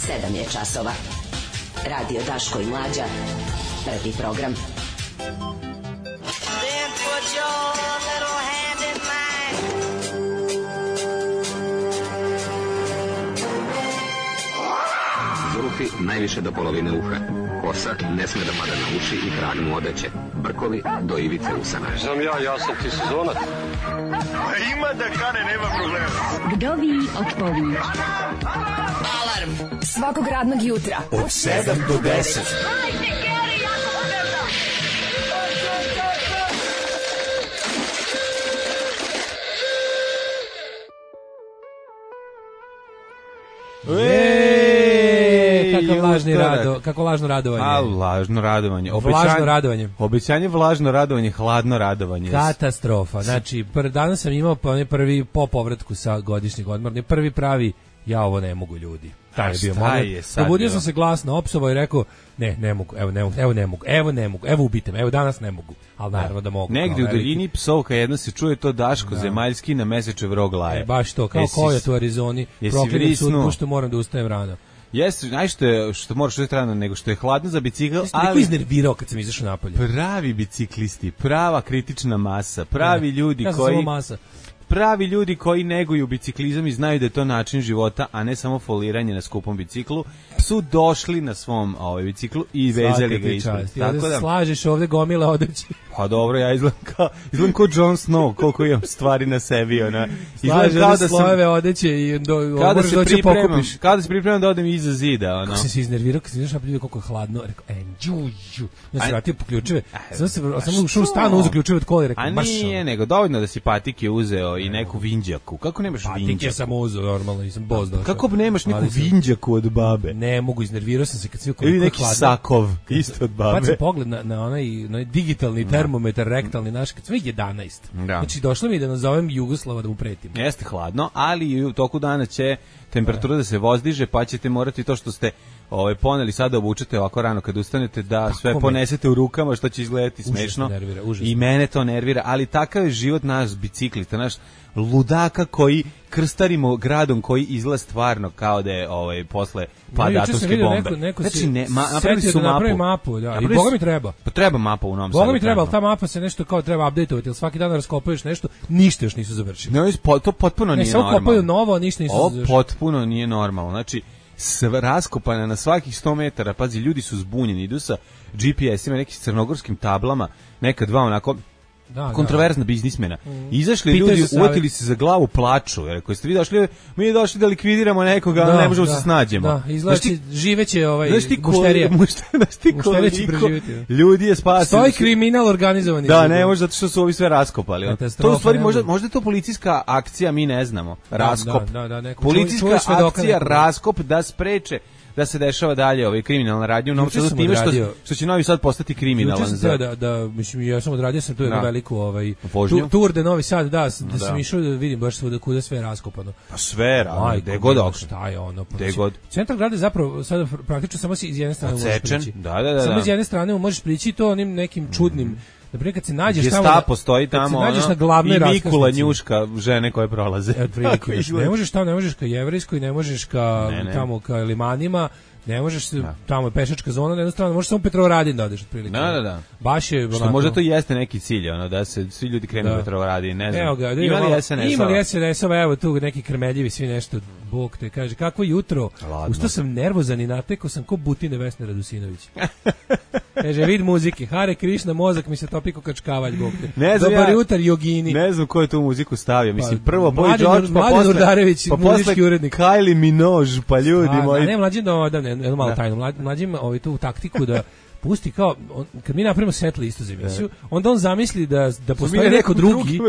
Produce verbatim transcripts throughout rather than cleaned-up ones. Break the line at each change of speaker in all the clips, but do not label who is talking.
sedam je časova. Radio Daško i Mlađa. Prvi program. Then put your little hand in mine.
Zulufi najviše do polovine uha. Kosa ne sme da mada na uši i krag mu odeće. Brkovi do ivice usana.
Znam ja, ja sam ti sezonac.
Ima da kane, nema problema.
Vdovi odpovi.
Alarm svakog radnog jutra
od sedam do deset.
Kako lažni rado, kako lažno radovanje.
A, lažno radovanje.
Obećanje, vlažno radovanje.
Obećanje, vlažno radovanje, hladno radovanje.
Katastrofa. Znači, pr, danas sam imao prvi po povratku sa godišnjeg odmora, prvi pravi, ja ovo ne mogu, ljudi. Taj je bio moment. Probudio sam se glasno, opsovao i rekao, ne, ne mogu, evo ne mogu, evo ne mogu, evo ne mogu, evo ubite me, evo danas ne mogu, ali naravno da mogu.
Negdje u daljini psovka jedna se čuje, to Daško da. Zemaljski na Mesečev rog laje.
E, baš to, kao jesi, kojot u Arizoni, proklinjem sud, pošto moram da ustajem rano.
Jeste, znaš što je, što moraš uvijek rano, nego što je hladno za bicikl,
ali... Neko iznervirao kad sam izašao napolje.
Pravi biciklisti, prava kritična masa, pravi ne, ljudi
ja
koji...
Samo masa.
Pravi ljudi koji neguju biciklizam i znaju da je to način života, a ne samo foliranje na skupom biciklu, su došli na svom ovaj biciklu i vezali ga ispred.
Tako da slažeš ovde gomile odeće.
Pa dobro, ja izgledam kao, izgledam kao Jon Snow, koliko imam stvari na sebi. Ona.
Slažeš kao da slojeve odeće i do,
kada se pripremam, kada se pripremam da odem iza zida. Ono.
Kako sam se iznervirao, kad sam izašao napolje, koliko je hladno, rekao, e, džu, džu. Ja sam vratio po ključeve, sam se sam ušao u stanu, uzeo ključeve od kola i rekao,
marš. A nije, nego dovoljno da si patike uzeo i neku vinđaku. Kako nemaš vinđaku?
Patike sam uzeo, normalno, nisam boz došao.
Kako nemaš neku vinđaku od babe?
Ne mogu, iznervirao sam se kad sve koliko
ili neki hladno. Sakov, isto od babe.
Pa sam pogled na, na onaj, na onaj digitalni termometar, rektalni naš, kad sve jedanaest. Da. Znači, došlo mi da nazovem Jugoslava da mu pretim.
Jeste hladno, ali u toku dana će temperatura da se vozdiže, pa ćete morati to što ste ovaj poneli sada obučete ovako rano kad ustanete da sve Tako ponesete me. U rukama, što će izgledati smešno.
Nervira,
I mene to nervira, ali takav je život nas biciklista, naš ludaka koji krstarimo gradom koji izgleda stvarno kao da je ovaj posle pada atomske bombe.
Neko, neko
znači ne, ma, napravili su
da napravi
mapu.
mapu da. I Boga mi treba.
Pa treba mapa u Novom Sadu.
Boga mi treba, ali ta mapa se nešto kao treba updateovati, al svaki dan raskopuješ nešto, ništa još nisu završili.
Ne, to potpuno
ne,
nije normalno.
Ne, samo kopaju novo, ništa nisu
završili. Ovo potpuno nije normalno. Znači sve raskopana na svakih sto metara, pazi, ljudi su zbunjeni, idu sa G P S-ima, nekim crnogorskim tablama, neka dva onako da, kontroverzna da. biznismena. Mm. Izašli Pite ljudi, uvatili se za glavu, plaču, jer ako ste vi došli, mi došli da likvidiramo nekoga, da, ne možemo da, se snađemo.
Da, izlači, živeće ovaj mušterija. Mušterija će preživjeti.
Ljudi je spasili.
Stoji kriminal organizovani.
Da, ne može, zato što su ovi sve raskopali. To u stvari, možda, možda je to policijska akcija, mi ne znamo. Raskop.
Da, da, da, neko,
policijska akcija, raskop da spreče da se dešava dalje ovaj kriminalna radnja u Novom Sadu, time što, što će Novi Sad postati kriminalan.
Za... Da, da, mislim, ja sam odradio sam tu jednu veliku ovaj, tu, tur de Novi Sad, da, da, da sam išao da vidim baš svuda kuda sve je raskopano.
Pa sve, rano, gde god okno.
Šta je ono? Pa,
god.
Centar grada je zapravo sada praktično samo iz jedne strane možeš prići.
Da, da, da.
Samo iz jedne strane možeš prići to onim nekim čudnim mm. Naprimjer, kad se nađeš tamo,
da, postoji tamo
kad se nađeš na
glavnoj raskrsnici. I Mikula njuška žene koje prolaze.
Ne možeš tamo, ne možeš ka Jevrejskoj, ne možeš ka ne, ne. tamo ka Limanima, ne možeš se, da. Tamo je pešačka zona, na jednu stranu, možeš samo Petrovaradin da odeš otprilike.
Da, da, da.
Baš je
što onako... možda to jeste neki cilj, ono, da se svi ljudi krenu da. Petrovaradin, ne znam.
Evo ga, da
imali S N S-ova.
Imali S N S-ova, evo tu neki krmeljivi, svi nešto, Bog te kaže, kakvo jutro, ustao sam nervozan i natekao sam ko Butine Vesne Radusinović. Kaže, vid muzike, Hare Krišna, mozak mi se topi ko kačkavalj, Bog te.
Ne znam,
dobar
ja,
jutar, jogini.
Ne znam ko je tu muziku stavio, mislim, prvo
pa, Boy George, pa posle, Urdarević,
pa posle Kylie Minogue, pa ljudi
a,
moji.
Ne, mlađim da, da, ne, malo tajno, mlađim ovaj, tu taktiku da pusti kao, on, kad mi napravimo set listu za emisiju, onda on zamisli da, da postoji neko drugi,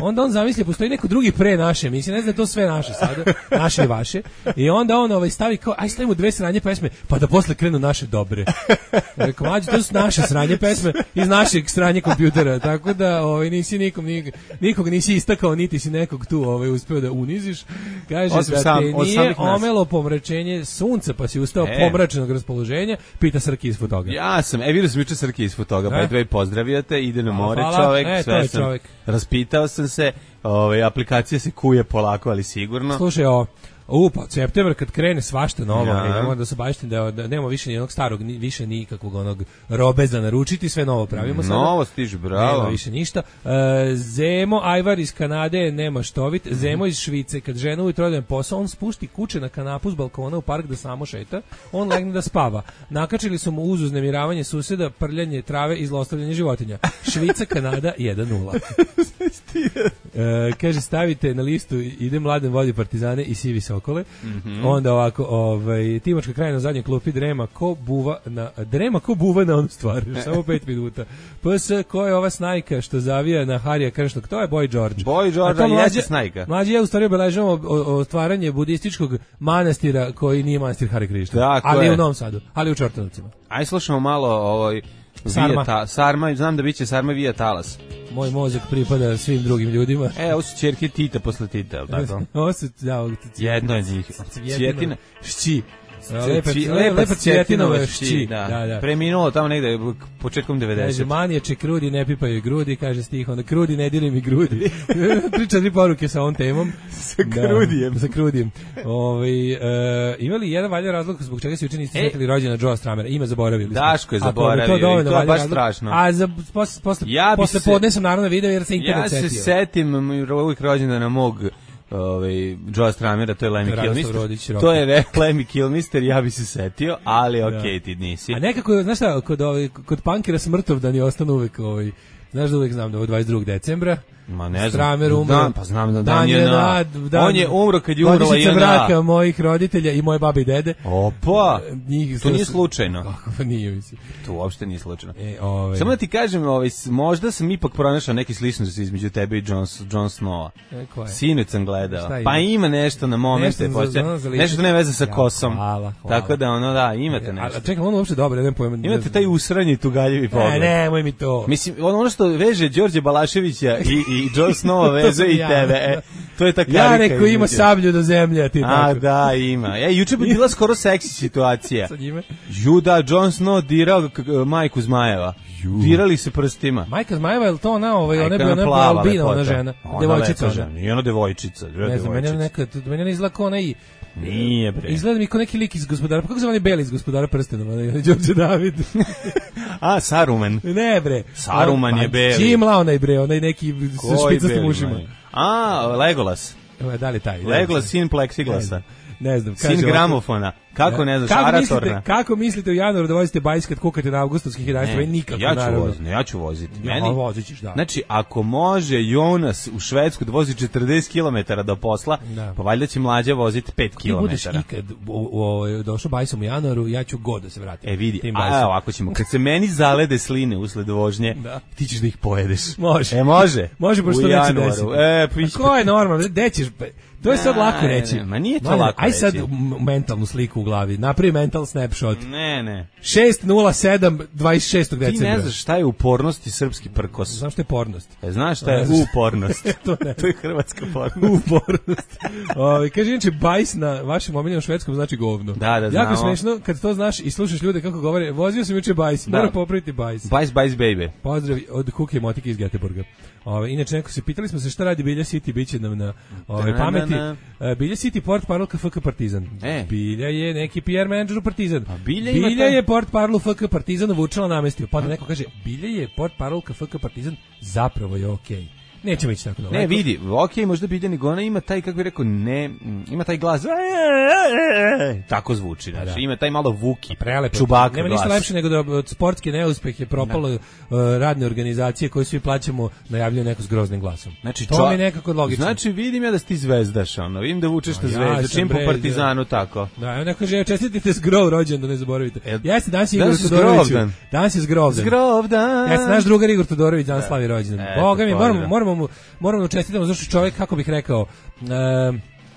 onda on zamisli da postoji neko drugi pre naše emisije, ne znam da to sve naše sada, naše i vaše, i onda on ovaj, stavi kao, aj stavimo dve sranje pesme, pa da posle krenu naše dobre. Rekao, mlađe, to su naše sranje pesme iz našeg sranje kompjutera, tako da ovaj, nisi nikom, nikog, nikog nisi istakao, niti si nekog tu ovaj, uspeo da uniziš. Kaže osim da sam, te nije omelo pomračenje sunca, pa si ustao e. pomračenog raspoloženja, pita Srki iz Fotoga.
Ja sam, e vidio sam juče Srki iz Fotoga, pa dve pozdravljate, ide na more čovek,
e,
sve sam, raspitao sam se, ove, aplikacija se kuje polako, ali sigurno.
Slušaj, o, U, pa septembar kad krene svašta novo,
ja.
idemo da se baštim da, da nema više ni onog starog, ni, više nikakvog onog robe za naručiti, sve novo pravimo sada.
Novo stiže, bravo.
Nema više ništa. E, Zemo, Ajvar iz Kanade, nema štovit. Zemo iz Švice, kad žena ujutro ode na posao, on spušti kuće na kanapu s balkona u park da samo šeta, on legne da spava. Nakačili su mu uz uznemiravanje suseda, prljanje trave i zlostavljanje životinja. Švica, Kanada, jedan nula. E, kaže, stavite na listu ide Mladen vodi Partizane i Sivi Sokole. Mm-hmm. Onda ovako, ovaj, Timočka krajina na zadnjoj klupi drema ko buva na, drema ko buva na onu stvar. Samo pet minuta. P S, ko je ova snajka što zavija na Harija Kršnog? To je Boy George.
Boy George, ali jeste snajka.
Mlađi ja u stvari obeležavamo otvaranje budističkog manastira koji nije manastir Hari Krišna. Ali je u Novom Sadu, ali u Čortanovcima.
Aj slušamo malo ovaj
Sarma.
Ta, Sarma, znam da biće Sarma Vija Talas.
Moj mozak pripada svim drugim ljudima.
E, ovo su ćerke Tita posle Tita, je li tako?
Ovo su, da,
jedno je njih. Cvjetina.
Šći.
Lepa, lepa Cvjetinova šći. Da. Da, da. Preminulo tamo negde početkom devedesetih.
Kaže, manijače krudi ne pipaju grudi, kaže stih, onda krudi ne diri mi grudi. Tri četiri poruke sa ovom temom.
Sa krudijem.
Da, sa krudijem. Ovaj, e, imali jedan valjan razlog zbog čega se juče niste sjetili rođena Joe Stramera. Ime zaboravili.
Daško je zaboravio. To, to je baš razlog. Strašno.
A za, posle, posle,
ja
posle se, podne sam naravno video jer se internet setio.
Ja se setim uvijek rođendana mog ovaj Joe Stramera, to je Lemmy Kilmister. To je Lemmy Kilmister, ja bi se setio, ali okej, okay, ti nisi.
A nekako, znaš šta, kod ovaj kod punkera Smrtovdan je ostanu uvek ovaj, znaš da uvek znam da je dvadeset drugog decembra.
Ma ne znam.
Stramer umro.
Dan, pa znam da dan, dan je na.
Dan,
on je umro kad je umrla
i braka mojih roditelja i moje babe i dede.
Opa. Njih, to nije slučajno.
Kako pa nije mislim.
To uopšte nije slučajno.
E, ovaj.
Samo da ti kažem, ovaj možda sam ipak pronašao neki sličnosti između tebe i Jon Jon Snowa.
E, ko je?
Sinoć sam gledao. Pa ima nešto na momente, nešto, nešto što ne veze sa kosom.
Hvala, hvala.
Tako da ono da, imate nešto.
A čekaj, ono uopšte dobro, ne pojma.
Imate taj usranji tugaljivi pogled.
Ne, nemoj mi to.
Mislim, ono što veže Đorđe Balaševića i i Jon Snow veze i tebe. E, to je ta karika.
Ja neko ima sablju do zemlje, a ti tako.
A da, ima. E, juče bi bila skoro seksi situacija.
Sa njime?
Juda, Jon Snow dirao majku Zmajeva. Dirali se prstima.
Majka Zmajeva, je li to ona, ovaj, ona je bila ona albina, ona žena? Devojčica.
Nije ona devojčica.
Ne znam, meni je neka, meni je izgleda kao ona i...
Nije bre.
Izgleda mi kao neki lik iz Gospodara, pa kako se zvani Beli iz Gospodara prstenova, onaj Đorđe David.
A, Saruman.
Ne bre.
Saruman je Beli.
Čimla onaj bre, onaj neki sa špicastim ušima.
A, Legolas.
Da li taj?
Legolas, sin Plexiglasa.
Ne znam.
Sin gramofona. Kako ne znaš,
kako
Aratorna.
Mislite, kako mislite u januaru da vozite bajs kad kukate na avgustovskih jedanaest? Ne, nikako,
ja ću
naravno.
voziti, ne, ja ću voziti.
Ja,
Meni,
vozit ćeš, da.
Znači, ako može Jonas u Švedsku da vozi četrdeset kilometara do posla, da. Pa valjda će mlađa voziti pet kilometara.
Ako budeš ikad u, u, došao bajsom u januaru, ja ću god da se vratim.
E vidi, a ovako ćemo, kad se meni zalede sline usled vožnje, da. Ti ćeš da ih pojedeš.
Može.
E, može.
Može, pošto neće desiti.
E, piš...
Ko je normalno, gde ćeš... To je sad lako reći.
Ne, ma nije to lako
aj
reći.
Aj sad mentalnu sliku u glavi. Napravi mental snapshot.
Ne, ne.
šest nula sedam dvadeset šestog decembra.
Ti ne znaš šta je upornost i srpski prkos.
Znaš šta je pornost?
E, znaš šta je upornost.
to, ne.
To je hrvatska pornost.
Upornost. Ovi, kaže, inače, bajs na vašem omiljenom švedskom znači govno.
Da, da, znamo.
Jako smešno kad to znaš i slušaš ljude kako govore. Vozio sam juče bajs, mora popraviti bajs.
Bajs, bajs, baby.
Pozdrav od Kuke i Motike iz Göteborga. Ove, inače, neko se pitali smo se šta radi Bilja City, biće nam na ove, pameti. Bilja City, port parol F K Partizan.
E.
Bilja je neki P R menadžer u Partizan.
A Bilja,
Bilja je port parol F K Partizan Vučela namestio. Pa da neko kaže, Bilja je port parol F K Partizan, zapravo je okej. Okay. Nećemo ići tako daleko.
Ne, vidi, okej, okay, možda Bilja nego ona ima taj, kako bih rekao, ne, ima taj glas, tako zvuči, znači, da. Ima taj malo Vuki,
prelepo,
Čubaka
nema
glas.
Ništa lepše nego da od sportske neuspehe propalo uh, radne organizacije koje svi plaćamo najavljuju neko s groznim glasom.
Znači,
to čo... mi je nekako logično.
Znači, vidim ja da si ti zvezdaš, ono, vidim da vučeš na zvezdu, ja čim po Partizanu, tako.
Da, evo neko kaže, čestitite Zgrov rođendan, ne zaboravite.
E,
Jeste, danas je Igor Todorović. Danas je Zgrovdan.
Zgrovdan.
Jeste, naš drugar Igor Todorović danas slavi rođendan. Boga mi, moramo, moramo mu, moramo čestitamo, zašto čovjek, kako bih rekao, uh,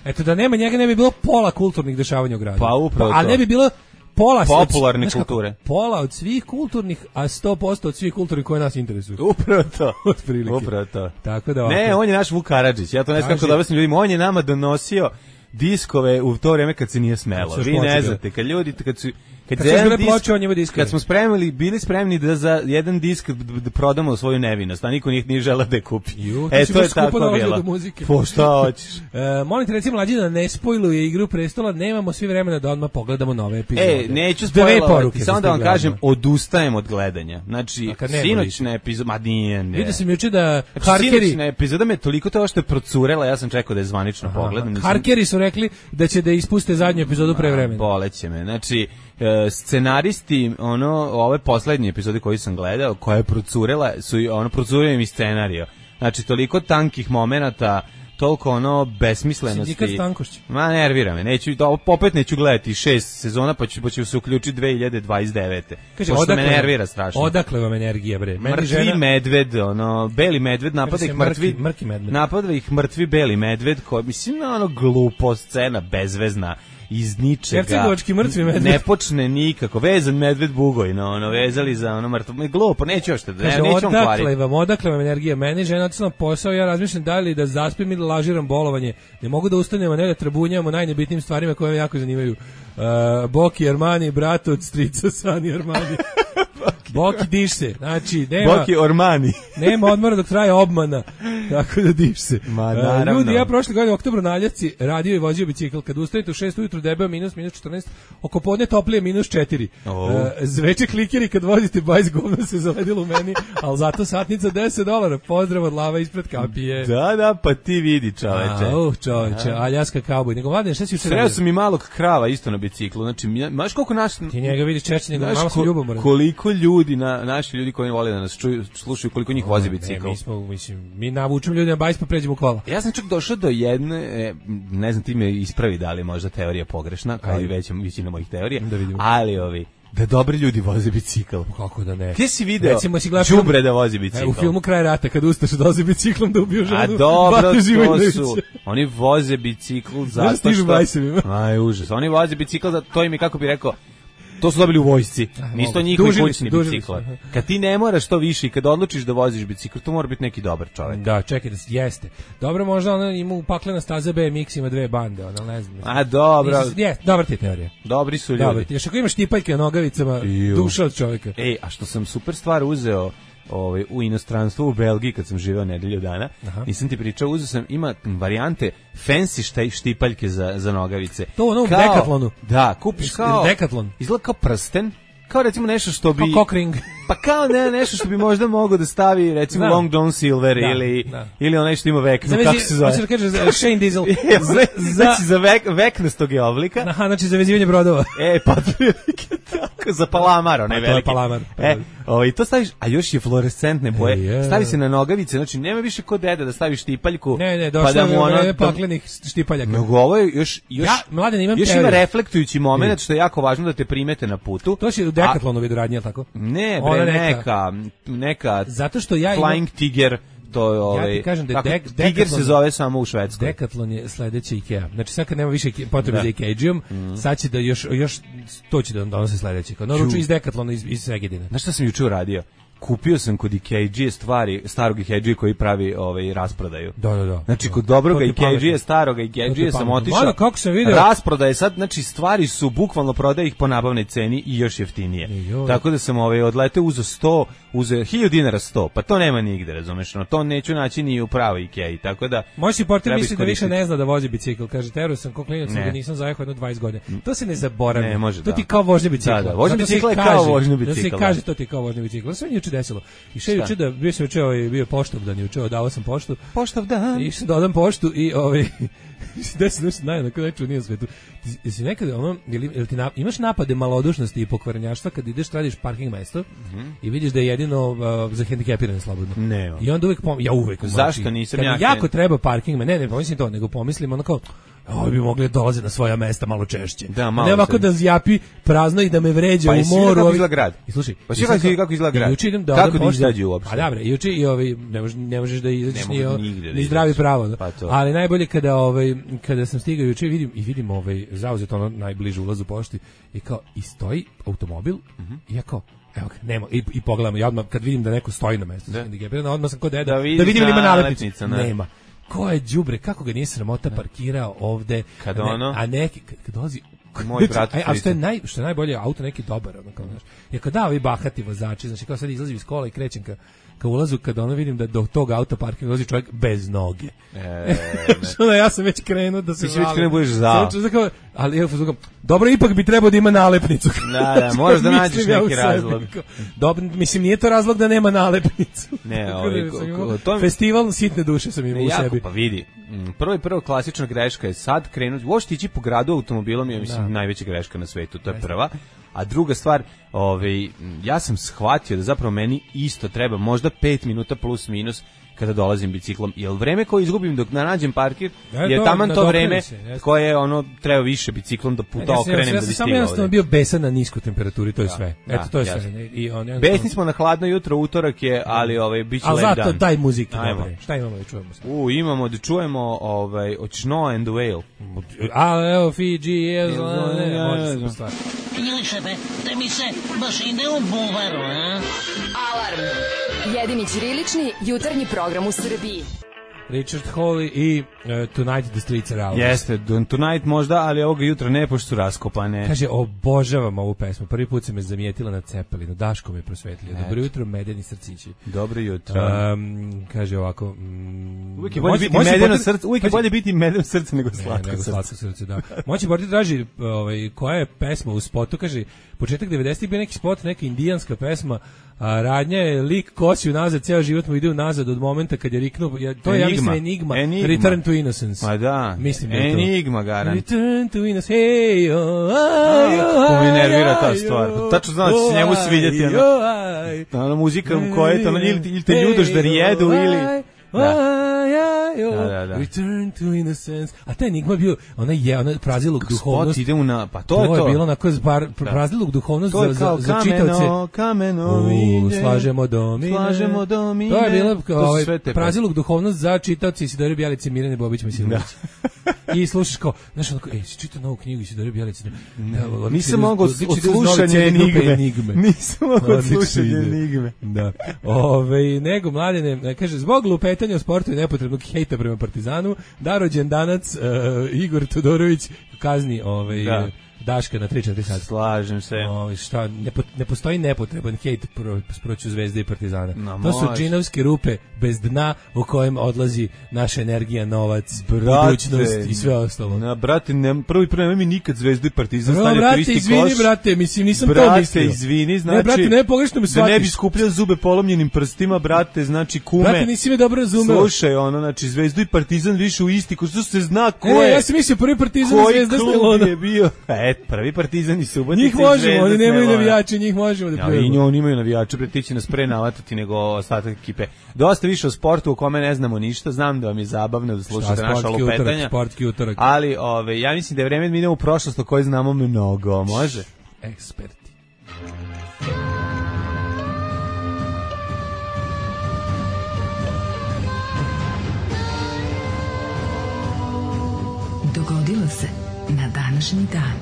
eto da nema njega ne bi bilo pola kulturnih dešavanja u gradu.
Pa upravo to.
A ne bi bilo pola
popularne kulture.
Kako, pola od svih kulturnih, a sto posto od svih kulturnih koje nas interesuju.
Upravo to.
Otprilike.
Upravo to.
Tako da ovako.
Ne, on je naš Vuk Karadžić. Ja to ne znam kako da objasnim ljudima. On je nama donosio diskove u to vrijeme kad se nije smelo. Vi ne znate, kad ljudi, kad su Kad,
kad,
jedan disk,
ploče, on njima diskovi.
Kad smo spremili, bili spremni da za jedan disk da prodamo svoju nevinost, a niko njih nije želeo da je kupi.
Ju,
e, to je tako bilo. Po šta hoćeš?
E, molim te, recimo, mlađi da ne spojluje Igru prestola, nemamo svi vremena da odmah pogledamo nove epizode.
E, neću spojlovati, samo da vam kažem, odustajem od gledanja. Znači, sinoćna epizoda, ma nije, ne.
Vidio sam juče da
znači, Harkeri... Sinoćna epizoda me toliko to što je procurela, ja sam čekao da je zvanično pogledam. Nisam...
Harkeri su rekli da će da ispuste zadnju epizodu pre vremena.
Boleće me, znači... E, scenaristi ono ove poslednje epizode koje sam gledao koja je procurela su ono procurio mi scenarijo, znači toliko tankih momenata, toliko ono besmislenosti.
Sindikat Stankošć.
Ma nervira me, neću, opet neću gledati šest sezona, pa ću, pa ću se uključiti dve hiljade dvadeset devete.
Kaže,
odakle, me nervira strašno.
Odakle vam energija, bre?
Meni mrtvi žena... medved, ono, beli medved, napada ih mrtvi,
mrki, mrki medved.
Napada ih mrtvi beli medved, koji, mislim, ono, glupo scena, bezvezna, iz ničega.
Hercegovački mrtvi medved.
Ne počne nikako. Vezan medved Bugojno, ono, vezali za ono mrtvo. Glupo, neću još te, ne, neću vam kvariti.
Odakle vam, odakle vam energija? Meni žena otišla na posao, ja razmišljam da li da zaspim ili lažiram bolovanje. Ne mogu da ustanem, a ne da trabunjamo najnebitnijim stvarima koje me jako zanimaju. Uh, Boki Armani, brat od strica Sani Armani. Boki diš se, znači nema
Boki Ormani.
Nema odmora dok traje obmana. Tako da diš se.
Ma, naravno.
Ljudi, ja prošle godine u oktobru na Ljevci radio i vozio bicikl. Kad ustanete u šest ujutru debeo minus, minus četrnaest, oko podne toplije minus četiri.
Oh.
Uh, zveče klikeri kad vozite bajs govno se zaledilo u meni, ali zato satnica deset dolara. Pozdrav od lava ispred kapije.
Da, da, pa ti vidi, čoveče.
A, uh, čoveče, Aljaska kauboj. Nego mladen, šta si juče?
Sreo sam i malog krava isto na biciklu. Znači, znaš koliko naš...
Ti njega vidiš češće nego malo sam ljubomoran.
Koliko ljudi, na, naši ljudi koji vole da nas čuju, slušaju, koliko njih vozi bicikl.
Ne, mi smo, mislim, mi navučemo ljudi na bajs pa pređemo kola.
Ja sam čak došao do jedne, ne znam, ti me ispravi da li možda teorija pogrešna, kao i veća većina mojih teorija,
da vidimo.
Ali ovi, da dobri ljudi voze bicikl.
Kako da ne?
Ti si video
si
đubre da vozi bicikl.
U filmu Kraj rata, kad ustaš da vozi biciklom da ubiju ženu.
A dobro, to su, oni voze bicikl zato što... Aj, užas. Oni voze bicikl, zato, to im je, kako bi rekao, to su dobili u vojsci. Nisu to njihovi kućni bicikl. Kad ti ne moraš to više i kad odlučiš da voziš bicikl, to mora biti neki dobar čovjek.
Da, čekaj, da jeste. Dobro, možda ona ima upaklena staza B M X, ima dve bande, ona ne znam.
A dobro.
Jeste, dobar ti teorija.
Dobri su ljudi.
Dobar ti. Još ako imaš tipaljke na nogavicama, duša od čovjeka.
Ej, a što sam super stvar uzeo ovaj u inostranstvu, u Belgiji, kad sam živeo nedelju dana. Aha. Nisam ti pričao, uzeo sam, ima varijante fancy štaj, štipaljke za, za nogavice.
To ono u Decathlonu.
Da, kupiš kao
Decathlon.
Izgleda kao prsten, kao recimo nešto što bi...
Kao cockring.
Pa kao ne, nešto što bi možda mogao da stavi, recimo, da. Long John Silver da, ili, da. ili ono što ima vekno,
zavezi,
kako se zove?
Znači da kažeš Shane Diesel.
za, znači za vek, veknostog je oblika.
Aha, znači za vezivanje brodova.
E, pa tako, za palamar, onaj veliki.
To je palamar.
E, o, i to staviš, a još je fluorescentne boje. E, yeah. Stavi se na nogavice, znači nema više kod deda da staviš štipaljku.
Ne, ne, došlo pa da mu ono, je paklenih štipaljaka.
Nego ovo je još, još,
ja, mladen, imam
još ima reflektujući moment, što je jako važno da te primete na putu.
To će u Decathlonu radnje, tako?
Ne, bre, neka, neka,
zato što ja imam...
Flying Tiger, to je ovaj...
Ja ti kažem da je Dek,
Tiger Decathlon, se zove samo u Švedskoj.
Decathlon je sledeća IKEA. Znači sad kad nema više potrebe za IKEA-đijom, mm. sad će da još, još to će da donosi sledeće. Kao naruču iz Decathlona, iz, iz Segedina.
Znaš šta sam juče uradio? Kupio sam kod IKEA stvari, starog IKEA koji pravi ovaj rasprodaju.
Da, da, da.
Znači kod dobrog IKEA, starog IKEA sam otišao.
Malo kako sam video.
Rasprodaje sad, znači stvari su bukvalno prodaje ih po nabavnoj ceni i još jeftinije. Tako da sam ovaj odleteo uzeo sto, uzeo hiljadu dinara sto. Pa to nema nigde, razumeš? No to neću naći ni u pravoj IKEA. Tako da
moj supporter misli da više ne zna da vozi bicikl. Kaže tero sam kao klinac da nisam zajehao jedno dvadeset godina. To se ne zaboravi.
Ne, može,
to
da.
ti kao vožnja bicikla.
Da, da. Vožnja bicikla je kao vožnja bicikla.
Da se kaže to ti kao vožnja bicikla. Sve juče desilo. I še juče da bio sam juče ovaj bio Poštovdan juče, dao sam poštu.
Poštovdan.
I sam dodam poštu i ovaj desi nešto najna kako neću nije svetu. Jesi nekada ono ili ti na, imaš napade malodušnosti i pokvarenjaštva kad ideš tražiš parking mesto mm -hmm. i vidiš da je jedino uh, za hendikepirane slobodno.
Ne.
I onda uvek pom, ja uvek
zašto znači, nisam ja
jako treba parking, ne ne pomislim to, nego pomislim ono kao ovo bi mogli dolaze na svoja mesta malo češće.
Da, malo
ne ovako da zjapi prazno i da me vređa
pa
u moru.
Kako izgleda grad?
I slušaj,
pa kako, kako, kako izgleda grad?
Juče idem da
kako da izađu uopšte?
A dobro, juče i ovaj ne možeš ne možeš da izađeš ni, ni zdravi pravo. Pa ali najbolje kada ovaj kada sam stigao juče vidim i vidim ovaj zauzeto ono najbliže ulazu pošti i kao i stoji automobil mm-hmm. i ja kao evo ga, nema, i, i pogledam, ja odmah kad vidim da neko stoji na mestu, da. odmah sam kod deda, da, da vidim ili ima nalepnicu, ne. Nema. Ko je đubre, kako ga nije sramota parkirao ovde,
kad
a,
ne, ono?
a neki, kad, kad dolazi
Moj brat.
Aj, a što je naj što je najbolje, auto neki dobar, ono kao, znaš. Je kad da ovi bahati vozači, znači kao sad izlazim iz kola i krećem ka ka ulazu, kada ono vidim da do tog auto parkinga ulazi čovjek bez noge.
E,
što da ja sam već krenuo da se
ti već krenuo budeš zao.
Ali evo, dobro, ipak bi trebao da ima nalepnicu.
Da, da, moraš da nađeš neki ja razlog.
Dobro, mislim, nije to razlog da nema nalepnicu.
Ne, ovaj,
to festival sitne duše sam imao u sebi.
Pa vidi, prvo i prvo klasična greška je sad krenuti, uopšte ići po gradu automobilom je, mislim, da. najveća greška na svetu, to je prva. A druga stvar, ovaj, ja sam shvatio da zapravo meni isto treba možda pet minuta plus minus kada dolazim biciklom, jer vreme koje izgubim dok nađem parkir je, je taman to vreme se, koje ono treba više biciklom da puta ja, okrenem ja, ja, da bi stigao. Ja sam samo bio
besan na niskoj temperaturi, to je da, sve. Eto, da, to je jasno. Sve. I on,
besni smo na hladno jutro, utorak je, ali ovaj, bit će lep dan.
Ali zato daj muzike, dobre. Šta imamo da čujemo?
U, imamo da čujemo ovaj, od Snow and the Whale.
A, evo, Fiji, je, može se stvar.
Ili sebe, da mi se baš ide u buvaru, a?
Alarm! Jedini ćirilični jutarnji program u Srbiji.
Richard Hawley i uh, Tonight the Streets Are Ours.
Jeste, Tonight možda, ali ovoga jutra ne, pošto su raskopane.
Kaže, obožavam ovu pesmu. Prvi put se me zamijetila na Cepelinu. Daško me prosvetlio. Dobro jutro, medeni srcići.
Dobro jutro.
Um, kaže ovako... Um,
uvijek je bolje biti medeno srce, uvijek je bolje biti medeno srce nego slatko
nego
srce.
Slatko srce, da. Moći Borti traži ovaj, koja je pesma u spotu. Kaže, početak devedesetih bio neki spot, neka indijanska pesma, a radnja je lik kosi unazad, ceo život mu ide unazad od momenta kad je riknuo, ja, to je, ja mislim, Enigma, Enigma. Return to Innocence.
Pa da,
mislim da
Enigma, garant.
Return to Innocence, hey, oh,
aj, kako mi nervira ta stvar. Tačno znam da će se njemu svidjeti, ono, ono muzika koja je to, ono, ili te ljudoš da rijedu, ili...
Da. Da, da, da. Return to Innocence. A taj Enigma je bio, ona je, ona prazilog duhovnost.
Ide na, pa to,
to
je to.
To je bilo onako prazilog duhovnost za, za, za čitavce.
Kameno,
U, slažemo domine.
Slažemo domine.
To je bilo ovaj, prazilog duhovnost za čitavce Isidore Bjelice, Mirjane Bobić Misinović. I slušaš kao, znaš, onako, ej, si čitao novu knjigu Isidore Bjelice.
Nisam mogao od slušanja Enigme. Nisam mogao od slušanja Enigme.
Da. Ove, nego, Mladene, kaže, zbog lupetanja o sportu i nepotrebnog hejta prema Partizanu, da rođendanac uh, Igor Todorović kazni ovaj, da. Daška na tri četiri sata.
Slažem se.
Ovaj, šta, ne, po, ne postoji nepotreban hejt pro, proću Zvezde i Partizana. No, to su
može.
džinovske rupe bez dna u kojem odlazi naša energija, novac, brate, budućnost i sve ostalo.
Na, brate, ne, prvi prvi nemoj mi nikad Zvezdu i Partizan
stavljati
no, brate, u isti
izvini,
koš.
Brate, mislim, nisam
brate,
to mislio.
Brate, izvini, znači...
Ne, brate, ne, pogrešno me shvatiš.
Da ne bi skupljao zube polomljenim prstima, brate, znači kume.
Brate, nisi me dobro razumeo.
Slušaj, ono, znači Zvezdu i Partizan više u isti koš, što se zna ko
e,
je.
Ja sam mislio prvi Partizan i Zvezda
Koji je bio? E, prvi Partizan i Subotica.
Njih možemo, oni nemaju navijače, njih možemo da pljujemo.
Ja, i oni imaju navijače, bre, ti će nas pre navatati nego ostatak ekipe. Dosta više o sportu o kome ne znamo ništa, znam da vam je zabavno da slušate naša lupetanja.
Sportski utorak.
Ali, ove, ja mislim da je vreme da mi idemo u prošlost o kojoj znamo mnogo, može?
Eksperti.
Dogodilo se na današnji dan.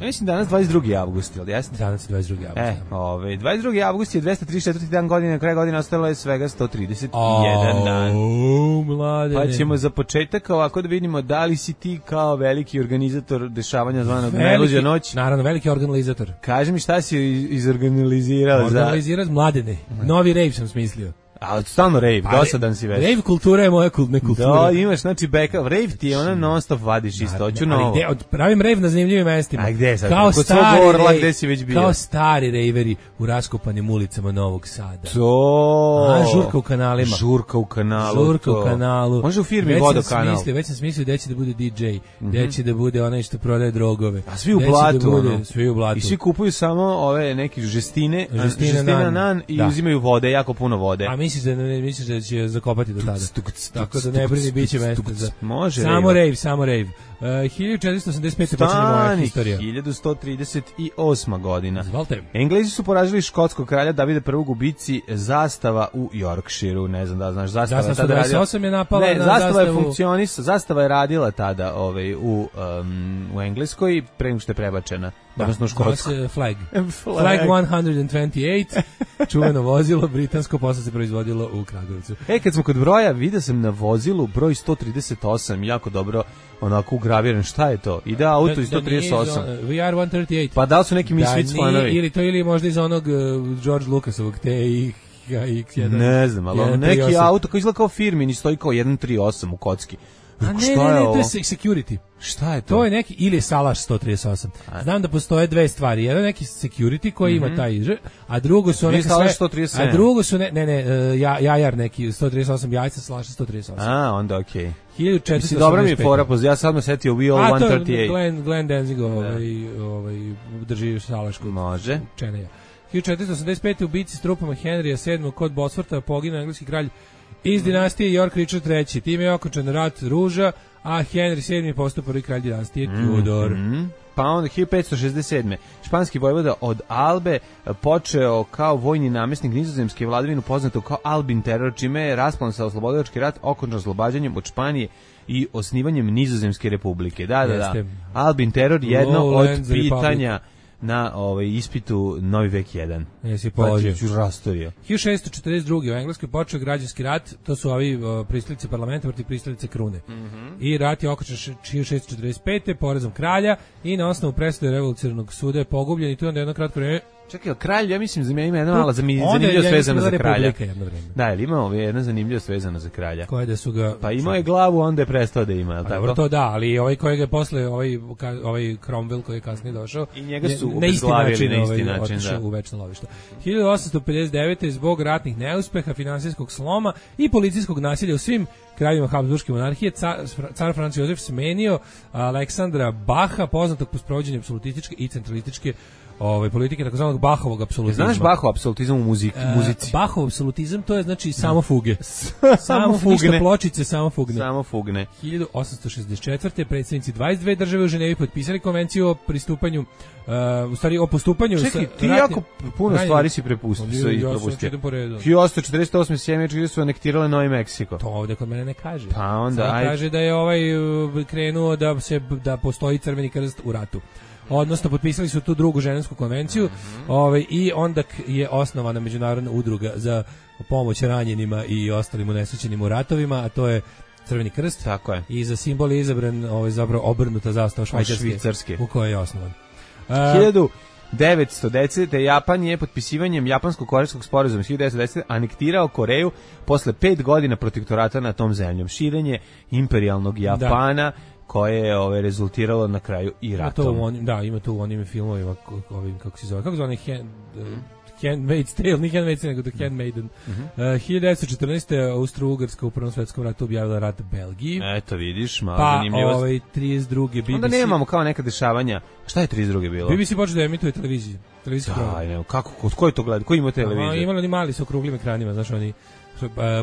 Ja mislim danas dvadeset drugi avgust, ili jesno?
Danas je dvadeset drugi avgust.
E, ove, dvadeset drugi avgust je dvesta trideset četvrti dan godine, na kraju godine ostalo je svega sto trideset jedan dan.
O, mladene.
Pa ćemo za početak ovako da vidimo da li si ti kao veliki organizator dešavanja zvanog Najluđa noć.
Naravno, veliki organizator.
Kaži mi šta si izorganizirao za...
Organizirao mladene. Novi rave sam smislio.
A stalno rave, dosadan si već.
Rave kultura je moja kult, ne kultura.
Da, imaš, znači, backup. Rave ti je ono non stop vadiš isto, hoću novo.
Gde, od, pravim rave na zanimljivim mestima.
A gde sad?
Kao
kod
stari
svog orla,
rave,
gde si već bio?
Kao stari rejveri u raskopanim ulicama Novog Sada.
To.
A, žurka u kanalima.
Žurka u kanalu.
Žurka
to.
u kanalu.
Može u firmi
već
Vodokanal.
Smislio, već sam smislio gde će da bude di džej, mm-hmm. gde će da bude onaj što prodaje drogove.
A svi u blatu. Da bude,
ono. Svi u blatu.
I svi kupuju samo ove neki žestine,
žestina,
žestina nan,
nan
i
da.
Uzimaju vode, jako puno vode.
A misliš da ne misliš da će zakopati do tada. Tako da ne brini, biće mesta za...
Može
samo rave, samo rave. Uh, hiljadu četiristo osamdeset pete počinje moja historija.
hiljadu sto trideset osma godina.
Zvalte.
Englezi su poražili škotskog kralja Davida prvog u bici Zastava u Yorkshireu. Ne znam da znaš, Zastava,
zastava
tada radila.
osam je napala
ne,
na
Zastava
zastavu.
je funkcionis, Zastava je radila tada ovaj, u, um, u Engleskoj, pre nego što je prebačena.
Da,
odnosno u Škotsku.
Flag. Flag. Flag one hundred twenty-eight, čuveno vozilo, britansko, posle se proizvodilo izvodilo u Kragujevcu.
E, kad smo kod broja, vidio sam na vozilu broj sto trideset osam, jako dobro onako ugraviran. Šta je to? Ide auto da, i sto trideset osam.
Da We are sto trideset osam.
Pa da li su neki Misfits fanovi?
Ili to ili možda iz onog uh, George Lucasovog T X jedan.
Ne znam, ali neki auto koji izgleda kao firmin i stoji kao sto trideset osam u kocki.
A ne, ne, ne, to je security.
Šta je to?
To je neki, ili Salaš sto trideset osam. Znam da postoje dve stvari. Jedan neki security koji mm-hmm. ima taj ž, a drugo su neke sve...
sto trideset sedam.
A drugo su, ne, ne, ne, ja, jajar neki, sto trideset osam jajca, Salaš sto trideset osam.
A, onda okej. Okay.
hiljadu četiristo osamdeset pet.
Dobro mi je fora, ja sad me setio We All
sto
trideset osam.
A to Glenn, Glenn Danzig ovaj, ovaj, drži Salašku.
Može.
Čeneja. hiljadu četiristo osamdeset pet. u bici s trupama Henrija sedmog kod Bosforta poginuo engleski kralj iz dinastije York Richard treći. Time je okončan rat ruža, a Henry sedmi postao prvi kralj dinastije Tudor.
Mm-hmm. Pa onda hiljadu petsto šezdeset sedme. španski vojvoda od Albe počeo kao vojni namjesnik nizozemske vladavinu poznato kao Albin teror, čime je rasplan sa oslobodilački rat okončan oslobađanjem od Španije i osnivanjem Nizozemske republike. Da, da, da. Albin teror jedno od pitanja na ovaj ispitu Novi vek jedan.
Jesi položio.
Pa, rastorio.
hiljadu šessto četrdeset druge. u Engleskoj počeo građanski rat, to su ovi uh, pristalice parlamenta protiv pristalice krune. Mm-hmm. I rat je okončan hiljadu šessto četrdeset pete. porezom kralja i na osnovu presude revolucionarnog suda je pogubljen i tu onda jedno kratko vreme.
Čekaj, kralj, ja mislim da ima jedna mala zanimljivost vezana za kralja. Da, ili ima jedna zanimljivost vezana za kralja.
Koje da su ga...
Pa imao je glavu, onda je prestao da ima, je li tako?
Dobro, to da, ali ovaj kojeg je posle, ovaj, ovaj Cromwell koji je kasnije došao,
i njega su obezglavili na isti način,
otišao u večno lovište. hiljadu osamsto pedeset devete. zbog ratnih neuspeha, finansijskog sloma i policijskog nasilja u svim kraljevima Habsburške monarhije, car, car Franc Jozef smenio Aleksandra Baha, poznatog po sprovođenju apsolutističke i centralističke ovaj politike takozvanog Bahovog apsolutizma.
Znaš Bahov apsolutizam u muzici, muzici?
E, Bahov apsolutizam to je znači samo fuge. samo fugne pločice, samo fugne.
Samo fugne.
hiljadu osamsto šezdeset četvrte. predsjednici dvadeset dve države u Ženevi potpisali konvenciju o pristupanju uh, u stvari o postupanju.
Čekaj, ti ratnim, jako puno ratnim, stvari si prepustio i propustio. hiljadu osamsto četrdeset osme. Sjemeničke su anektirale Novi Meksiko.
To ovde kod mene ne kaže.
Pa onda aj...
kaže da je ovaj krenuo da se da postoji Crveni krst u ratu. Odnosno potpisali su tu drugu ženevsku konvenciju, mm-hmm. ovaj, i onda je osnovana međunarodna udruga za pomoć ranjenima i ostalim unesrećenim u ratovima, a to je Crveni krst.
Tako je.
I za simbol je izabran ovaj, zapravo obrnuta zastava Švajcarske, Švicarske, u kojoj je osnovan.
hiljadu devetsto desete. Japan je potpisivanjem japansko-korejskog sporazuma hiljadu devetsto desete. anektirao Koreju posle pet godina protektorata na tom zemljom. Širenje imperijalnog Japana, da, koje je ove rezultiralo na kraju i ratom.
To onim, da, ima to u onim filmovima, ovim, kako se zove, kako zove, hand, uh, Handmaid's Tale, nije Handmaid's Tale, nego The Handmaiden. Mm-hmm. Uh, hiljadu devetsto četrnaeste. Austro-Ugarska u Prvom svetskom ratu objavila rat Belgiji.
Eto, vidiš, malo
pa,
zanimljivost.
Pa, ovaj, trideset druge. B B C...
Onda nemamo kao neka dešavanja. Šta je trideset druge bilo?
B B C počeo da emituje televiziju. Televiziju.
Da, ne, kako, kod koji to gleda? Ko ima televiziju?
A, imali oni mali sa okruglim ekranima, znaš, oni...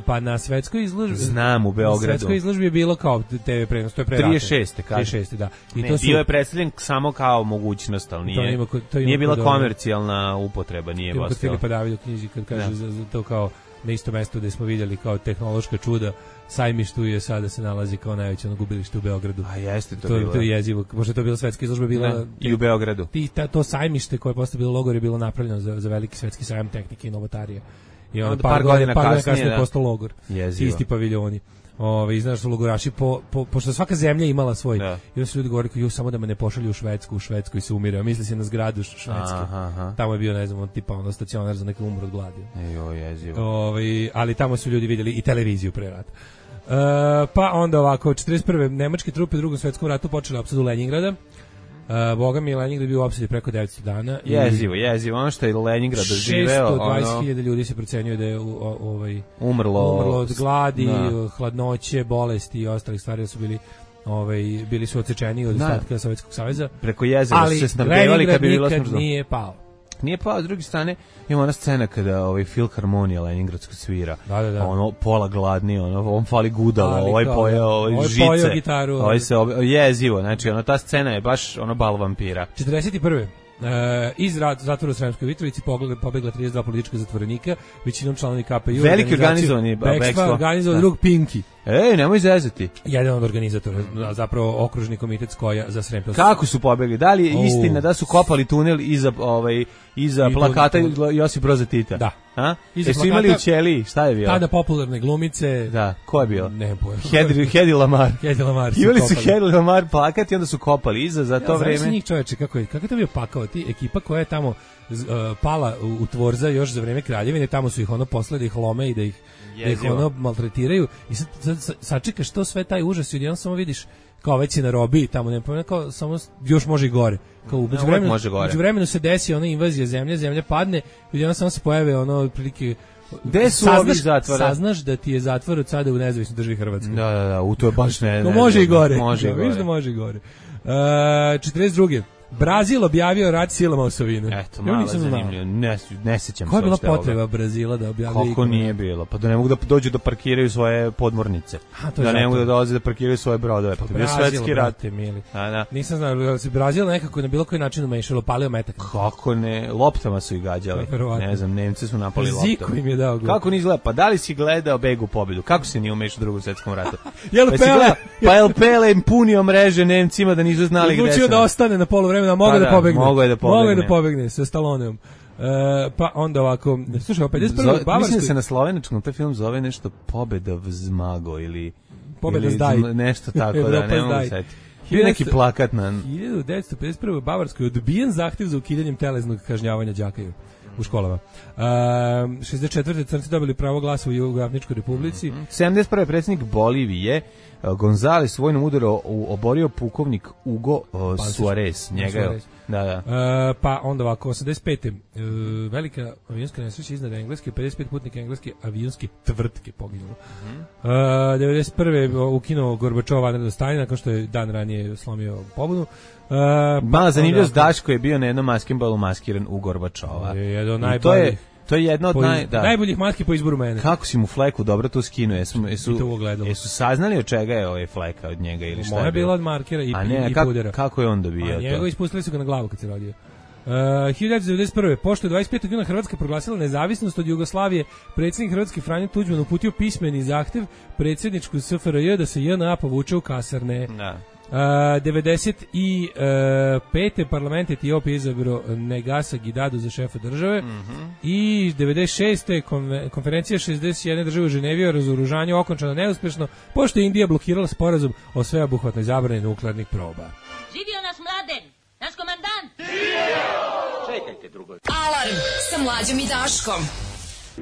Pa na svetskoj izložbi.
Znam, u Beogradu.
Na svetskoj izložbi je bilo kao te ve prenos, to je pre rata.
trideset šeste kaže.
trideset šeste da.
I ne, to su, bio je predstavljen samo kao mogućnost, ali nije, to ima, to nije bila komercijalna upotreba, nije
baš.
To
Filipa David u knjizi kad kaže za, za to kao na isto mesto gde smo vidjeli kao tehnološka čuda, Sajmištu je sada se nalazi kao najveće ono gubilište u Beogradu.
A jeste to,
to
bilo.
To je jezivo. Možda to bila svetska izložba bila
ne, i u Beogradu.
Ti ta, to Sajmište koje je posle bilo logor je bilo napravljeno za, za veliki svetski sajam tehnike i novotarije. I onda par, par godina, par godina kasnije je postao logor.
Jezivo.
Isti paviljoni. Ove, znaš su logoraši, po, po, pošto svaka zemlja imala svoj,
da.
I onda su ljudi govorili, ju, samo da me ne pošalju u Švedsku, u Švedskoj se umire, misli se na zgradu Švedske. Aha, aha. Tamo je bio, ne znam, tipa ono stacionar za neke umru od gladi.
Ejo, jezivo.
Ove, ali tamo su ljudi vidjeli i televiziju pre rata. E, pa onda ovako, četrdeset prve. nemačke trupe u Drugom svetskom ratu počele opsadu Leningrada. Uh, Boga mi je Leningrad bio u opsadi preko devetsto dana.
Jezivo, jezivo. Ono što je Leningrad doživeo...
šesto dvadeset hiljada ono... ljudi se procenjuje da je u, o, ovaj,
umrlo,
umrlo od gladi, da. hladnoće, bolesti i ostalih stvari da su bili... Ovaj, bili su odsečeni od ostatka Sovjetskog saveza.
Preko jezera su se snabdevali kad bi bilo smrtno.
Ali Leningrad nikad nije pao.
Nije pao, s druge strane ima ona scena kada ovaj Filharmonija Leningradska svira.
Da, da, da.
Ono pola gladni, ono on fali gudalo, ali ovaj pojeo ovaj, ovaj žice.
Pojeo gitaru.
Ovaj se ob... jezivo, znači ono ta scena je baš ono bal vampira.
četrdeset prve. Uh, iz zatvora u Sremskoj Mitrovici pobegla trideset dva politička zatvorenika, većinom članovi K P U.
Veliki organizovani bekstva.
Organizovan drug Pinki.
Ej, nemoj zezati.
Jedan od organizatora, zapravo okružni komitet Skoja za Srem.
Kako su pobegli? Da li je oh. istina da su kopali tunel iza ovaj iza I plakata to, Josip Broza Tita?
Da.
A? Jesu imali u ćeliji? Šta je bilo?
Tada popularne glumice.
Da, ko je bio?
Ne pojma.
Hedi, Hedi Lamar.
Hedi Lamar su
Imali
kopali.
su Hedi Lamar plakat i onda su kopali iza za to
ja,
vreme.
Znaš njih čoveče, kako je, kako je to bio pakao? Ti ekipa koja je tamo uh, pala u, u Tvorza još za vreme Kraljevine, tamo su ih ono poslali da ih lome i da ih, da ih ono maltretiraju. I sad, sad sačekaš to sve taj užas i odjednom samo vidiš kao već je na robiji tamo, ne pojma, kao samo još može i gore. Kao u međuvremenu, međuvremenu se desi ona invazija zemlje, zemlja padne i odjednom samo se pojave ono otprilike
gde su ovi zatvora?
Saznaš da ti je zatvor od sada u nezavisnoj državi Hrvatskoj.
Da, da, da, u to je baš ne.
No, može i gore.
Može i gore.
Viš da može i gore. Uh, četrdeset druge Brazil objavio rat silama osovine.
Eto, malo zanimljivo. Ne, ne sećam se.
Koja je bila potreba ovoga. Brazila da objavi?
Kako ikone? Nije bilo? Pa da ne mogu da dođu da parkiraju svoje podmornice. A, da ne mogu da dolaze da parkiraju svoje brodove. Pa to je bio svetski rat.
Mili.
A, da.
Nisam znao da se Brazil nekako na bilo koji način umešalo, palio metak.
Kako ne? Loptama su ih gađali. Ne znam, Nemci su napali loptama.
Ziko im je dao.
Kako ni izgleda? Pa da li si gledao Begu pobedu? Kako se nije umešao u Drugom svetskom ratu?
Jel
pa
Pele?
Pa jel Pele im punio mreže Nemcima da nisu znali gde su.
Odlučio da ostane na poluvremenu, a mogu da pobegne.
Mogu je da pobegne.
Mogu je da pobegne sa Stalloneom. Uh, pa onda ovako, slušaj, pedeset prve Bavarskoj...
Mislim da se na slovenačkom taj film zove nešto Pobeda v Zmago ili...
Pobeda
ili
zdaj.
Nešto tako, da, ne mogu setiti. Bio neki plakat na...
hiljadu devetsto pedeset prve u Bavarskoj odbijen zahtjev za ukidanjem telesnog kažnjavanja đaka u školama. Um, šezdeset četvrte Crnci dobili pravo glasa u Jugoafričkoj republici.
Mm-hmm. sedamdeset prve predsjednik Bolivije Gonzales vojnom udaru oborio pukovnik Hugo uh, Suarez. Njega je... Da, da.
Uh, pa onda ovako, osamdeset pete Uh, velika avionska nesreća iznad Engleske, pedeset pet putnika engleske avionske tvrtke poginulo. Mm-hmm. uh, devedeset prve ukinuo Gorbačov vanredno stanje nakon što je dan ranije slomio pobunu. Uh,
Mala zanimljivost, Daško je bio na jednom maskenbalu maskiran u Gorbačova.
Je jedan od
to je To je jedno od naj,
iz, da. najboljih maski po izboru mene.
Kako si mu fleku dobro to skinuo? Jesu, jesu, jesu saznali od čega je ovaj fleka od njega ili šta je bilo?
Moja bila od markera i,
ne,
i
kak,
pudera.
Kako je on dobio to?
Njega ispustili su ga na glavu kad se rodio. Uh, hiljadu devetsto devedeset prve Pošto je dvadeset petog juna Hrvatska proglasila nezavisnost od Jugoslavije, predsjednik Hrvatske Franjo Tuđman uputio pismeni zahtev predsjedničku S F R J da se J N A povuče u kasarne.
Da.
Uh, devedeset pete parlament Etiopije izabrao Negasa Gidadu za šefa države.
Mm-hmm.
I devedeset šeste konferencija šezdeset jedne države u Ženevi o razoružanju okončana neuspešno, pošto je Indija blokirala sporazum o sveobuhvatnoj zabrani nuklearnih proba.
Živio nas Mladen, naš komandant!
Čekajte drugo.
Alarm sa Mlađom i Daškom.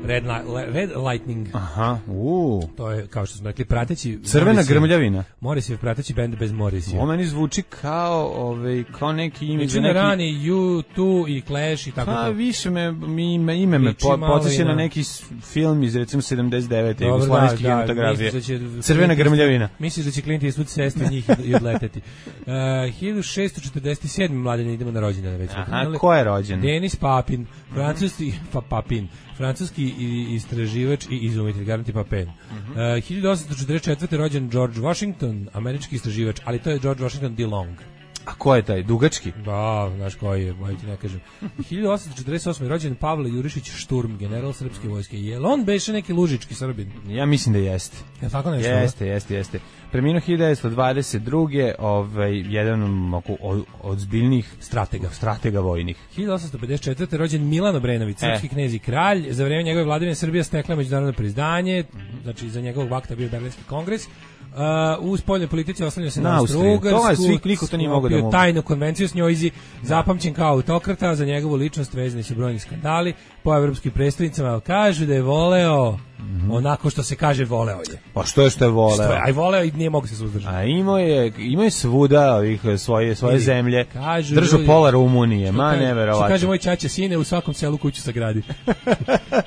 Red, Red Lightning.
Aha, u.
To je, kao što smo rekli, prateći...
Crvena Morrissey, grmljavina.
Morrissey, prateći bend bez Morrissey.
Ovo meni zvuči kao, ovaj, kao neki ime...
Znači neki... rani U dva i Clash i tako
pa,
to.
više me, ime, ime me po, podsjeća na neki film iz, recimo, sedamdeset devete jugoslovenske kinematografije. Da Crvena grmljavina.
Misliš da će Clint Eastwood sesti njih i odleteti. Uh, hiljadu šessto četrdeset sedme Mladene, idemo na rođendane već.
Aha, ko je rođen?
Denis Papin, francuski, pa Papin, francuski istraživač i izumitelj, garanti Papin. Mm-hmm. uh, hiljadu osamsto četrdeset četvrte rođen George Washington, američki istraživač, ali to je George Washington DeLong.
A ko je taj, dugački?
Da, znaš koji je, bolje ti ne kažem. hiljadu osamsto četrdeset osme rođen Pavle Jurišić Šturm, general srpske vojske. Je li on beše neki lužički Srbin?
Ja mislim da jeste.
Je tako nešto?
Jeste, jeste, jeste. Preminuo hiljadu devetsto dvadeset druge ovaj, jedan od, od zbiljnih
stratega.
stratega vojnih.
hiljadu osamsto pedeset četvrte rođen Milan Obrenović, srpski e. knez i kralj. Za vrijeme njegove vladavine Srbija stekla međunarodno priznanje, znači za njegovog vakta bio Berlinski kongres. Uh, u spoljnoj politici oslanjao se na, na Austro-Ugarsku,
niko to nije mogao da mogu.
Tajnu konvenciju s njoj, zapamćen kao autokrata, za njegovu ličnost vezani su brojni skandali, po evropskim predstavnicama kažu da je voleo mm-hmm. onako što se kaže voleo je.
Pa što je što je voleo? Što je,
aj voleo i nije mogu se suzdržati.
A imao je, imao je svuda ovih svoje, svoje Ili, zemlje, držao pola Rumunije, ma neverovatno.
Što kaže moj ćaća, sine, u svakom selu kuću sagradi.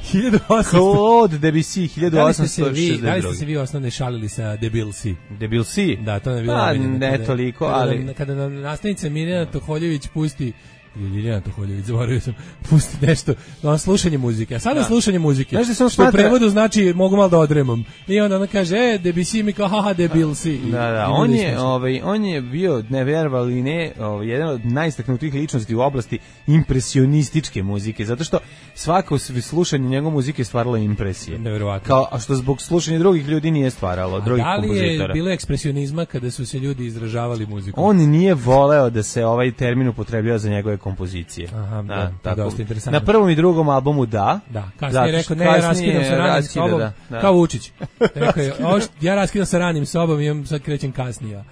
hiljadu osamsto
Claude Debussy, hiljadu osamsto šezdeset druge.
Da li ste se vi osnovne šalili sa Debilsi?
Debilsi?
Da, to ne je bilo.
Pa, ne toliko,
kada,
ali...
Kada nam nastavnica Mirjana Toholjević pusti Ljiljana Toholjević, zaboravio sam, pusti nešto, on slušanje muzike, a sada
da.
slušanje muzike,
znaš da sam
što u
smatra...
prevodu znači mogu malo da odremam, i onda ona kaže, e, Debussy mi kao, haha, debil si.
Da, da, on je, ovaj, on je bio, ne verovali ne, ovaj, jedan od najistaknutijih ličnosti u oblasti impresionističke muzike, zato što svako slušanje njegove muzike stvaralo impresije.
Neverovatno.
Kao, a što zbog slušanja drugih ljudi nije stvaralo, drugih kompozitora.
Da li je bilo ekspresionizma kada su se ljudi izražavali muzikom?
On nije voleo da se ovaj termin upotrebljava za njegove kompozicije.
Aha, da,
da,
tako. Dosta interesantno.
Na prvom i drugom albumu da.
Da, kasnije je rekao, ne, ja raskidam sa ranim sobom, da, da. Kao Vučić. Rekao je, ja raskidam sa ranim sobom i sad krećem kasnije.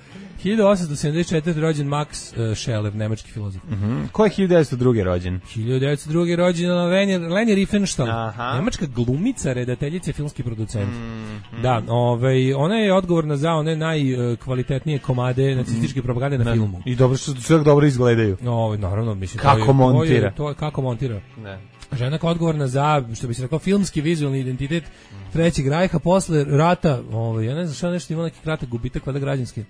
hiljadu osamsto sedamdeset četvrte rođen Max uh, Scheler, nemački filozof.
Mm-hmm. Ko je hiljadu devetsto druge rođen?
hiljadu devetsto druge rođen Leni, Leni Riefenstahl, nemačka glumica, redateljica, filmski producent. Mm-hmm. Da, ovaj, ona je odgovorna za one najkvalitetnije komade nacističke propagande na
ne.
filmu.
I dobro što sve dobro izgledaju.
No, naravno, mislim.
Kako
to je,
montira?
To je, to je kako montira.
Ne.
Žena kao odgovorna za, što bi se rekao, filmski vizualni identitet Trećeg rajha posle rata, ovaj, ja ne znam šta nešto ima neki kratak gubitak, valjda građanski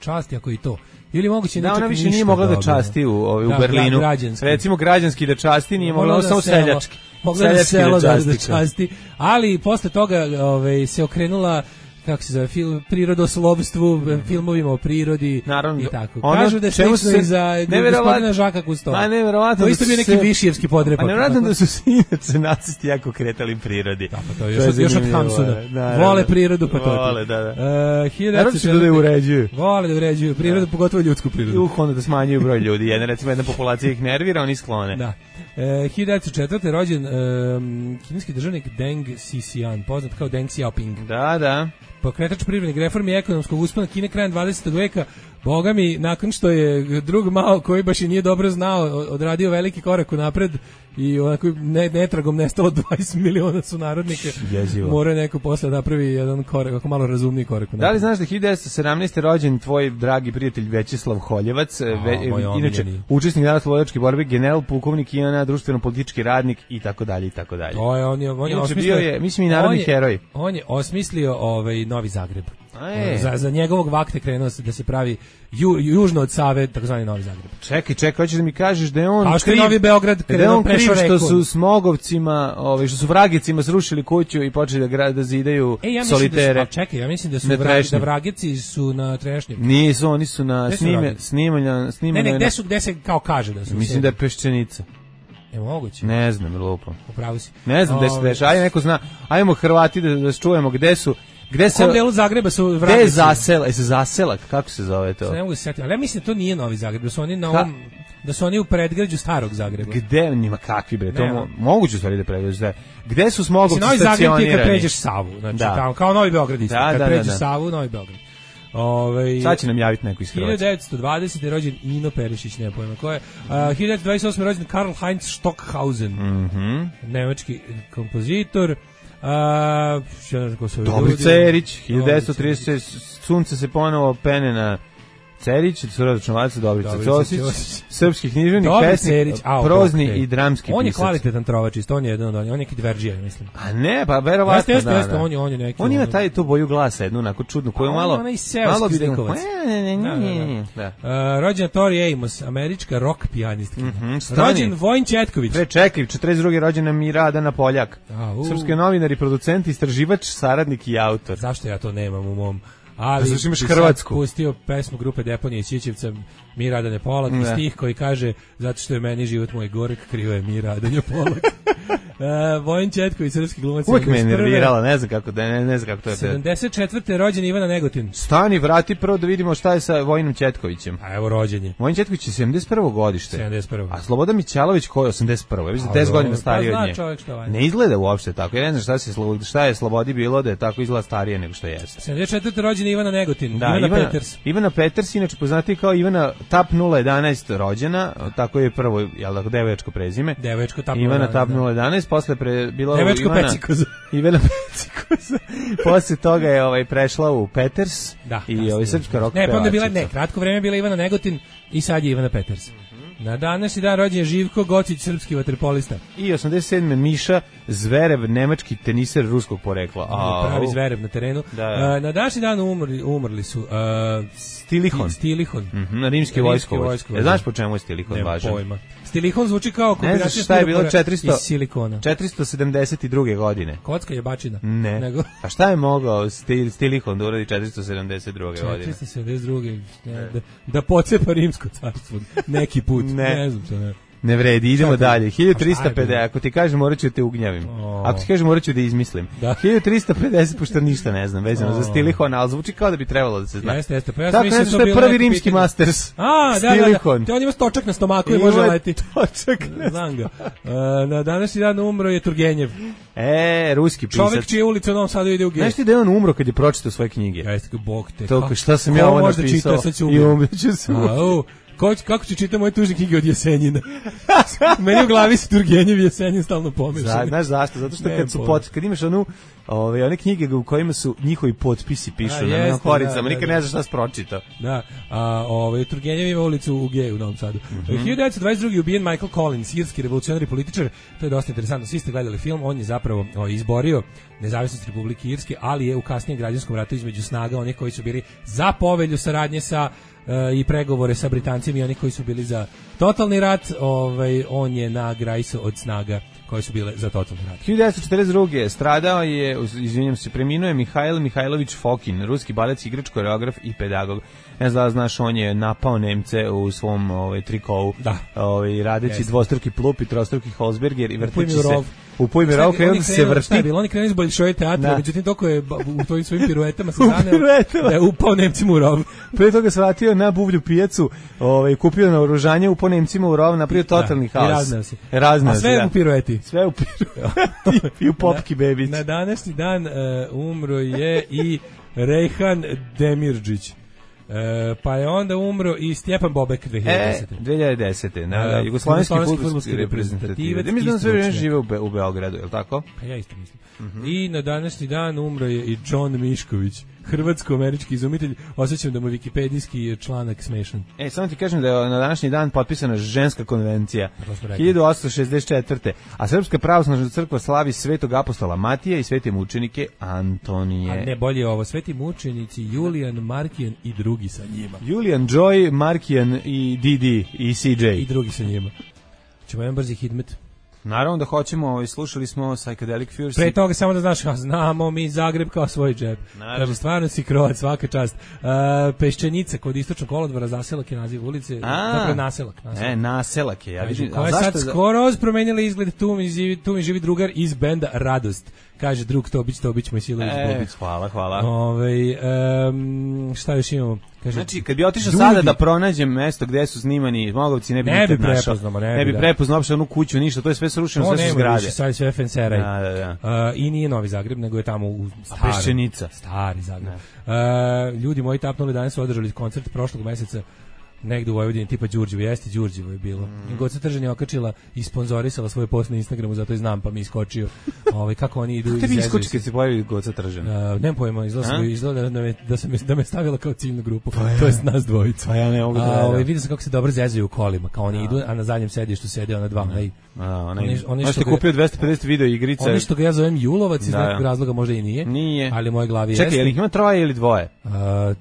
časti, ako i to. Ili moguće
da, ona više nije mogla da časti u, ovaj,
da,
u Berlinu.
Građanski.
Recimo građanski da časti, nije mogla, mogla da samo
selo,
seljački.
Mogla da selo da, da časti. Ali posle toga ovaj, se okrenula, kako se zove, film, prirodoslovstvu, mm. filmovima o prirodi.
Naravno,
i tako.
Ono,
kažu da je slično i za gospodina Žaka Kustova.
Pa neverovatno.
To isto bio neki višijevski podrepak.
A nevjerovatno da su se inače nacisti jako kretali prirodi.
Da, pa to je još, još od Hamsuna. Vole prirodu, pa to.
Vole, da, da.
Uh,
Naravno će da je uređuju.
Vole da uređuju prirodu, da. Pogotovo ljudsku prirodu.
Uh, onda da smanjuju broj ljudi. Jedna, recimo, jedna populacija ih nervira, oni sklone.
Da. E, hiljadu devetsto četvrte rođen um, kineski državnik Deng Xiaoping, poznat kao Deng Xiaoping.
Da, da.
Pokretač privrednih reformi i ekonomskog uspona Kine krajem dvadesetog veka, boga mi, nakon što je drug Mao, koji baš i nije dobro znao, odradio veliki korak unapred i onako ne, netragom nestalo dvadeset miliona sunarodnika, mora neko posle napravi jedan korak, ako malo razumniji korak unapred.
Da li znaš da hiljadu devetsto sedamnaeste rođen tvoj dragi prijatelj Većeslav Holjevac,
A,
ve, inače učesnik narodnooslobodilačke borbe, general, pukovnik, Ivana, društveno-politički radnik i tako dalje i tako dalje.
To je on je, on je
osmislio, bio je, mislim i narodni
on je,
heroj.
On je osmislio ovaj Novi Zagreb.
E.
Za, za njegovog vakte krenuo se da se pravi ju, južno od Save, takozvani Novi Zagreb.
Čekaj, čekaj, hoćeš da mi kažeš da je on
kao što je Novi Beograd
da je on kriv što su smogovcima, ovaj što su vragicima srušili kuću i počeli da grad da zidaju
e, ja
solitere.
Da su, čekaj, ja mislim da su vrag, da vrageci su na Trešnjem.
Nisu, oni su na snime, snimanja, snimanja.
Ne, ne, gde su, gde se kao kaže da su.
Mislim da je Peščenica.
Je moguće?
Ne znam, lupo.
Upravo si.
Ne znam gde se dešava, ajde neko zna. Ajmo Hrvati da da čujemo gde su. Gde se
u delu Zagreba su vragici?
Gde je zasela, je se zaselak, kako se zove to?
Se ne mogu se setiti, ali ja mislim da to nije Novi Zagreb, da su oni na ovom, da su oni u predgrađu starog Zagreba.
Gde njima kakvi bre, to mo, moguće stvari da predgrađu. Gde su smogovci
stacionirani? Novi Zagreb je kad pređeš Savu, znači
da.
tamo, kao Novi Beograd isto,
da,
kad
da,
pređeš
da, da.
Savu, Novi Beograd. Ove,
sad će nam javiti neko iz Hrvatske.
hiljadu devetsto dvadesete je rođen Ino Perišić, nema pojma ko je. Uh, hiljadu devetsto dvadeset osme je rođen Karl Heinz Stockhausen,
mm-hmm.
nemački kompozitor. Uh,
Dobri Cerić, hiljadu devetsto trideset sunce se ponovo pene na Cerić, Suradočnovaca, Dobrica Ćosić, srpski književnik, pesnik, prozni okay. i dramski pisac.
On je kvalitetan trovač, isto on je jedan od onih, on je neki dveržija, mislim.
A ne, pa verovatno
jeste,
da,
jeste,
da.
On je, on je neki.
On ima taj tu boju glasa, jednu onako čudnu, koju malo...
On je onaj seoski zlikovac. Rođena Tori Amos, američka rock pijanistka. Rođen Vojin Četković.
Pre čekaj, četrdeset druge rođena Mira Adana Poljak. Srpski novinar i producent, istraživač, saradnik i autor.
Zašto ja to nemam u mom... Ali
zašto imaš Hrvatsku?
Pustio pesmu grupe Deponije Ćićevca Mi Radanje Polak i stih koji kaže zato što je meni život moj gorek, krivo je Mi Radanje Polak. uh, Vojin Četković, srpski glumac.
Uvijek me je nervirala, ne znam kako, ne, ne znam kako to je.
sedamdeset četvrte rođen Ivana Negotin.
Stani, vrati prvo da vidimo šta je sa Vojinom Četkovićem.
A evo rođenje.
Vojin Četković je sedamdeset prvo godište.
sedamdeset prvo.
A Slobodan Mićalović koji je osamdeset prvo. Ja mislim deset godina stariji
pa
od nje. Ne izgleda uopšte tako. Ja ne znam šta se šta je Slobodi bilo da je tako izgleda starije nego što jeste.
sedamdeset četvrte rođen Ivana Negotin.
Da,
Ivana,
Ivana
Peters.
Ivana Peters, inače poznati kao Ivana Tap nula jedanaest rođena, tako je prvo, jel da, devojačko prezime.
Devojačko Tap
Ivana Tap nula jedanaest, posle pre bila
Devojačko
Ivana
Pecikoza.
Ivana Pecikoza. Posle toga je ovaj prešla u Peters
da,
i ovaj srpska rock.
Ne, pa onda bila ne, kratko vreme bila Ivana Negotin i sad je Ivana Peters. Na današnji dan rođen je Živko Gocić, srpski vaterpolista.
I osamdeset sedme Miša Zverev, nemački teniser ruskog porekla.
A, pravi Zverev na terenu.
Da, da.
Uh, na današnji dan umrli, umrli su... Uh,
Stilihon.
Stilihon.
Mm-hmm, rimski vojskovođ. E, znaš po čemu je Stilihon važan?
Pojma. Stilihon zvuči kao kombinacija
šta je bilo četiristo,
iz silikona.
četiristo sedamdeset druge godine.
Kocka je bačina.
Ne.
Nego...
A šta je mogao Stil, Stilihon da uradi četiristo sedamdeset druge godine?
četiristo sedamdeset druge Da, da pocepa rimsko carstvo neki put. Ne, ne znam što ne.
Ne vredi, idemo dalje. hiljadu trista pedeset, ako ti kažem morat ću te ugnjavim. Oh. Ako ti kažem morat ću da izmislim. Da. hiljadu trista pedeset, pošto ništa ne znam, vezano oh. za Stilihon, ali zvuči kao da bi trebalo da se zna.
Jeste, jeste. Pa ja
tako mislim što je prvi rimski pitanje. Masters.
A, da, da, da. Te on ima stočak na stomaku i može leti.
Stočak na
znam ga. Uh, na današnji dan umro je Turgenjev.
E, ruski pisac.
Čovek čije ulice u Novom Sadu ide u G.
Znaš ti da je on umro kad je pročitao svoje knjige?
Jeste, bog te.
To, šta sam ja ovo napisao? I umreću se.
Ko, kako ću čitati moje tužne knjige od Jesenjina? Meni u glavi se Turgenjev i Jesenjin stalno pomešani.
Znaš zašto? Zato što kad, su pot, kad imaš onu, ove, one knjige u kojima su njihovi potpisi pišu a, na jeste, koricama, da, nikad da, ne znaš šta si pročitao.
Da, a ove, Turgenjev ima ulicu u G u Novom Sadu. Mm-hmm. hiljadu devetsto dvadeset druge ubijen Michael Collins, irski revolucionarni političar, to je dosta interesantno, svi ste gledali film, on je zapravo o, izborio nezavisnost Republike Irske, ali je u kasnijem građanskom ratu između snaga onih koji su bili za povelju saradnje sa i pregovore sa Britancima i oni koji su bili za totalni rat, ovaj, on je na grajsu od snaga koje su bile za totalni rat.
hiljadu devetsto četrdeset druge stradao je, izvinjam se, preminuo je Mihajl Mihajlović Fokin, ruski balec, igrač, koreograf i pedagog. Ne znam da znaš, on je napao Nemce u svom ovaj, trikovu,
da.
Ovaj, radeći yes. dvostruki plup i trostruki Holzberger i vrteći se u pojmi rov, kada on se vrti.
Šta, oni krenuli iz Bolšoje teatra, međutim toliko je u tvojim svojim piruetama se zaneo da je upao Nemcima u rov.
Pre toga se vratio na buvlju pijacu, ovaj, kupio na oružanje, upao Nemcima u rov, napravio totalni
da,
haos.
I raznao se.
Raznao
A sve
da.
u pirueti.
Sve u pirueti. I u popki bebić.
Na današnji dan uh, umro je i Rejhan Demirdžić. E, pa je onda umro i Stjepan Bobek dve hiljade desete.
E, dve hiljade desete, na
uh,
jugoslovenski fudbalski reprezentativac. Ja mislim da sve vreme žive u, Be u Beogradu, je li tako?
Pa ja isto mislim. Mm-hmm. I na današnji dan umro je i John Mišković, hrvatsko-američki izumitelj. Osjećam da mu vikipedijski članak smešan.
E, samo ti kažem da je na današnji dan potpisana ženska konvencija hiljadu osamsto šezdeset četvrte. A Srpska pravoslavna crkva slavi Svetog apostola Matija i svete mučenike Antonije.
A ne, bolje ovo, sveti mučenici Julijan, Markijan i drugi sa njima.
Julijan, Joy, Markijan i Didi i C J.
I drugi sa njima. Ćemo jedan brzi hidmet.
Naravno da hoćemo, slušali smo Psychedelic Furs.
Pre toga samo da znaš, znamo mi Zagreb kao svoj džep. Kaže, stvarno si Kroat, svaka čast. Uh, Peščanica kod istočnog kolodvora, Zaselak je naziv ulice. Dakle, naselak.
naselak. E, naselak je. Ja vidim,
koja je sad za... skoro promenila izgled, tu mi, živi, tu mi živi drugar iz benda Radost. Kaže, drug Tobić, Tobić, moj Silović,
e,
Bobić.
Hvala, hvala.
Ove, um, šta još imamo? Kaže,
znači, kad bi otišao sada da pronađem mesto gde su snimani Mogovci, ne bi
ne
nikad
bi
našao.
Ne,
ne bi
da.
prepoznao uopšte onu kuću, ništa, to je sve srušeno, sve su zgrade.
Više, sad sve fenseraj.
Da, da, da.
Uh, I nije Novi Zagreb, nego je tamo u starom.
Peščenica.
Stari Zagreb. Uh, ljudi moji tapnuli, danas su održali koncert prošlog meseca negde u Vojvodini, tipa Đurđevo, jeste Đurđevo je bilo. Mm. Goca Tržan je okačila i sponzorisala svoj post na Instagramu, zato i znam, pa mi iskočio. Ovaj kako oni idu iz.
Kako ti iskoči kad se pojavi Goca Tržan?
Uh, nemam pojma, izgleda izgleda da me da sam da me stavila kao ciljnu grupu. Pa ja. To jest nas dvojica.
Pa ja ne mogu da.
Ovaj vidio sam kako se dobro zezaju u kolima, kao oni ja. idu, a na zadnjem sedištu sede ona dva, onaj.
A, onaj. Oni što kupio dvesta pedeset video igrice.
Oni što ga ja zovem Julovac iz nekog razloga, možda i nije.
Nije.
Ali moje glavi
jeste. Čekaj, je li ima troje ili dvoje?
Uh,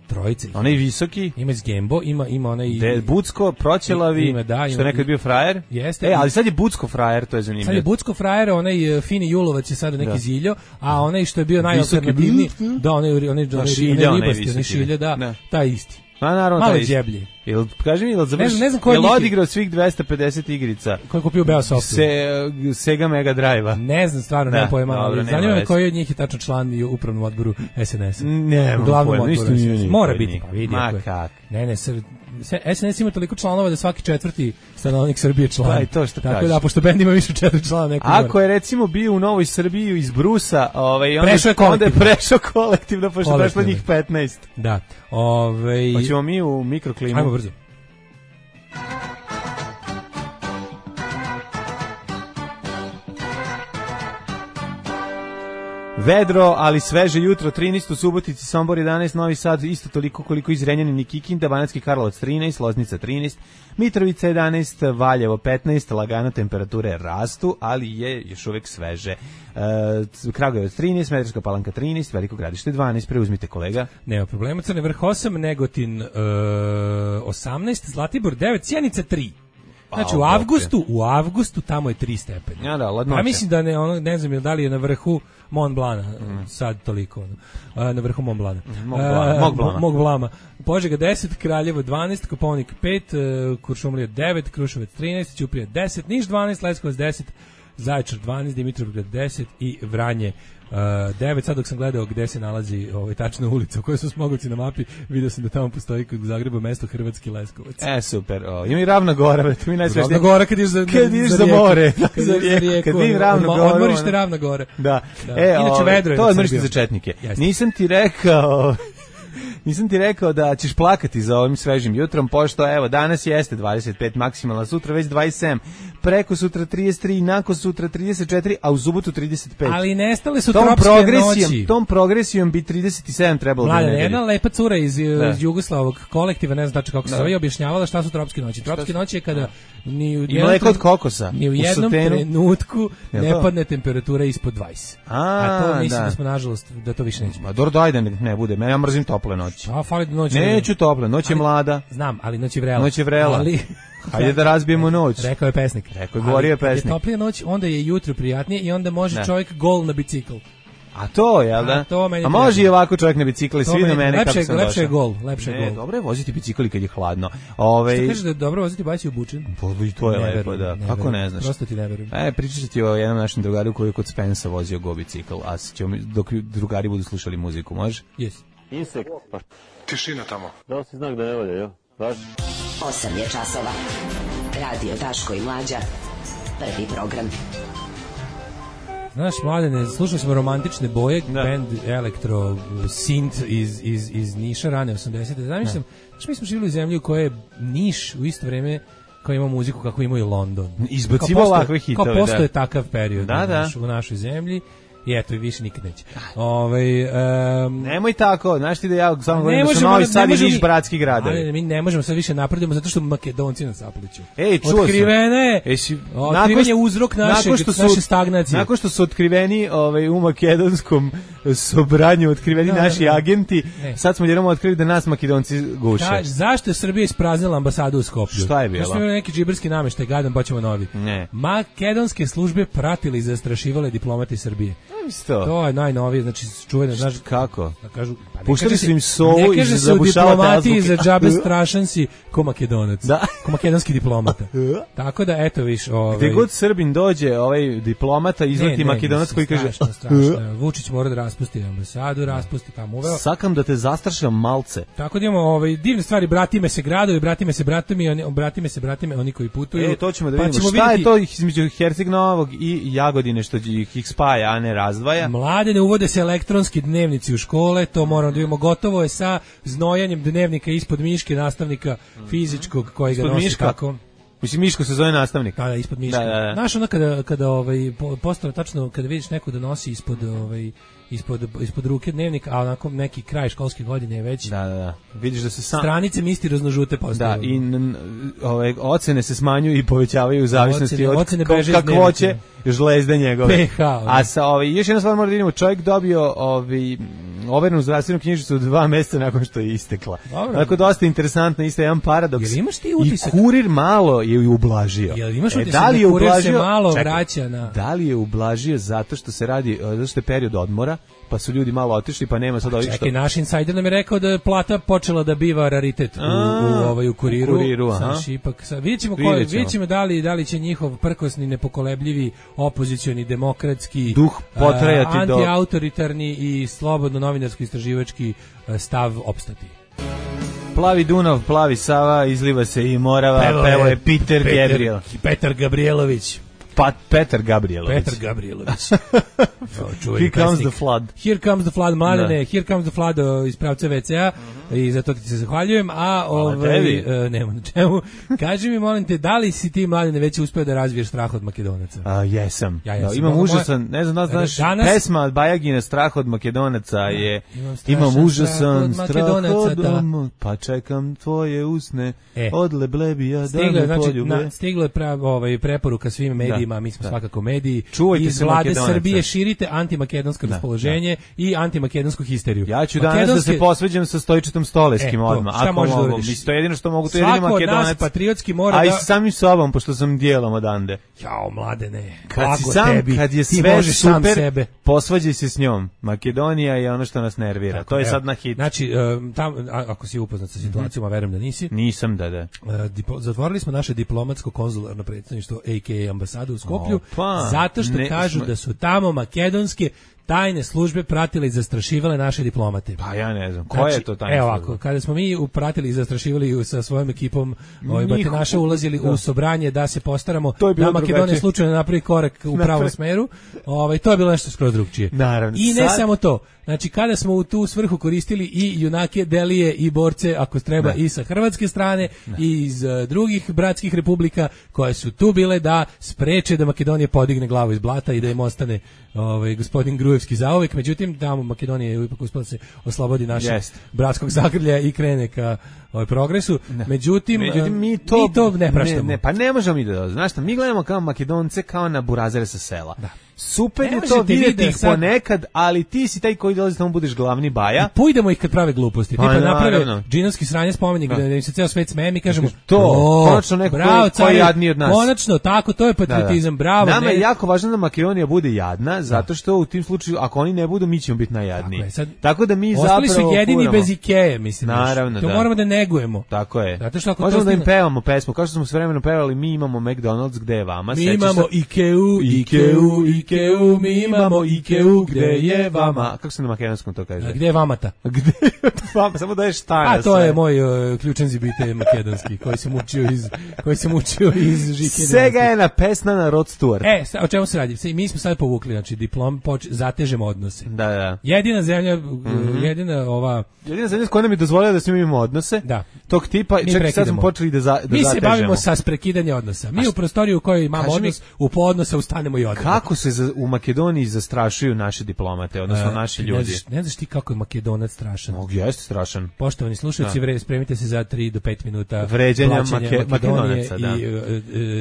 trojice.
Onaj visoki,
ima iz Gembo, ima ima onaj
De, Bucko, Proćelavi, ima, da, ima, što nekad bio frajer.
Jeste.
E, ali sad je Bucko frajer, to je zanimljivo.
Sad je Bucko frajer, onaj uh, fini Julovac je sada neki da. Ziljo, a onaj što je bio najalternativniji, da, onaj onaj onaj ribasti, onaj Šilja, da, taj isti.
Ma naravno
taj džeblji.
Jel kaži mi, jel završi?
Ne, ne znam ko je
jel odigrao svih dvesta pedeset igrica?
Ko je kupio Beosoftu?
Se Sega Mega Drive-a.
Ne znam, stvarno ne pojma, ali zanima me koji od njih je tačno član u upravnom odboru S N S-a.
Ne, u glavnom odboru.
Mora biti, pa vidi.
Ma kak.
Ne, ne, S N S ima toliko članova da svaki četvrti stanovnik Srbije član.
Pa i to što
tako
kažeš.
Da, pošto bend ima više četiri člana neko.
Ako je recimo bio u Novoj Srbiji iz Brusa, ovaj onda
prešao je
kolektivno, onda je prešao kolektivno, pošto prešlo njih petnaest.
Da. Ovaj
hoćemo mi u mikroklimu.
Ajmo brzo.
Vedro, ali sveže jutro, trinaest u Subotici, Sombor jedanaest, Novi Sad isto toliko koliko iz Renjanina i Kikinda, Banatski Karlovac trinaest, Loznica trinaest, Mitrovica jedanaest, Valjevo petnaest, lagano temperature rastu, ali je još uvek sveže. E, Kragujevac trinaest, Smederevska Palanka trinaest, Veliko Gradište dvanaest, preuzmite kolega.
Nema problema, Crni Vrh osam, Negotin e, osamnaest, Zlatibor devet, Sjenica tri. Znači u avgustu, u avgustu tamo je tri stepena.
Ja da, ladnoće.
Ja mislim da ne, ono, ne znam da li je na vrhu Mont Blana, mm. sad toliko, ono, na vrhu Mont Blana.
Mog Blana. Mog Blana.
Mog Blama. Požega deset, Kraljevo dvanaest, Kopaonik pet, Kuršumlija devet, Kruševac trinaest, Ćuprija deset, Niš dvanaest, Leskovac deset, Zaječar dvanaest, Dimitrovgrad deset i Vranje Uh, devet, sad dok sam gledao gde se nalazi ovaj, tačna ulica u kojoj su Smogolci na mapi, vidio sam da tamo postoji kod Zagreba mesto Hrvatski Leskovac.
E, super, o, ima i Ravna Gora, to mi najsrećnije.
Ravna Gora kad ideš za,
kad ideš za, za more,
kad za rijeku, kad vidim Ravnu Goru. Odmorište Ravna Gora.
Da,
da.
E,
Inače vedro je.
To je odmorište za četnike. Jeste. Nisam ti rekao... Nisam ti rekao da ćeš plakati za ovim svežim jutrom, pošto evo danas jeste dvadeset pet maksimalna, sutra već dvadeset sedam, preko sutra trideset tri, nakon sutra trideset četiri, a u subotu trideset pet.
Ali nestale su
tom
tropske noći.
Tom progresijom bi trideset sedam trebalo da
nedelje. Jedna lepa cura iz, iz Jugoslavog kolektiva, ne znam znači kako se zove, objašnjavala šta su tropske noći. Tropske noći je kada ni u,
I mleko od kokosa,
ni u jednom u trenutku ne padne temperatura ispod dvadeset.
A,
a to mislim
da.
da smo nažalost da to više neće.
Ma dobro dajde ne bude, ja mrzim tople noći.
A fali noć.
Neću tople, noć je mlada.
Znam, ali noć je vrela.
Noć je vrela.
Ali
hajde da razbijemo noć.
Rekao je pesnik.
Rekao je govorio je pesnik.
Je toplija noć, onda je jutro prijatnije i onda može ne. čovjek gol na bicikl.
A to, jel da?
A, to
A može i ovako čovjek na bicikli, svi na mene
lepše,
kako sam
lepše
došao.
Je gol, lepše
ne,
gol.
Dobro je voziti bicikli kad je hladno. Ove...
Što kažeš da je dobro voziti bajci u bučin?
I to je ne lepo, da. Ne kako ne znaš?
Prosto ti ne verujem.
E, pričat ti o jednom našem drugaru koji je kod Spensa vozio go bicikl, a ćemo, dok drugari budu slušali muziku, može?
Jesi.
Insekt, pa
tišina tamo.
Da si znak da ne volja, jo? Važi.
osam je časova. Radio Daško i Mlađa. Prvi program.
Znaš, Mladene, slušali smo Romantične boje, da. Band elektro synth iz, iz, iz Niša, rane osamdesete. Zamišljam, znaš, mi smo živjeli u zemlji u kojoj je Niš u isto vreme kao ima muziku kako ima i London.
Izbacivo ovakve hitove,
kao postoje
da.
takav period
da, da.
U, naš, u našoj zemlji. I eto, i više nikad neće. Ovaj um,
nemoj tako, znaš ti da ja samo govorim da su Novi Sad i Niš bratski gradovi.
Ali mi ne možemo sad više napredujemo zato što Makedonci nas sapliću.
Ej, čuo
otkrivene,
sam.
Otkriven je uzrok naše, naše stagnacije.
Nakon što su otkriveni ovaj, u makedonskom sobranju, otkriveni da, naši da, da. agenti, ne. Sad smo jednom otkrili da nas Makedonci guše. Da,
zašto je Srbija ispraznila ambasadu u Skoplju?
Šta je bilo?
Zašto je neki džiberski nameštaj, gadan, pa ćemo novi.
Ne.
Makedonske službe pratili i zastrašivale diplomate Srbije.
Isto.
To je najnovije, znači čuveno, znaš
kako?
Da kažu, pa
puštali su im sovu i
zabušavati azbuke. Za džabe strašan si ko Makedonac.
Da.
Ko makedonski diplomata. Tako da eto viš, ovaj
gde god Srbin dođe, ovaj diplomata izleti Makedonac koji kaže
strašno, strašno. Vučić mora da raspusti ambasadu, raspusti tamo uveo.
Sakam da te zastrašam malce.
Tako da imamo ovaj divne stvari, bratime se gradovi, bratime se bratovi, oni bratime se bratime, oni koji putuju.
E, to ćemo da vidimo. Pa šta vidjeti... je to između Herceg Novog i Jagodine što ih spaja, a ne razdvaja?
Mlade ne uvode se elektronski dnevnici u škole, to moramo da vidimo. Gotovo je sa znojanjem dnevnika ispod miške nastavnika fizičkog koji ga nosi
miška.
Tako.
Mislim, Miško se zove nastavnik.
Da, da, ispod miške.
Da, da, da.
Znaš, ono kada, kada ovaj, postane tačno, kada vidiš neko da nosi ispod, ovaj, ispod, ispod ruke dnevnik, a onako neki kraj školske godine je već.
Da, da, da. Vidiš da se sam...
stranice mistirozno-žute postaju.
Da, i n, ove, ocene se smanjuju i povećavaju u zavisnosti ocene, od
ocene
kakvoće žlezde njegove.
pe ha.
A sa, ovaj, još jedna stvar mora da vidimo, čovjek dobio ovaj, overenu zdravstvenu knjižicu dva mjeseca nakon što je istekla. Tako dosta interesantno, isto jedan paradoks.
Jel imaš ti utisak?
I kurir malo je ublažio.
Jel imaš utisak e, da, li je da kurir ublažio, se malo čekaj, vraća na...
Da li je ublažio zato što se radi, zato što je period odmora, pa su ljudi malo otišli, pa nema sad ovih što...
Čekaj, naš insajder nam je rekao da je plata počela da biva raritet u, u, u, ovaj, u kuriru.
U kuriru, aha.
Znaš, ipak, sad, vidjet ćemo, ko, vidjet ćemo da, li, da li će njihov prkosni, nepokolebljivi, opozicioni, demokratski,
duh potrajati
uh,
do...
antiautoritarni i slobodno novinarsko-istraživački uh, stav opstati.
Plavi Dunav, plavi Sava, izliva se i Morava, pevo, pevo je Peter, Peter Gabriel.
Petar Gabrielović.
Pa Petar Gabrielović.
Petar Gabrielović.
Here comes the flood.
Here comes the flood, mladene. Here comes the flood iz pravca ve ce a. i za to ti se zahvaljujem, a ovaj, e, nema na čemu. Kaži mi, molim te, da li si ti, Mladene, već uspeo da razviješ strah od Makedonaca?
A, jesam.
Ja, jesam.
Da, imam
Ono
užasan,
moja...
ne znam da znaš,
Danas...
pesma od Bajagina Strah od Makedonaca je,
imam,
imam užasan
strah od
strah od
da.
pa čekam tvoje usne,
e.
od leblebija da me
znači,
poljube.
Na, stiglo je pra, ovaj, preporuka svim medijima, da, mi smo da. svakako mediji,
čuvajte
iz
se
vlade
Makedonaca.
Srbije širite antimakedonsko da, raspoloženje da. i antimakedonsku histeriju.
Ja ću danas Makedonske... da se posveđam sa Stojičitom Stoleskim e, odmah.
Šta možeš da uradiš?
Mislim, to je jedino što mogu, to je jedino Makedonac.
Svako od nas patriotski mora
a
da...
A i samim sobom, pošto sam dijelom odande.
Jao, Mladene,
kad si sam,
tebi,
kad je sve super, posvađaj se s njom. Makedonija je ono što nas nervira. Tako, to je evo, sad na hit.
Znači, tam, ako si upoznat sa situacijom, a verujem da nisi.
Nisam, da, da.
Dipo, zatvorili smo naše diplomatsko-konzularno predstavništvo, a k a ambasadu u Skoplju,
Opa,
zato što
ne,
kažu
smo...
da su tamo makedonske tajne službe pratile i zastrašivale naše diplomate.
Pa ja ne znam, koja
znači,
je to tajna
evo
služba?
Ovako, kada smo mi upratili i zastrašivali sa svojom ekipom, ovaj batinaše ulazili da. u sobranje da se postaramo da Makedonija slučajno napravi korak u pravom smeru, ovaj, to je bilo nešto skroz drugčije.
Naravno,
I ne
sad...
samo to, znači kada smo u tu svrhu koristili i junake, delije i borce, ako treba, ne. i sa hrvatske strane ne. i iz uh, drugih bratskih republika koje su tu bile da spreče da Makedonija podigne glavu iz blata i da im ostane ovaj, gospodin Grujevski zauvek. Međutim, tamo Makedonija je ipak uspela se oslobodi našeg yes. bratskog zagrlja i krene ka ovaj, progresu. Ne. Međutim,
Međutim, mi to,
mi to ne praštamo.
Ne, ne, pa ne možemo mi da, znaš šta, mi gledamo kao Makedonce kao na burazere sa sela.
Da.
Super je to vidjeti ih sad... ponekad, ali ti si taj koji dolazi tamo budeš glavni baja.
I pujdemo ih kad prave gluposti. Pa, tipa naprave džinovski sranje spomenik da im se ceo svet smeje, mi kažemo
to, konačno neko bravo, koji je jadniji od nas.
Konačno, tako, to je patriotizam, da, da. bravo.
Nama
ne...
je jako važno da Makedonija bude jadna, zato što u tim slučaju, ako oni ne budu, mi ćemo biti najjadniji. Tako, sad, tako da mi zapravo...
Ostali su jedini kuramo. Bez Ikeje, mislim.
Naravno,
to
da.
moramo da negujemo.
Tako je.
Zato što ako
možemo
to
da im pevamo pesmu, kao što smo sve vremeno pevali, mi imamo McDonald's, gde je vama?
Mi imamo Ikeu, Ikeu, Ikeu, mi imamo Ikeu, gde je vama?
Kako se na makedonskom to kaže?
A gde je vamata?
Gde je vama? Samo da je šta.
A to sve. Je moj uh, ključan zibite makedonski, koji se mučio iz koji se mučio iz Žike.
Svega je na pesna na Rod Stewart.
E, sa, o čemu se radi? Mi smo sad povukli, znači diplom poč, zatežemo odnose.
Da, da.
Jedina zemlja, mm-hmm. jedina ova
jedina zemlja s kojom nam je dozvolila da se mi imamo odnose.
Da.
Tog tipa, čak sad smo počeli da, za, da
mi
zatežemo.
Mi se bavimo sa prekidanje odnosa. Mi u prostoriju u kojoj imamo odnos, mi, u poodnosa ustanemo i odemo.
Kako se za, u Makedoniji zastrašuju naši diplomate, odnosno uh, naši ljudi?
Ne znaš, ne znaš ti kako je Makedonac strašan?
Mogu, jeste strašan.
Poštovani slušalci, vre, spremite se za tri do pet minuta
vređanja make, Makedonaca, da.
I uh, uh,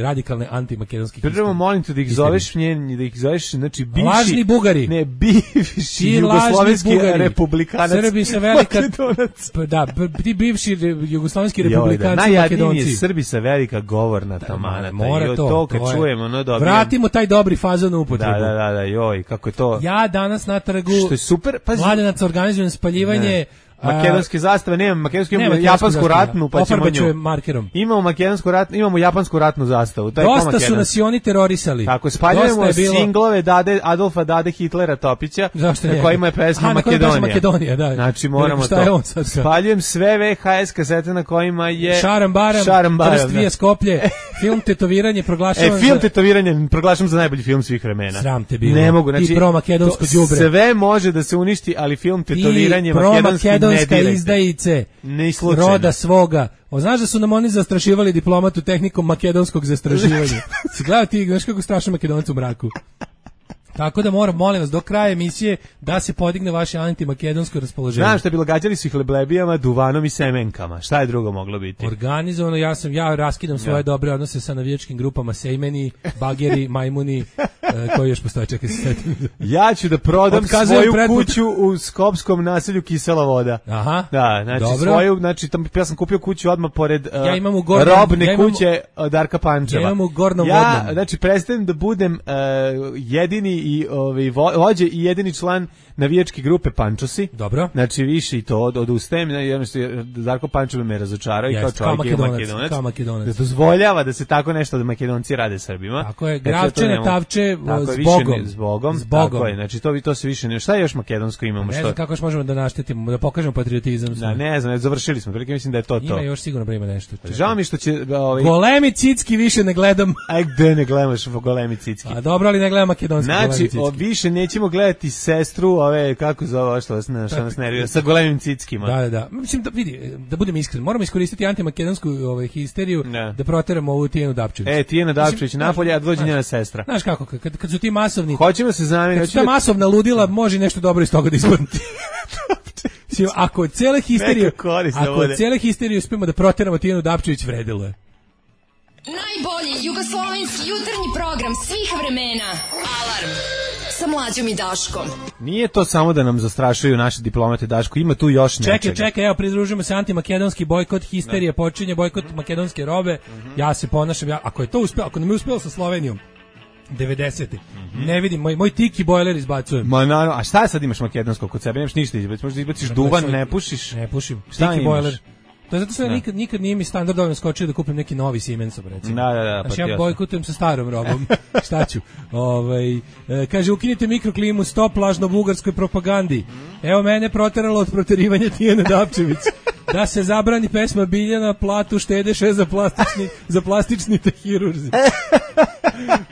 radikalne antimakedonske
historije. Prvo molim te da ih zoveš njen, da ih zoveš, znači bivši...
Lažni Bugari.
Ne, bivši jugoslovenski republikanac.
Srbi sa velika... Da, ti bivši jugoslovenski republikanci
Makedonci.
Najjadniji
Srbi sa velika govorna tamana.
Mora to.
To kad čujemo, no dobro.
Vratimo taj dobri fazon u upotrebu.
Da, da, da, da, joj, kako je to...
Ja danas na trgu...
Što je super, pazi...
Mladenac organizujem spaljivanje... Ne.
Makedonske zastave, nemam makedonsku, imamo japansku ratnu, pa ćemo nju.
Markerom.
Imamo makedonsku ratnu, imamo japansku ratnu zastavu. To je
dosta su nas i oni terorisali.
Tako, spaljujemo bilo... singlove Dade, Adolfa Dade Hitlera Topića, na kojima je pesma Makedonija.
Makedonija, da.
Znači moramo to. Spaljujem sve ve ha es kasete na kojima je
Šaram Baram,
Šaram Baram
Prst Vija Skoplje, film Tetoviranje proglašavam
E, film za... Tetoviranje proglašavam za najbolji film svih vremena.
Sram te bilo.
Ne mogu, znači,
i pro makedonsko đubre.
Sve može da se uništi, ali film Tetoviranje makedonski ne dirajte.
Roda svoga. O, znaš da su nam oni zastrašivali diplomatu tehnikom makedonskog zastrašivanja. Si gledao ti, znaš kako strašno Makedoncu u mraku. Tako da moram, molim vas, do kraja emisije da se podigne vaše antimakedonsko raspoloženje.
Znam što je bilo, gađali su ih leblebijama, duvanom i semenkama. Šta je drugo moglo biti?
Organizovano, ja sam, ja raskidam svoje ja. dobre odnose sa navijačkim grupama Sejmeni, Bageri, Majmuni, uh, koji još postoje, čekaj se setim.
Ja ću da prodam Otkazujem svoju pretput... kuću u skopskom naselju Kisela voda.
Aha,
da, znači
dobro.
Svoju, znači tam, ja sam kupio kuću odmah pored uh,
ja imam u gornom,
robne
ja imam,
kuće od Darka Pančeva.
Ja imam u gornom
ja,
vodnom.
znači, prestajem da budem uh, jedini i ovaj vođe i jedini član navijačke grupe Pančosi.
Dobro.
Znači više i to od odustajem, jednostavno Darko Pančev me razočarao i kao čovjek
kao
Makedonac.
Kao Makedonac.
Da dozvoljava da se tako nešto da Makedonci rade Srbima.
Tako je, Gravčane, Tavče, zbogom.
Zbogom. Tako je, znači to, to se više ne... Šta još makedonsko imamo?
Ne
što?
znam kako još možemo da naštetimo, da pokažemo patriotizam.
Da, ne znam, završili smo, prilike mislim da je to to.
Ima još sigurno prima nešto.
Čekaj. Žao mi što će... Ovaj...
Golemi cicki više ne gledam.
Aj, gde ne gledaš golemi cicki?
A dobro, ali ne gledam makedonski
znači,
golemi cicki.
Znači, više nećemo gledati sestru ove, kako zove, što vas, što nas nervira, sa golemim cickima.
Da, da, da. Mislim, da, vidi, da budem iskren, moramo iskoristiti antimakedonsku ovaj, histeriju
ne.
da proteramo ovu Tijenu Dapčević.
E, Tijena Dapčević napolje, a dođe njena sestra.
Znaš kako, kad, kad su ti masovni...
Hoćemo se zamijeniti.
Kad su ta masovna ludila, može nešto dobro iz toga da ispadne. Ako od cele histerije, ako od cele histerije uspijemo da proteramo Tijenu Dapčević, vredilo je.
Najbolji jugoslovenski jutarnji program svih vremena. Alarm sa Mlađom i Daškom.
Nije to samo da nam zastrašuju naše diplomate, Daško, ima tu još nečega.
Čekaj, čekaj, evo pridružujemo se antimakedonski bojkot, histerija počinje, bojkot makedonske robe. Mm-hmm. Ja se ponašam, ja, ako je to uspelo, ako nam je uspelo sa Slovenijom devedesete. Mm-hmm. Ne vidim, moj, moj tiki bojler izbacujem.
Ma naravno, a šta sad imaš makedonsko kod sebe? Nemaš ništa izbaciti, možda izbaciš duvan, ne pušiš?
Ne pušim, tiki bojler. To je zato što ja nikad, nikad nije mi standard dovoljno skočio da kupim neki novi Siemensov, recimo.
Da, da, da.
Znači, pa ja bojkotujem sa starom robom. Šta ću? Ovaj, e, kaže, ukinite mikroklimu, stop lažno bugarskoj propagandi. Evo mene proteralo od proterivanja Tijene Dapčević. Da se zabrani pesma Biljana, platu štedeše za plastični, za plastični te hirurzi.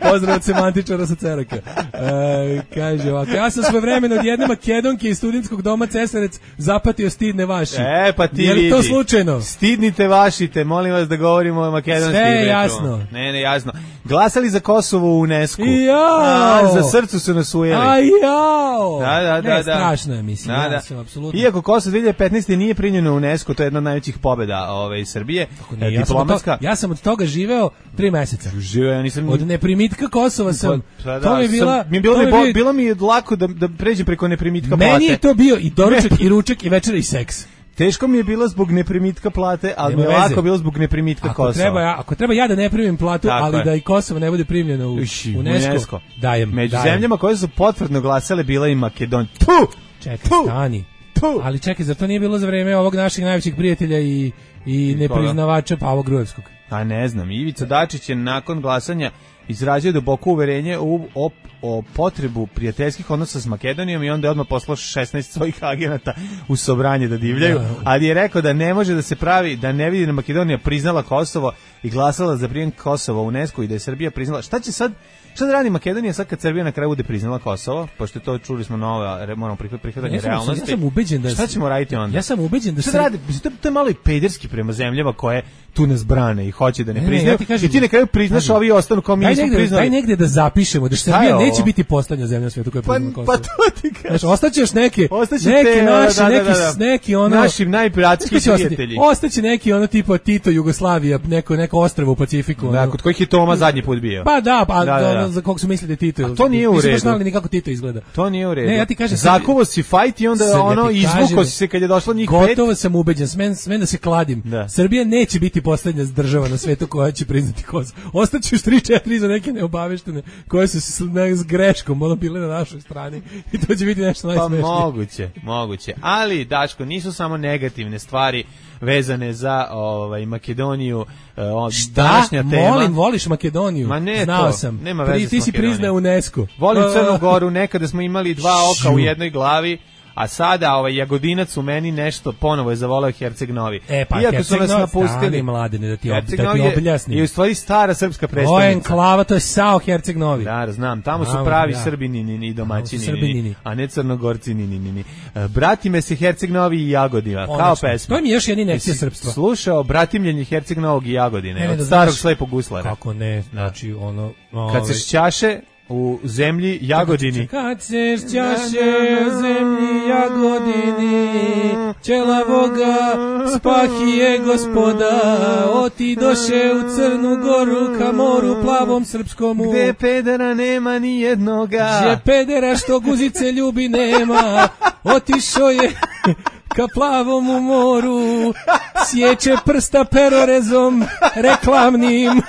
Pozdrav od semantičara sa Ceraka. E, kaže ovako, ja sam svoje vremena od jedne Makedonke iz studentskog doma Cesarec zapatio stidne vaši.
E, pa ti
je li to slučajno?
Stidnite vašite, molim vas da govorimo o makedonskim.
Sve je jasno.
Ne, ne, jasno. Glasali za Kosovo u UNESCO.
Jao!
Za srcu su nas ujeli.
A jao!
Da, da, da.
Ne,
da.
strašno je, mislim.
Da,
ja
da.
sam apsolutno...
Iako Kosovo dvije hiljade petnaeste nije primljeno u UNESCO, to je jedna od najvećih pobjeda ove, Srbije.
Ne, ja, diplomatska. Sam to, ja sam od toga živeo tri meseca.
Živeo, ja nisam...
Od neprimitka Kosova sam...
Pa, da,
to mi je bila...
Sam, mi je bilo, mi, bio, bilo mi je lako da, da pređem preko neprimitka
meni
plate.
Meni je to bio i doručak, i ručak, i večera, i seks.
Teško mi je bilo zbog neprimitka plate, ali mi je lako bilo zbog neprimitka
ako
Kosova.
Treba ja, ako treba ja da ne primim platu, tako ali je. Da i Kosovo ne bude primljeno u
Uši,
UNESCO,
UNESCO,
dajem.
Među
dajem.
zemljama koje su potvrdno glasale bila i Makedonija. Tu!
Čekaj, stani. Tu! Ali čekaj, zar to nije bilo za vreme ovog naših najvećih prijatelja i, i nepriznavača Pavo Grujevskog?
A ne znam, Ivica Dačić je nakon glasanja izrazio duboko uverenje u, o, o potrebu prijateljskih odnosa s Makedonijom i onda je odmah poslao šesnaest svojih agenata u Sobranje da divljaju, da. Ali je rekao da ne može da se pravi, da ne vidi da Makedonija priznala Kosovo i glasala za prijem Kosova u UNESCO i da je Srbija priznala. Šta će sad, šta da radi Makedonija sad kad Srbija na kraju bude priznala Kosovo, pošto to čuli smo nova, moramo prihvatanje ja realnosti.
Ja sam ubeđen da...
Šta ćemo raditi onda?
Ja sam ubeđen da...
Šta da radi? To, to je malo i pederski prema zemljama koje tu nas brane i hoće da ne, ne priznaju. Ne, ja ti i ti na kraju priznaš, kažem, ovi ostanu kao mi nismo priznali.
Daj negde da zapišemo da Srbija neće biti poslednja zemlja na svetu koja priznala Kosovo.
Pa to ti kažeš.
Znači, ostaćeš neke, ostaće neki te, naši, da, da, neki, da, da. neki ono...
Našim najpiratskih prijatelji.
Ostaće neki ono tipa Tito, Jugoslavija, neko, neko ostrvo u Pacifiku.
Da, kod kojih je Toma zadnji put bio.
Pa da, pa da, da, da. Za kog su mislili da Tito.
A to nije u redu.
Nisu baš ni kako Tito izgleda.
To nije u redu.
Ne, ja ti kažem,
zakuvo si fajt i onda ono izvuko si se kad je došlo njih pet.
Gotovo sam ubeđen, smem, smem da se kladim. Da. Srbija neće biti poslednja država na svetu koja će priznati Kosovo. Ostaće još tri četiri za neke neobaveštene koje su se s greškom ono bile na našoj strani i to će biti nešto najsmešnije.
Pa moguće, moguće. Ali, Daško, nisu samo negativne stvari vezane za ovaj Makedoniju. Uh,
Šta? Tema. Molim, voliš Makedoniju?
Ma ne,
znao
to,
sam.
Nema veze
Pri, ti si priznao UNESCO.
Volim Crnu Goru, nekada smo imali dva oka u jednoj glavi. A sada ovaj Jagodinac u meni nešto ponovo je zavoleo Herceg Novi.
E, pa
iako su nas napustili
mladine da ti, ob, da ti objasnim.
I u stvari stara srpska predstavnica.
O, enklava, to je Sao Herceg Novi.
Da, znam, tamo su pravi da. Srbini ni domaćini, a ne Crnogorci ni ni ni. Bratime se Herceg Novi i Jagodina, kao pesma.
To mi je još jedna injekcija srpstva.
Slušao bratimljenje Herceg Novog i Jagodine, ne, ne, od starog slepog guslara.
Kako ne, znači ono...
Kad se šćaše u zemlji Jagodini.
Kad se šćaše u zemlji Jagodini, ćelavoga spahije gospoda, otidoše u Crnu Goru ka moru plavom srpskomu.
Gde pedera nema ni jednoga.
Gde pedera što guzice ljubi nema, otišao je ka plavom u moru, sjeće prsta perorezom reklamnim,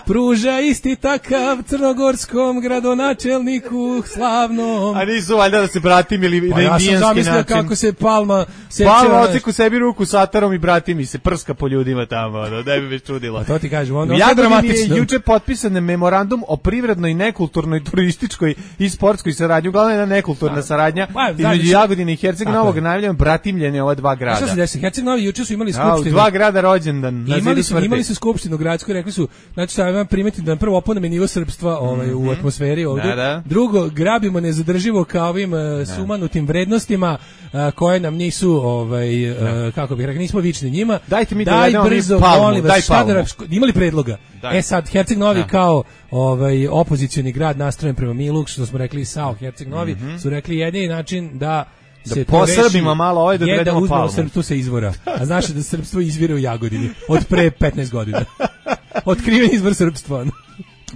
pruža isti takav crnogorskom gradonačelniku slavnom.
A nisu valjda da se bratim ili
pa
na indijanski način.
Ja sam zamislio kako se Palma seća.
Palma ociku sebi ruku satarom i brati mi se prska po ljudima tamo, ono, da bi me čudilo.
A to ti kažem, ono
je dramatično. Je juče potpisan memorandum o privrednoj, nekulturnoj, turističkoj i sportskoj saradnji. Uglavnom je jedna nekulturna saradnja između Jagodine i Herceg Novog, najavljeno brati bratimljene ova dva grada.
Šta se desi? Herceg Novi juče su imali skupštinu.
A, dva grada rođendan.
Imali su, imali su skupštinu gradsku, rekli su, znači šta vam primetiti da prvo oponeme nivo srpstva ovaj, mm-hmm. u atmosferi ovdje. Da, da. Drugo, grabimo nezadrživo kao ovim uh, sumanutim vrednostima uh, koje nam nisu, ovaj, uh, kako bih rekao, nismo vični njima.
Dajte mi
daj
da
brzo,
palmu,
molim vas,
daj
šta da, imali predloga?
Daj.
E sad, Herceg Novi
da.
kao ovaj, opozicioni grad nastrojen prema Milu, što smo rekli Sao, Herceg Novi, mm-hmm. su rekli jedini način da
da se posrbimo malo ovaj da odredimo palmu.
Srpstvo se izvora. A znaš da srpstvo izvire u Jagodini od pre petnaest godina. Otkriven izvor srpstva.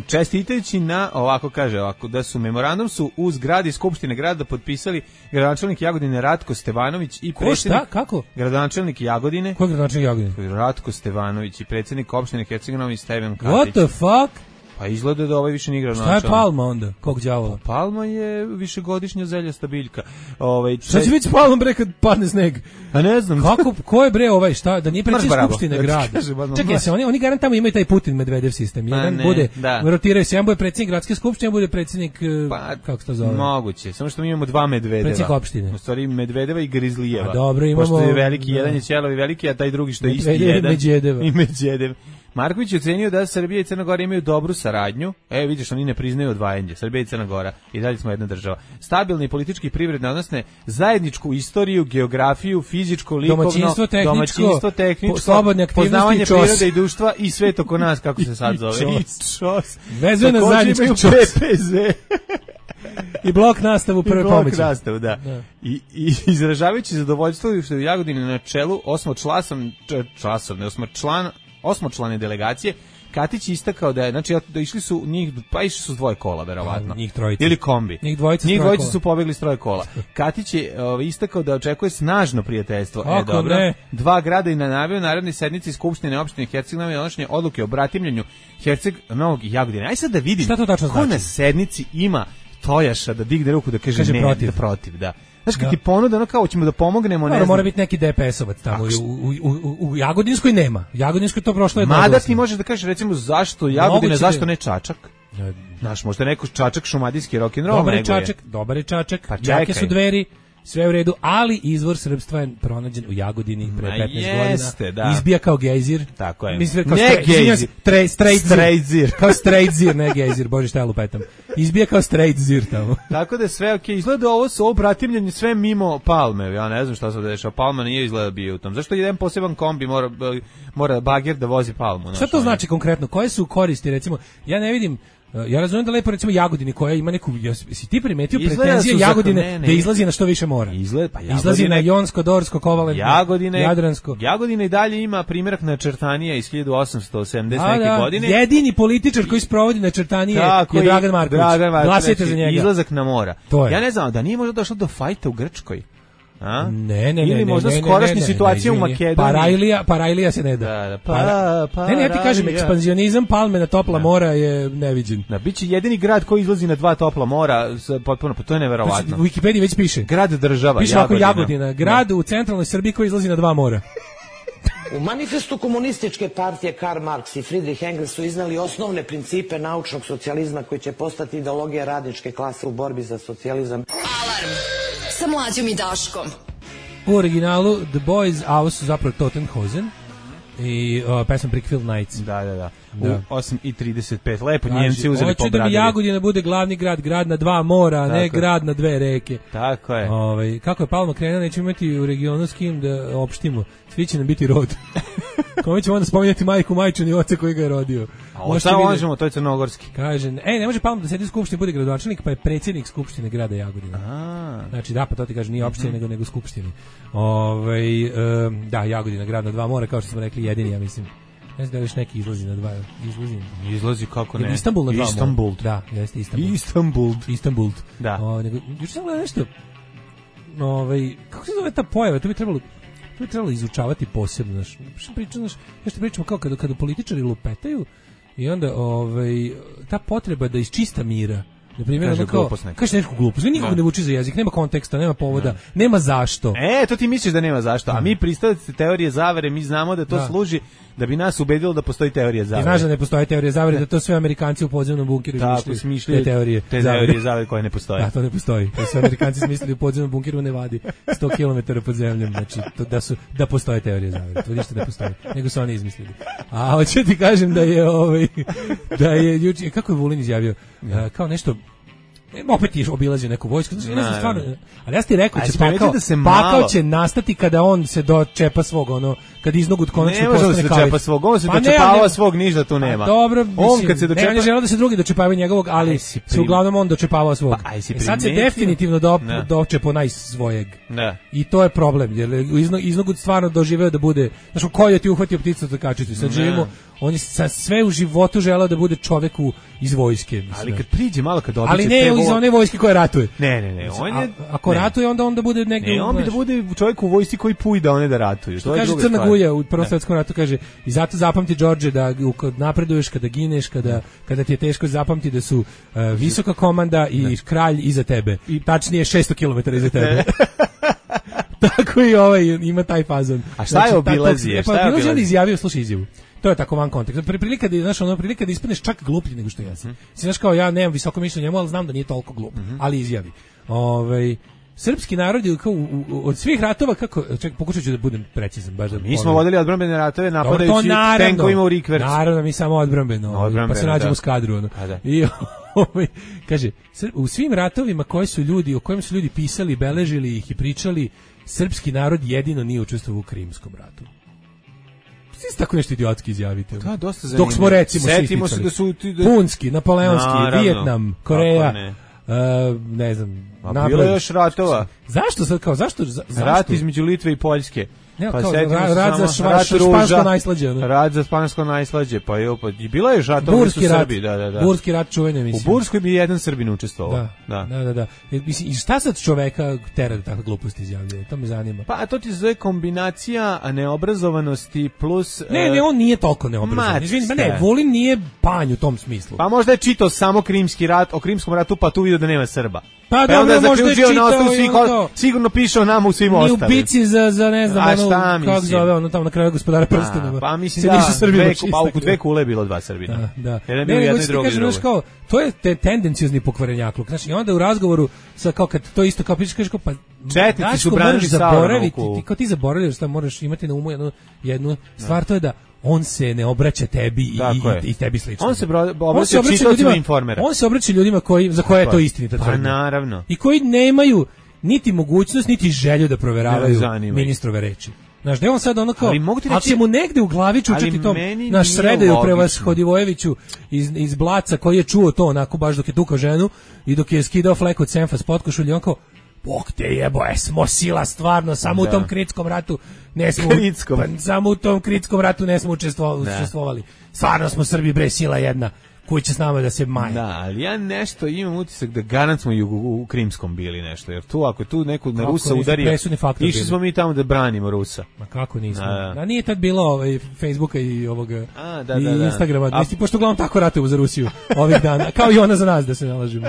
Čestitajući na, ovako kaže, ovako, da su memorandum su u zgradi Skupštine grada potpisali gradonačelnik Jagodine Ratko Stevanović i predsjednik...
Ko, šta? Kako?
Gradonačelnik Jagodine.
Ko je gradonačelnik Jagodine?
Ratko Stevanović i predsjednik opštine Herceg Novi Stevan Katić.
What the fuck?
Pa izgleda da ovaj više nije gradonačelnik.
Šta je Palma onda? Kog đavola?
Pa Palma je višegodišnja zeljasta biljka. Ovaj čest...
Šta će biti s Palmom bre kad padne sneg?
A ne znam.
Kako, ko je bre ovaj, šta? Da nije predsjednik Skupštine grada. Čekaj, se oni, oni garant tamo imaju taj Putin Medvedev sistem. Jedan ne, bude, da. rotiraju se, jedan bude predsjednik gradske skupštine, jedan bude predsjednik, pa, kako se to zove?
Moguće, samo što mi imamo dva Medvedeva.
Predsjednik opštine.
U stvari Medvedeva i Grizlijeva.
A dobro, imamo...
Pošto je veliki, da. jedan je Ćelovi veliki, a taj drugi što je isti jedan.
Medvedeva.
I Medvedev. Marković je ocenio da Srbija i Crna Gora imaju dobru saradnju. E, vidiš, oni ne priznaju odvajanje. Srbija i Crna Gora. I dalje smo jedna država. Stabilni politički i privredne odnosne, zajedničku istoriju, geografiju, fizičko, likovno,
domaćinstvo, tehničko,
domaćinstvo, tehničko
slobodne aktivnosti,
poznavanje
čos.
prirode i društva i sve to kod nas, kako se sad zove.
I čos. Vezuje na zajednički čos.
P P Z.
I blok nastavu prve pomoći.
I blok nastavu, da. da. I, i izražavajući zadovoljstvo što je u Jagodini na čelu osmočlasan, časovne, osmočlan, osmočlane delegacije, Katić istakao da je, znači, da išli su njih, pa išli su s dvoje kola, verovatno.
Njih trojica.
Ili kombi.
Njih dvojica,
njih dvojica su pobegli s troje kola. Katić je ovaj, istakao da očekuje snažno prijateljstvo. E, dobro. Ne? Dva grada i na najavio narodne sednice Skupštine opštine Herceg Novi donošenje odluke o bratimljenju Herceg Novog i Jagodine. Aj sad da vidim
šta to tačno
ko
znači?
Na sednici ima Tojaša da digne ruku da kaže, kaže ne, protiv. Da protiv, da. Znaš, kad
da.
ti ponuda, ono kao, ćemo da pomognemo, ne
Mora,
znam.
Mora biti neki D P S-ovac tamo, u, u, u, u Jagodinskoj nema. Jagodinskoj to prošlo je
Mada ti možeš da kažeš, recimo, zašto Jagodina, zašto ne Čačak? Znaš, možda neko Čačak šumadijski rock'n'roll
dobar je Čačak, dobar je Čačak, pa jake su Dveri, sve u redu, ali izvor srpstva je pronađen u Jagodini pre petnaest
jeste,
godina.
Da.
Izbija kao gejzir.
Tako je.
Mislim, kao
ne
stre,
gejzir.
Tre, straight,
straight zir.
Kao straight zir, ne gejzir, bože šta ja lupetam. Izbija kao straight zir tamo.
Tako da sve okej. Okay. Izgleda ovo su ovo bratimljenje sve mimo Palme. Ja ne znam šta se dešava. Palma nije izgleda bio u tom. Zašto jedan poseban kombi mora, mora bager da vozi Palmu?
Šta to znači konkretno? Koje su koristi? Recimo, ja ne vidim. Ja razumijem da lepo recimo Jagodini koja ima neku, si ti primetio pretenzije Jagodine ne, ne, da izlazi na što više mora.
Izgled, pa
izlazi na Jonsko, Dorsko, Kovalentno,
Jagodine,
Jadransko.
Jagodina i dalje ima primjerak načrtanija iz hiljadu osamsto sedamdesete neke
da,
godine.
Jedini političar koji sprovodi načrtanije je Dragan Marković.
Dragan Marković.
Glasajte za njega.
Izlazak na mora. Ja ne znam, da nije možda došlo do fajta u Grčkoj. A?
Ne, ne,
ili
ne,
možda
ne,
skorašnja
ne, ne,
situacija
ne, ne,
u Makedoniji.
Parajlija, Parajlija se ne da.
da, da
pa,
pa,
ne, ne, ja ti kažem, ekspanzionizam Palme na topla da. mora je neviđen.
Da, biće jedini grad koji izlazi na dva topla mora, potpuno, pa to je neverovatno.
U Wikipediji već piše.
Grad država,
piše Jagodina. Jagodina, grad da. u centralnoj Srbiji koji izlazi na dva mora.
U manifestu komunističke partije Karl Marx i Friedrich Engels su iznali osnovne principe naučnog socijalizma koji će postati ideologija radničke klase u borbi za socijalizam.
Alarm sa Mlađom i Daškom.
U originalu The Boys, a ovo su zapravo Tottenhausen i uh, pesma Brickfield Nights.
Da, da, da. da. U osam i trideset pet. Lepo Njemci uzeli
pobradili. Hoću da mi Jagodina bude glavni grad, grad na dva mora, tako ne je. grad na dve reke.
Tako je.
Ove, kako je Palma krenuo, nećemo imati u regionu s kim da opštimo. Svi će nam biti rod. Kome ćemo onda spominjati majku Majčan i oca koji ga je rodio.
A šta možemo, to je crnogorski.
Kaže, ej, ne može Palma da sedi u skupštini, bude gradonačelnik, pa je predsjednik skupštine grada Jagodina.
A.
Znači, da, pa to ti kaže, nije opštine, mm-hmm. nego, nego skupštini. Ove, um, da, Jagodina, grad na dva mora, kao što smo rekli, jedini, ja mislim. Ne znam da još neki izlazi na dva. Izlazi,
izlazi kako ne.
Istanbul na dva mora.
Istanbul.
Da, jeste Istanbul.
Istanbul.
Istanbul.
Da.
O, nego, još sam gledao nešto, ove, kako se zove ta pojava, to bi trebalo... To je trebalo izučavati posebno, znaš. Pričam, znaš, ja što pričamo kao kada, kada političari lupetaju i onda ovaj, ta potreba da iz čista mira Na primjer, ono kao, kaže neku glupost, nikog ne vuči za jezik, nema konteksta, nema povoda, nema zašto.
E, to ti misliš da nema zašto, a mi pristalice teorije zavere, mi znamo da to da. služi da bi nas ubedilo da postoji teorija zavere.
I znaš da ne postoji teorija zavere, da to sve Amerikanci u podzemnom bunkeru
smišljaju
te teorije.
Te teorije zavere koje ne postoje.
Da, to ne postoji. To sve Amerikanci smislili u podzemnom bunkeru u Nevadi, sto kilometara pod zemljom, znači to, da su da postoje teorije zavere. To ništa ne postoji, nego su oni izmislili. A hoću ti kažem da je ovaj da je juče kako je Vulin izjavio, ja. kao nešto opet je obilazio neku vojsku, znači ne znam stvarno, ali ja ti rekao će pakao, da se pakao će nastati kada on se dočepa svog, ono, kad iznogut konačno postane kalif.
Ne može da se dočepa svog, on se pa dočepavao svog, ništa tu nema.
Dobro, mislim, on kad se dočepa... ne, on je želeo da se drugi dočepavaju njegovog, ali se uglavnom on dočepavao svog. Pa, e sad se definitivno do, dočepo najsvojeg. Ne. I to je problem, jer iznogut stvarno doživeo da bude, znaš, ko je ti uhvatio pticu za kačicu, sad živimo, on je sve u životu želeo da bude čovek iz vojske. Mislim.
Ali kad priđe malo, kad običe...
Ali ne iz one vojske koje ratuje.
Ne, ne, ne. On je,
a, ako ne. ratuje, onda onda bude negdje...
Ne, on bi da bude čovjek u vojsci koji pujda one da ratuju.
Što kaže Crna Guja u Prvom svjetskom ratu, kaže, i zato zapamti, Đorđe, da kad napreduješ, kada gineš, kada, kada ti je teško, zapamti da su uh, visoka komanda i ne. kralj iza tebe. I tačnije šesto kilometara iza tebe. Tako i ovaj ima taj fazon.
A šta je obilazije?
Šta je obilazije? Izjavio, slušaj izjavu. To je tako van kontekst. Prilika da, znaš, ono, prilika da ispadneš čak gluplji nego što jesam. Mm-hmm. Znaš, kao ja nemam visoko mišljenje njemu, ali znam da nije toliko glup. Mm-hmm. Ali izjavi. Ovaj srpski narod je kao u, u, od svih ratova, kako, ček, pokušat ću da budem precizan. Baš da
mi smo vodili odbrambene ratove napadajući tenkovima u rikverc.
Naravno, mi samo odbrambeno, odbrambeno pa se nađemo u skadru. Ono. Da. I ovaj, kaže, u svim ratovima koje su ljudi, o kojim su ljudi pisali, beležili ih i pričali, srpski narod jedino nije učestvovao u Krimskom ratu. Svi tako nešto idiotski izjavite.
Da, dosta zanimljivo.
Dok smo recimo
setimo se da su ti da...
Punski, Napoleonski, Vijetnam, Koreja, ne. Uh, ne znam,
a bilo je još ratova.
Zašto sad kao zašto za, zašto?
Rat između Litve i Poljske.
Ne, pa setimo ra, rad za šva, špansko najslađe. Ne?
Rad za špansko najslađe, pa je opet. I bila je ratova
Burski
su
rat,
Srbi, da, da, da.
Burski rat čuvene mislim.
U Burskoj bi jedan Srbin učestvovao.
Da, da, da, da. da. Mislim, i šta sad čoveka tera da takve gluposti izjavljuje? To me zanima.
Pa to ti zove kombinacija neobrazovanosti plus...
Ne, ne, on nije toliko neobrazovan. Izvini, ne, Vulin nije panj u tom smislu.
Pa možda je čitao samo Krimski rat, o Krimskom ratu, pa tu vidio da nema Srba.
Pa, pa dobro, možda je čitao
svih, ono, sigurno piše o nama u svim ostalim.
I u bici za, za ne znam, ono, kako zove, ono tamo na kraju Gospodara prstenova.
Pa mislim da, dve, pa u dve kule je bilo dva Srbina.
Da, da.
Jedan bio jedno i drugi i drugi.
Kao, to je te tendenciozni pokvarenjakluk. Znači, i onda u razgovoru, sa, kao kad to isto kao pričaš, kažeš kao, pa,
četnici su branili zaboraviti,
ti, kao ti zaboravljaš, šta moraš imati na umu jednu, jednu stvar, to je da on se ne obraća tebi i, i, i tebi slično.
On se obraća čitaocima Informera.
On se obraća ljudima koji, za koje je to istinita tvrdnja.
Pa naravno.
I koji nemaju niti mogućnost, niti želju da proveravaju ministrove reči. Znaš, da je on sad ono kao, ali, ali će mu negde u glavi čučati tom, naš Sredaju Prevashodivojeviću iz, iz Blaca koji je čuo to onako baš dok je tukao ženu i dok je skidao flek od senfa s potkošulja, on kao, Bog te jebo, e, smo sila stvarno, samo da. u tom kritskom ratu ne smo, pa, samo u tom kritskom ratu ne smo učestvovali. Stvarno smo Srbi, bre, sila jedna. Koji će s nama da se maje.
Da, ali ja nešto imam utisak da garant smo i u, u Krimskom bili nešto, jer tu ako tu neko na Rusa udario, išli smo mi tamo da branimo Rusa.
Ma kako nismo? Da, da nije tad bilo ovaj, Facebooka i ovoga
A, da,
i
da, da.
Instagrama, A... Mislim, pošto uglavnom tako ratujemo za Rusiju ovih dana, kao i ona za nas da se nalažimo.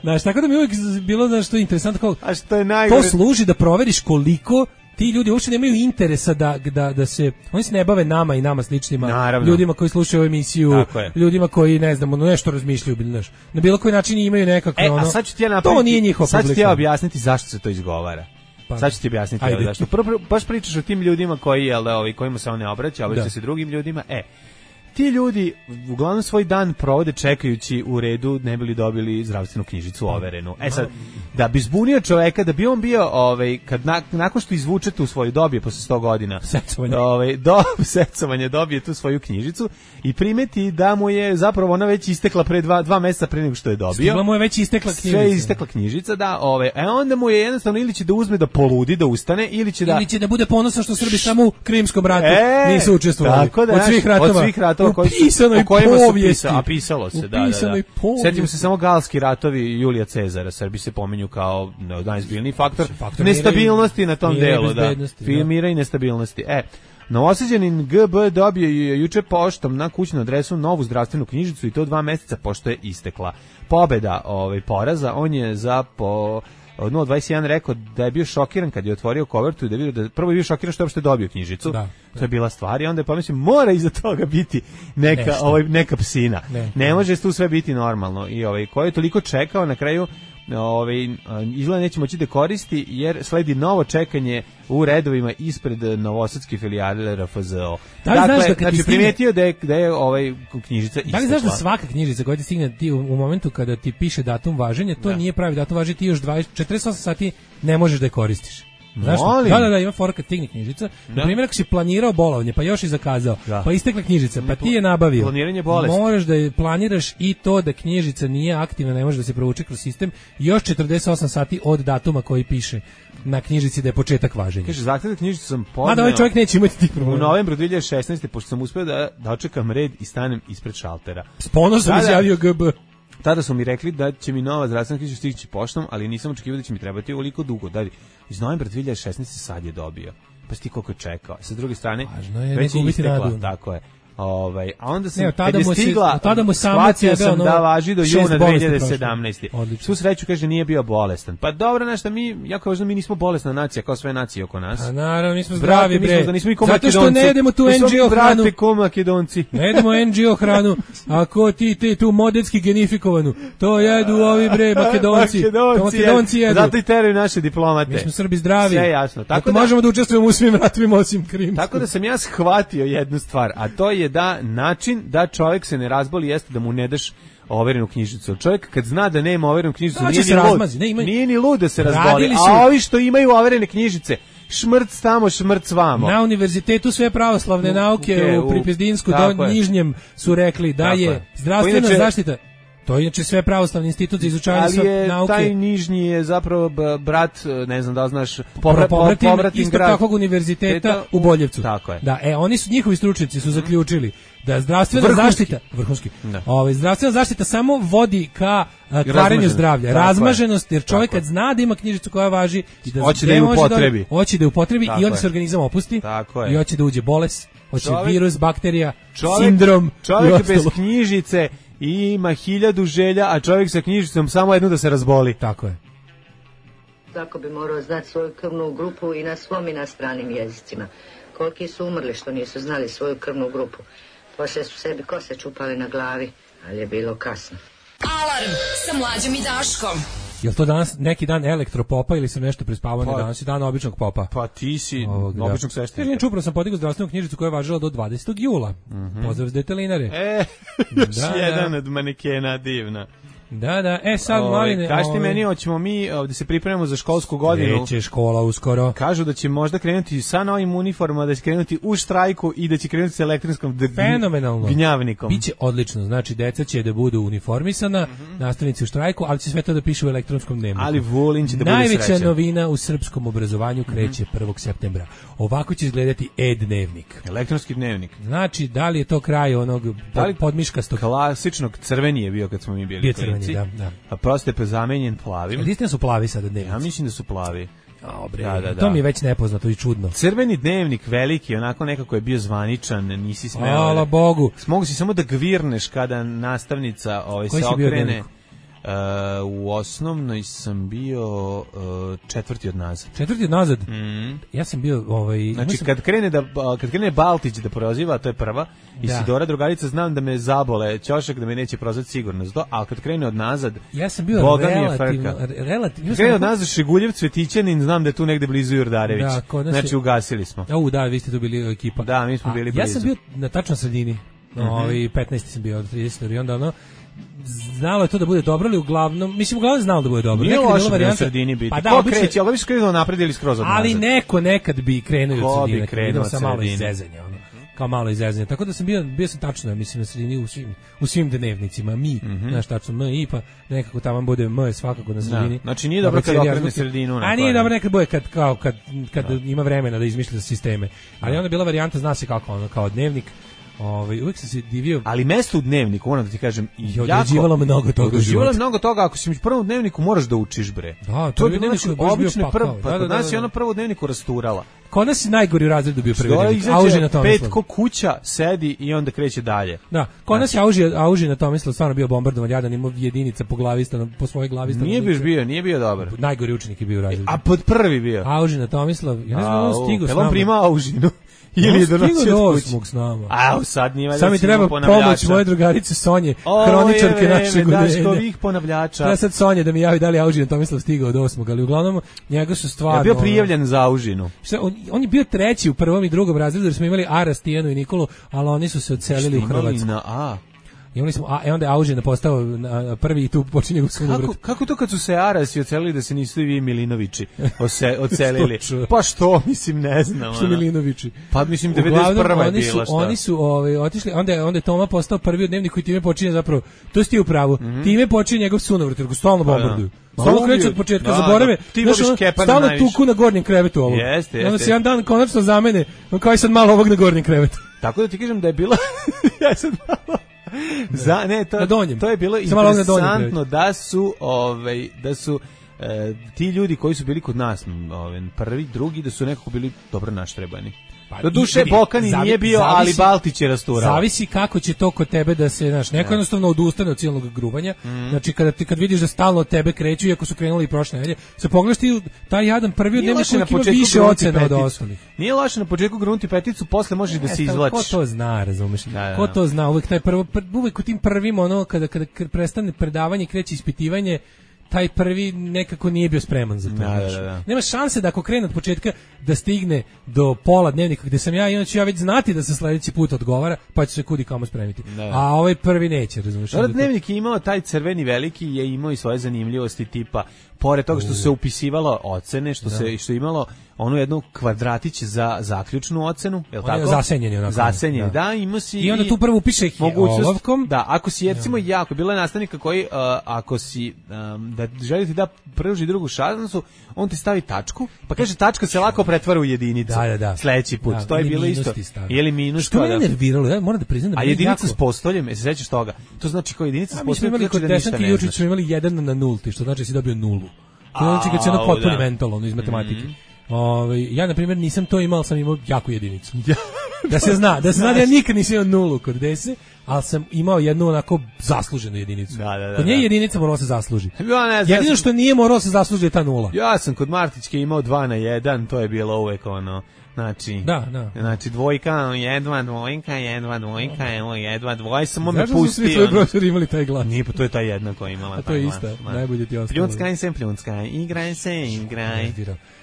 Znaš, tako da mi uvijek bilo da što je interesantno, kao,
A što je najgore...
to služi da proveriš koliko ti ljudi uopšte nemaju interesa da, da, da se, oni se ne bave nama i nama sličnima, Naravno. ljudima koji slušaju emisiju, ljudima koji, ne znam, ono, nešto razmišljaju, znaš, na bilo koji način imaju nekakve,
e,
ono,
a sad ću ti ja napraviti,
to nije njihov
sad ću ti ja objasniti zašto se to izgovara. Pa, sad ću ti objasniti evo, zašto. Prvo, prvo, baš pričaš o tim ljudima koji, jel da, ovi, kojima se on ne obraća, obraća se drugim ljudima, e, ti ljudi uglavnom svoj dan provode čekajući u redu ne bi li dobili zdravstvenu knjižicu overenu. E sad, da bi zbunio čoveka, da bi on bio, ovaj, kad na, nakon što izvuče tu svoju dobije posle sto godina,
secovanje,
ovaj, do, secovanje dobije tu svoju knjižicu i primeti da mu je zapravo ona već istekla pre dva, dva meseca pre nego što je dobio.
Stigla mu je već istekla knjižica.
Sve je istekla knjižica, da, ovaj, e onda mu je jednostavno ili će da uzme da poludi, da ustane, ili će da...
Ili će da bude ponosan što Srbi samo u Krimskom ratu e, nisu učestvovali.
Tako da,
od svih ratova.
Od svih ratova
u pisanoj povijesti.
A pisalo se, da, da, da. Setimo se samo galski ratovi Julija Cezara, Srbi se pominju kao najzbiljniji faktor, faktor nestabilnosti na tom delu, da. Mira i nestabilnosti. E, Novosađanin G B dobio je juče poštom na kućnu adresu novu zdravstvenu knjižicu i to dva meseca pošto je istekla. Pobeda ovaj poraza, on je za po nula dvadeset jedan rekao da je bio šokiran kad je otvorio kovertu i da je vidio da prvo je bio šokiran što je uopšte dobio knjižicu. Da, da. To je bila stvar i onda je pomislio mora iza toga biti neka ovaj neka psina. Ne, ne može tu sve biti normalno i ovaj ko je toliko čekao na kraju ovaj izgleda neće moći da koristi jer sledi novo čekanje u redovima ispred novosadske filijale R F Z O.
Da li dakle, znaš da
znači stigne... primijetio da je da je ovaj knjižica istekla.
Da li znaš da svaka knjižica koja ti stigne ti u, u momentu kada ti piše datum važenja, to da. nije pravi datum važenja, ti još dvadeset četrdeset osam sati ne možeš da je koristiš. Znaš da, da, da, ima fora kad stigne knjižica. Da. Na primjer, ako si planirao bolovanje, pa još i zakazao, da. pa istekla knjižica, pa ti je nabavio.
Planiranje bolesti.
Moraš da je planiraš i to da knjižica nije aktivna, ne može da se provuče kroz sistem, još četrdeset osam sati od datuma koji piše na knjižici da je početak važenja.
Kaže, zahtevnu knjižicu sam podneo.
Mada ovaj čovjek neće imati tih problema.
U novembru dve hiljade šesnaeste pošto sam uspeo da dočekam red i stanem ispred šaltera.
S ponosom izjavio G B.
Tada su mi rekli da će mi nova zdravstvena knjižica stići poštom, ali nisam očekivao da će mi trebati ovoliko dugo. Da, iz novembra dve hiljade šesnaeste sad je dobio. Pa si ti koliko je čekao. Sa druge strane,
je već je istekla.
Tako je. Ovaj, a onda sam
ne,
kad je stigla, tada mu shvatio sam da važi do juna dve hiljade sedamnaeste. Svu sreću kaže nije bio bolestan. Pa dobro, nešto mi, jako važno, mi nismo bolesna nacija kao sve nacije oko nas.
A naravno, mi smo zdravi, bre.
Nismo, da nismo i ko
Zato što ne jedemo tu N G O hranu.
Brate, ko Makedonci.
Ne jedemo N G O hranu, ako ti, ti tu modetski genifikovanu, to jedu ovi, bre, Makedonci.
Makedonci,
Makedonci jedu.
Zato i teraju naše diplomate.
Mi smo Srbi zdravi.
Sve jasno.
Tako da možemo da učestvujemo u svim ratovima osim Krimskog.
Tako da sam ja shvatio jednu stvar, a to je da način da čovjek se ne razboli jeste da mu ne daš overenu knjižicu. Čovjek kad zna da nema overenu knjižicu, nije ni, lud, ne, ima... nije ni lud da se razboli. Su... A ovi što imaju overene knjižice, šmrc tamo, šmrc vamo.
Na univerzitetu sve pravoslavne nauke okay, u Pripizdinsku do Nižnjem su rekli da je, je zdravstvena inače, zaštita. To je inače sve pravoslavni institut za izučavanje nauke.
Ali je
nauke.
Taj Nižnji je zapravo brat, ne znam da li znaš,
povra, povratin, povratin isto grad. Takvog univerziteta u Boljevcu.
Tako je.
Da, e, oni su, njihovi stručnjaci su zaključili da zdravstvena vrhunski. zaštita, vrhunski, ovaj, zdravstvena zaštita samo vodi ka a, kvarenju zdravlja, razmaženost, jer čovjek kad zna da ima knjižicu koja važi i da
hoće da je upotrebi,
hoće da je upotrebi i onda se organizam opusti i hoće da uđe bolest, hoće čovjek, virus, bakterija, čovjek, sindrom.
Čovjek bez knjižice i ima hiljadu želja, a čovjek sa knjižicom samo jednu da se razboli.
Tako je.
Tako bi morao znati svoju krvnu grupu i na svom i na stranim jezicima. Koliki su umrli što nisu znali svoju krvnu grupu. Poslije su sebi kose čupali na glavi, ali je bilo kasno.
Alarm sa Mlađom i Daškom.
Jel to danas neki dan elektropopa ili sam nešto prespavao pa, danas i dan običnog popa?
Pa ti si Ovog, običnog sveštenika.
Kažem, čupravo sam podigao zdravstvenu knjižicu koja je važila do dvadesetog jula. Mm -hmm. Pozdrav s detelinare.
E, još da, jedan da. od manekena divna.
Da, da, e sad Mladine...
Kaži ti meni, hoćemo mi da se pripremamo za školsku godinu.
Neće škola uskoro. Kažu
da će možda krenuti sa novim uniformama, da će krenuti u štrajku i da će krenuti sa elektronskom
fenomenalno
gnjavnikom.
Biće odlično, znači deca će da budu uniformisana, mm -hmm. nastavnici u štrajku, ali će sve to da piše u elektronskom dnevniku.
Ali Vulin će da bude
Najveća
srećan.
novina u srpskom obrazovanju kreće mm -hmm. prvog septembra. Ovako će izgledati e-dnevnik.
Elektronski dnevnik.
Znači, da li je to kraj onog pod, podmiškastog?
Klasičnog crveni je bio kad smo mi bili
bio crveni, da, da.
A prosto je zamenjen plavim.
Ali istina su plavi sada dnevnici?
Ja mislim da su plavi.
O, bre, da, da, da. To mi je već nepoznato i čudno.
Crveni dnevnik veliki, onako nekako je bio zvaničan, nisi smeo.
Hvala Bogu.
Mogu si samo da gvirneš kada nastavnica ovaj, se okrene. Uh, u osnovnoj sam bio uh, četvrti od nazad.
Četvrti od nazad?
Mm.
Ja sam bio... Ovaj,
znači,
sam...
kad krene, da, kad krene Baltić da proziva, to je prva, i da. Sidora drugarica, znam da me zabole ćošak, da me neće prozvati sigurno za to, ali kad krene od nazad,
ja sam bio
Boga
relativno... relativno
krene od nazad Šeguljev, Cvetićanin, znam da je tu negde blizu Jordarević. Da, znači, je... ugasili smo.
O, da, vi ste tu bili ekipa.
Da, mi smo
A,
bili blizu.
Ja sam bio na tačno sredini. No, mm-hmm. ovaj petnaesti sam bio od trideset i onda ono znalo je to da bude dobro, ali uglavnom, mislim uglavnom znalo da bude dobro.
Nije loše varijanta, na sredini biti.
Pa da,
ko
obično,
kreće, ali bi se krenuo napred ili skroz od nazad.
Ali neko nekad bi krenuo od sredine.
Ko bi krenuo od
sredine? Malo izezanja, ono. Kao malo izezanja. Tako da sam bio, bio sam tačno, mislim, na sredini u svim, u svim dnevnicima. Mi, mm-hmm. znaš, tačno M i pa nekako tamo bude M svakako na sredini.
Da. Znači nije dobro kad okrene sredinu.
A nije dobro nekad bude kad, kao, kad, kad da. ima vremena da izmišlja sisteme. Ali onda bila varijanta, zna se kako, ono, kao dnevnik. Ovaj uvek sam se divio.
Ali mesto u dnevniku, moram da ti kažem,
je određivalo mnogo toga.
Određivalo mnogo toga, ako si u prvom dnevniku moraš da učiš bre.
Da, to je dnevnik koji je bio pakao.
Pa kod nas je ona prvo u dnevniku rasturala.
Kod nas je najgori u razredu bio prvi dnevnik. Auži na Tomislav.
Petko kuća sedi i onda kreće dalje.
Da, kod nas je Auži, Auži na Tomislav stvarno bio bombardovan, jadan, imao jedinica po glavi stano, po svojoj glavi stano.
Nije bio, nije bio dobar.
Najgori učenik je bio u razredu.
A pod prvi bio.
Auži na Tomislav. Ja ne znam, on stigao s nama.
On prima Aužinu. Ili je donosio od
osmog s nama.
A, sad nije valjda
sad mi treba pomoć moje drugarice Sonje, hroničarke našeg udeljenja.
Daškovih ponavljača.
Treba sad Sonje da mi javi da li je Aužin Tomislav stigao od osmog, ali uglavnom njega su stvarno...
Ja bio prijavljen za Aužinu.
Šta, on, on je bio treći u prvom i drugom razredu, jer smo imali Aras, Tijanu i Nikolu, ali oni su se odselili u Hrvatsku.
Na A.
I oni smo, a e onda je Aužin postao na prvi i tu počinje u
kako, kako to kad su se Arasi odselili da se nisu i vi Milinovići ose, odselili? Pa što, mislim, ne znam.
Što Milinovići?
Pa mislim, devedeset prva je bila šta.
Oni su ovaj, otišli, onda je, onda je Toma postao prvi u dnevniku i time počinje zapravo, to si ti u pravu, mm-hmm. time počinje njegov sunovrat, jer go stalno bombarduju. Stalno kreću od početka, da, zaborave,
da,
stalno tuku na gornjem krevetu ovo.
Jeste, jeste.
Onda se jedan dan konačno zamene, kao i sad malo ovog na gornjem krevetu.
Tako da ti kažem da je bila, ja sad malo... Za, ne, to, to je bilo interesantno da su, ovaj, da su e, ti ljudi koji su bili kod nas, ovaj, prvi, drugi, da su nekako bili dobro naštrebani. Pa, do duše Bokani zavi, nije bio, zavisi, ali Baltić je rasturao.
Zavisi kako će to kod tebe da se, znaš, neko jednostavno odustane od cijelog grubanja. Mm. Znači kada ti kad vidiš da stalno od tebe kreću, iako su krenuli i prošle nedelje, se pogledaš ti taj jadan prvi od dnevnika koji ima više ocena od ostalih.
Nije loše na početku grunti peticu, posle možeš da se izvlačiš.
Ko to zna, razumeš? Da, da. Ko to zna? Uvek taj prvo, uvek u tim prvim ono kada kada prestane predavanje, kreće ispitivanje, taj prvi nekako nije bio spreman za to.
Da, da, da.
Nema šanse da ako krene od početka da stigne do pola dnevnika gde sam ja, inače ja već znati da se sledeći put odgovara, pa će se kudi kamo spremiti. Da. A ovaj prvi neće, razumiješ?
Da, dnevnik je imao taj crveni veliki, je imao i svoje zanimljivosti tipa, pored toga što se upisivalo ocene, što da. se što je imalo onu jednu kvadratić za zaključnu ocenu, je l' tako?
Zasenjeni onako.
Zasenjeni, da. da, ima si
i onda tu prvo upiše olovkom.
Da, ako si recimo ja. jako, bilo je nastavnika koji, uh, ako si, um, da želite da pruži drugu šansu, on ti stavi tačku, pa kaže tačka se lako pretvara u jedinicu.
Da, da, da.
Sledeći put,
da,
to je bilo isto. Ili minus.
Što me da. nerviralo, ja moram da priznam da
a jedinica s postoljem, jesi sećaš toga? To znači kao jedinica s postoljem.
Mi smo imali kod Desanke Jučić, smo imali jedan na nulti, što znači si dobio nulu. To znači kad se ono potpuni mental, ono iz matematike. Mm. Ove, ja, na primjer, nisam to imao, sam imao jaku jedinicu. Da se zna, da se zna da ja nikad nisam imao nulu kod dese, ali sam imao jednu onako zasluženu jedinicu.
Da, da, da,
kod nje jedinica morala se zasluži.
Ja ne znam,
jedino što nije moralo se zasluži je ta nula.
Ja sam kod Martićke imao dva na jedan, to je bilo uvek ono... Znači,
da, da.
Znači dvojka, jedna dvojka, jedna dvojka, evo jedna dvojka, samo me pustio.
Zašto su svi tvoji profesori imali taj glas?
Nije, pa to je ta jedna koja imala.
A to je ista, najbolje ti ostalo.
Pljuckaj se, pljuckaj, igraj se, igraj.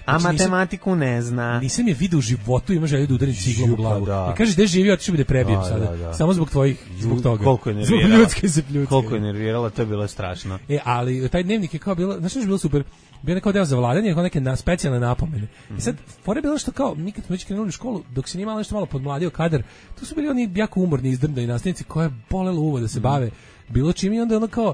A matematiku ne zna.
Nisam je vidio u životu, ima želju da udarim ciglom u glavu. I kažeš da je živio, otišao bi da prebijem sada. Samo zbog tvojih, zbog toga.
Koliko je nervirala.
Zbog ljudske se pljucke.
Koliko je nervirala, to je bilo strašno.
E, ali taj dnevnik je kao bilo, znaš što je bilo super? Bio nekao deo za vladanje, kao neke na, specijalne napomene. Mm-hmm. I sad, fora je bilo što kao, mi kad smo već krenuli u školu, dok se nije malo nešto malo podmladio kadar, tu su bili oni jako umorni, izdrndani nastavnici koja je bolelo uvo da se mm-hmm. bave bilo čim i onda ono kao,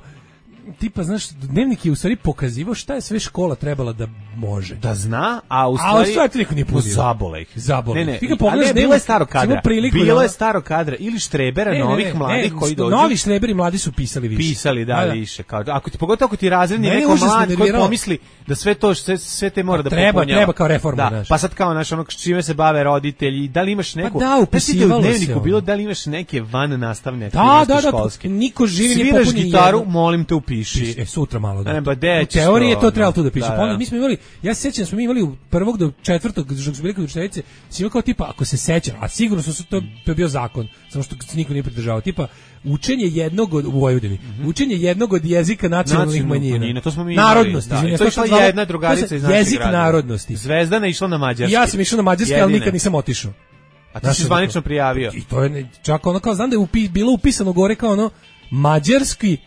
tipa, znaš, dnevnik je u stvari pokazivao šta je sve škola trebala da može.
Da zna, a u stvari...
A u stvari to niko nije punio.
Zabole ih.
Zabole.
Ne, ne,
ti ga pogledaš,
bilo je staro kadra. Bilo
da...
je staro kadra ili štrebera ne, novih ne, ne, mladih ne, koji dođu.
Novi štreberi mladi su pisali više.
Pisali, da, da. više. Kao, ako ti, pogotovo ako ti razredni ne, neko mlad koji pomisli da sve to, sve, sve te mora da
treba,
popunjava.
Treba kao reforma,
da,
znaš.
Pa sad kao, naš, ono, čime se bave roditelji, da li imaš neku...
Pa da, upisivalo se.
Dnevniku bilo, da li imaš neke van nastavne
aktivnosti školske. Niko živi ne popuni.
Sviraš gitaru, molim te upiši.
E, sutra malo, da.
Ne, u
teoriji je to trebalo tu da piše. Da, da. Mi smo imali, ja se sjećam, smo mi imali u prvog do četvrtog, dok smo bili kod učiteljice, si imao kao tipa, ako se sećam, a sigurno su to, to je bio zakon, samo što se niko nije pridržavao, tipa, učenje jednog od, u Vojvodini, mm-hmm. učenje jednog od jezika nacionalnih manjina. manjina.
To smo mi
narodnosti.
Da. Izvinja, to je išla jedna drugarica iz našeg
jezik
grada.
Narodnosti.
Zvezdana išla na mađarski.
Ja sam išao na mađarski, Jedine. ali nikad nisam otišao.
A ti si zvanično prijavio.
I to je, čak ono kao, znam da je upi, bilo upisano gore kao ono, mađarski,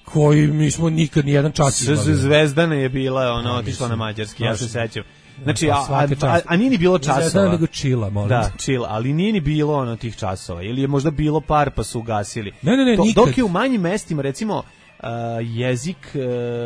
koji mi smo nikad ni jedan čas imali.
Zvezdana je bila, ona otišla na mađarski, ja se sećam. Znači, a, a, a, a nije ni bilo časova.
Zvezdana nego čila, molim.
Da, čila, ali nije ni bilo ono tih časova. Ili je možda bilo par pa su ugasili.
Ne, ne, ne,
to,
nikad.
Dok je u manjim mestima, recimo, Uh, jezik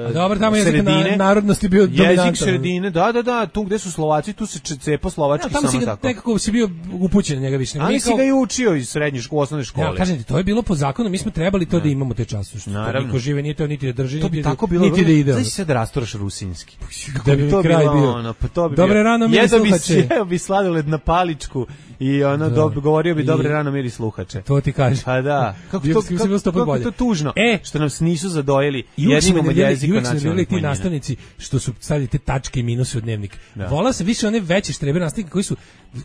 uh,
dobro, tamo jezik
sredine,
na, narodnosti bio dominantan.
Jezik sredine, da, da, da, tu gde su Slovaci, tu se cepo slovački,
ja,
samo
si ga,
tako.
Nekako si bio upućen njega više.
Ali si ga i učio iz srednje škole, osnovne škole.
Ja, kažem ti, to je bilo po zakonu, mi smo trebali to ne. da imamo te časove. Što
naravno.
Niko žive, nije to niti da drži,
to bi
niti,
tako bilo,
niti da ide.
Znači se da rasturaš rusinski.
Da bi
to
kraj
bilo,
bio.
Ono, pa to bi
dobre rano miri sluhače.
Jeo bi sladoled na paličku i ono, do, govorio bi dobre rano miri sluhače.
To ti kaže.
Pa da. Kako to, kako, kako to tužno.
E,
što nam nisu zadojili jednim od jezika nacionalnih
ti nastavnici što su stavili te tačke i minuse u dnevnik. Da. Volao sam više one veće štrebe nastavnike koji su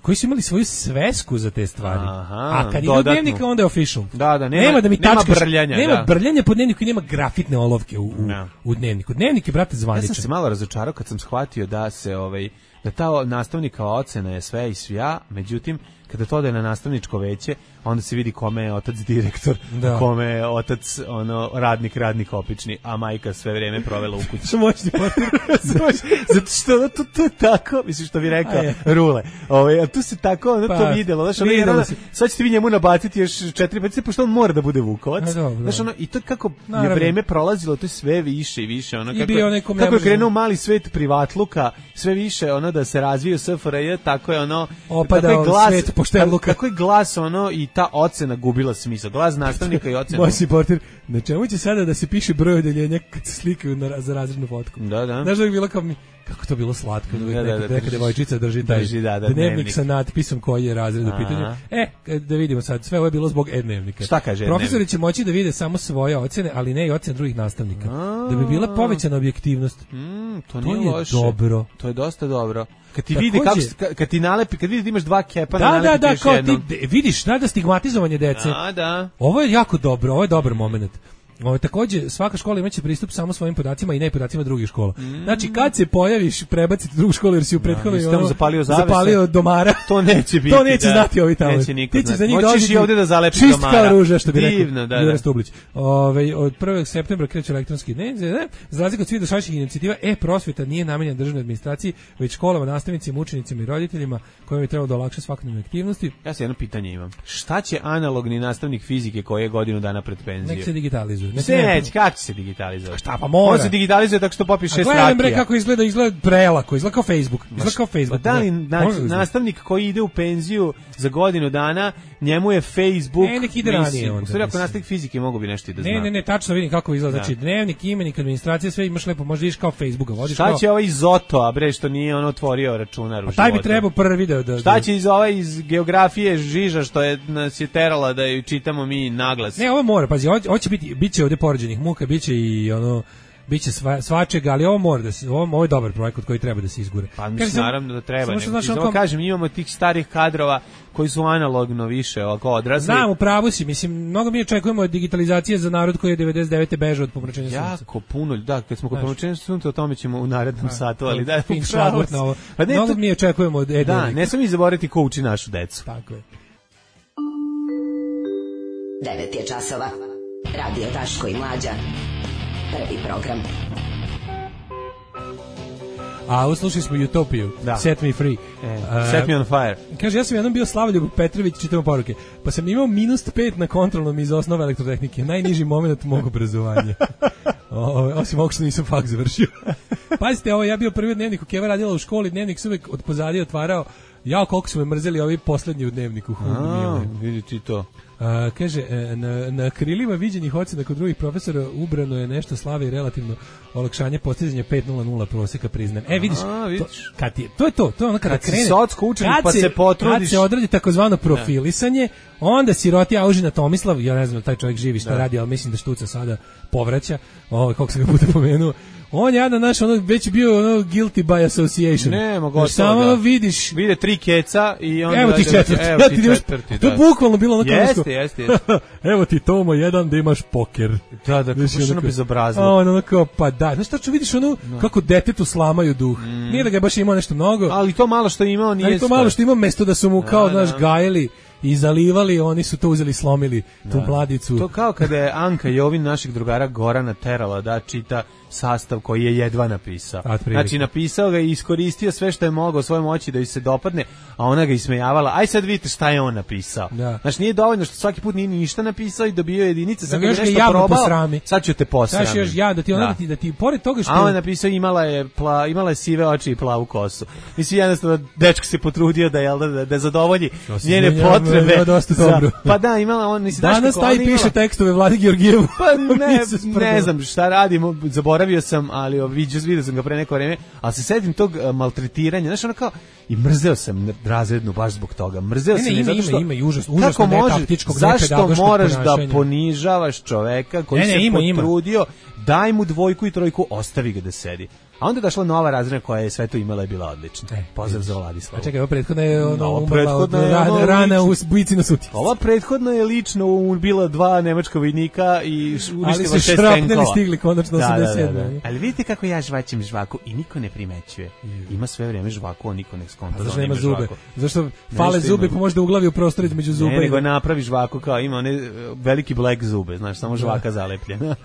koji su imali svoju svesku za te stvari.
Aha,
a kad ide u dnevnik onda je official.
Da, da, nema,
nema da mi
nema
tačkaš,
brljanja.
Nema
da.
brljanja po dnevniku i nema grafitne olovke u, u, no. u dnevniku. Dnevnik je, brate, zvaničan.
Ja sam se malo razočarao kad sam shvatio da se ovaj da ta nastavnikova ocena je sve i svja, međutim kada to ode na nastavničko veće, onda se vidi kome je otac direktor, da. kome je otac ono radnik, radnik opični, a majka sve vrijeme provela u kući.
Što moćni portir.
Zato što to, to je tako, mislim što bi rekao Rule. Ovaj, a tu se tako ono pa, to videlo, znači ono, ono sad ćete vi njemu nabaciti još četiri pet, pošto on mora da bude Vukovac. Znači ono i to kako Naravno. je vreme prolazilo, to je sve više i više, ono kako je, kako je krenuo mali svet privatluka, sve više ono da se razvija S F R J, tako je ono
opadao svet poštenluka.
Kako je glas ono i ta ocena gubila smisao. Glas nastavnika i ocena.
Moćni portir, na čemu će sada da se piše broj odeljenja kad se slikaju na, za razrednu fotku?
Da, da.
Znaš da je bilo kao mi, kako to bilo slatko, da, da, da, da neka devojčica drži taj
drži, da, da,
dnevnik,
dnevnik
sa natpisom koji je razred u pitanju. E, da vidimo sad, sve ovo je bilo zbog e-dnevnika.
Šta kaže
Profesori će moći da vide samo svoje ocene, ali ne i ocene drugih nastavnika. Da bi bila povećana objektivnost.
Mm, to,
to
nije
je
loše.
dobro.
To je dosta dobro. Kad ti vidi kako kad ti nalepi, kad vidi da imaš dva kepa na
da, da, da, kao ti vidiš, da, da stigmatizovanje dece.
Da, da.
Ovo je jako dobro, ovo je dobar momenat. Ovo takođe svaka škola imaće pristup samo svojim podacima i ne podacima drugih škola. Mm. Znači kad se pojaviš prebaciti drugu školu jer si u prethodnoj ono,
zapalio,
zapalio domara.
To neće biti.
To neće
da.
znati ovi tamo.
Neće niko.
Ti ćeš za njih doći
i ovde da zalepiš
čist
domara.
Čist kao ruža što bi
Divno,
rekao.
Da, da.
Stublić. Ove, od prvog septembra kreće elektronski dnevnik. Za razliku od svih dosadašnjih inicijativa, e-prosveta nije namenjena državnoj administraciji, već školama, nastavnicima, učenicima i roditeljima kojima bi trebalo da olakša svakodnevne aktivnosti.
Ja se jedno pitanje imam. Šta će analogni nastavnik fizike koji je godinu dana pred penzijom?
Nek se digitalizuje.
Nek se kako će se digitalizovati?
Šta pa mora?
On se digitalizuje tako što popiš šest rakija.
Gledam bre kako izgleda, izgleda prelako, izgleda kao Facebook. Izgleda kao Facebook.
Da li na, nastavnik koji ide u penziju za godinu dana, njemu je Facebook...
Ne, nek ide ranije onda.
U stvari, ako nastavnik fizike mogu bi nešto i da zna.
Ne, ne, ne, tačno vidim kako izgleda. Znači, dnevnik, imenik, administracija, sve imaš lepo, možda iš kao Facebooka. Vodiš
šta
kao...
će ovaj iz Zoto, a bre, što nije on otvorio računar u životu?
Pa taj bi trebao prvi video da...
Šta će iz ovaj iz geografije Žiža, što je nas je terala da ju čitamo mi naglas?
Ne, ovo mora, pazi, ovo će biti, bit će ovde poređenih muka, bit će i ono... biće sva, svačega, ali ovo mora da se, ovo, ovo je dobar projekat koji treba da se izgura.
Pa mislim, naravno da treba. Samo znaš, ono, kažem, imamo tih starih kadrova koji su analogno više ovako odrasli.
Znam, u pravu si, mislim, mnogo mi očekujemo digitalizacije za narod koji je devedeset devete bežao od pomračenja sunca.
Jako puno, da, kad smo kod pomračenja sunca, o tome ćemo u narednom da, satu, ali da,
fin šlagvort na ovo. Pa ne, mnogo to, mi očekujemo od e
da, ne smijemo zaboraviti ko uči našu decu.
Tako je.
devet je časova. Radio Daško i Mlađa. Prvi program.
A uslušali smo Utopiju,
da.
Set Me Free.
E, uh, set Me on Fire.
Kaže, ja sam jednom bio Slavoljub Petrović, čitamo poruke, pa sam imao minus pet na kontrolnom iz osnova elektrotehnike. Najniži moment mog obrazovanja. O, osim ovog što nisam faks završio. Pazite, ovo, ja bio prvi dnevnik u Keva radila u školi, dnevnik se uvek od pozadije otvarao. Ja, koliko su me mrzeli ovi poslednji u dnevniku.
A, vidi ti to.
A, kaže, na, na krilima viđenih ocena kod drugih profesora ubrano je nešto slave i relativno olakšanje postizanja pet nula nula proseka priznajem. E, vidiš,
a, vidiš.
To, kad je, to je to, to je ono kada
kad
krene.
Si socko učenik pa se potrudiš.
Kad se odradi takozvano profilisanje, onda siroti Aužina Tomislav, ja ne znam, taj čovjek živi šta da. radi, ali mislim da štuca sada povraća, ovo, kako sam ga puta pomenuo. On je naš ono već bio ono guilty by association.
Ne, mogu
samo da. vidiš.
Vide tri keca i onda
evo ti četvrti.
Evo ti četvrti.
To je bukvalno bilo ono
jeste, jeste, jeste, jeste.
Evo ti Tomo jedan da imaš poker.
Da, da, kako što ono bezobrazno.
On ono kao, pa da. Znaš tačno vidiš ono no. kako detetu slamaju duh. Mm. Nije da ga baš imao nešto mnogo.
Ali to malo što je imao nije.
Ali to malo što ima mesto da su mu kao, znaš, gajili. i zalivali, oni su to uzeli, slomili tu
da.
Mladicu.
To kao kada je Anka Jovin našeg drugara Gorana terala da čita sastav koji je jedva napisao. Znači napisao ga i iskoristio sve što je mogao svoje moći da joj se dopadne, a ona ga ismejavala. Aj sad vidite šta je on napisao.
Da.
Znači nije dovoljno što svaki put nije ništa napisao i dobio jedinice, sad
da
ga nešto probao, sad ću te posramiti.
Sad još ja da ti ona da. Da, ti, da ti pored toga što...
A on je napisao imala je, pla, imala je sive oči i plavu kosu. Mislim jednostavno dečko se potrudio da, jel, da, da zadovolji njene
menjam,
potrebe.
Ja, dosta dobro.
Za, pa da, imala on... Nisi,
danas taj piše imala... tekstove Vladi Georgijevu.
Pa ne, ne znam šta radimo, zaboravio sam, ali vidio, vidio sam ga pre neko vreme, ali se setim tog uh, maltretiranja, znaš, ono kao, i mrzeo sam razrednu baš zbog toga, mrzeo
ne,
sam
ne,
je zato što...
Ima, ima, užas, užasno netaktičkog,
zašto moraš da ponižavaš čoveka koji ne, ne, se ima, potrudio, ima. Daj mu dvojku i trojku, ostavi ga da sedi. A onda je došla nova razredna koja je sve to imala i bila odlična. E, pozdrav za Vladislava.
A čekaj, ova prethodna je ono, no, umrla od rana, rana u bujici na sutici.
Ova prethodna je lično ubila dva nemačka vojnika i uništila šest tenkova.
Ali su šrapneli stigli konačno
da,
osamdeset sedme.
Da, da, da. Ali vidite kako ja žvaćem žvaku i niko ne primećuje. Ima sve vreme žvaku, a niko ne skonta.
Pa zašto nema zube? Zašto fale zube pa možda uglavi u prostor između zuba?
Ne, nego napravi žvaku kao ima one veliki black zube, znaš, samo žvaka zalepljena.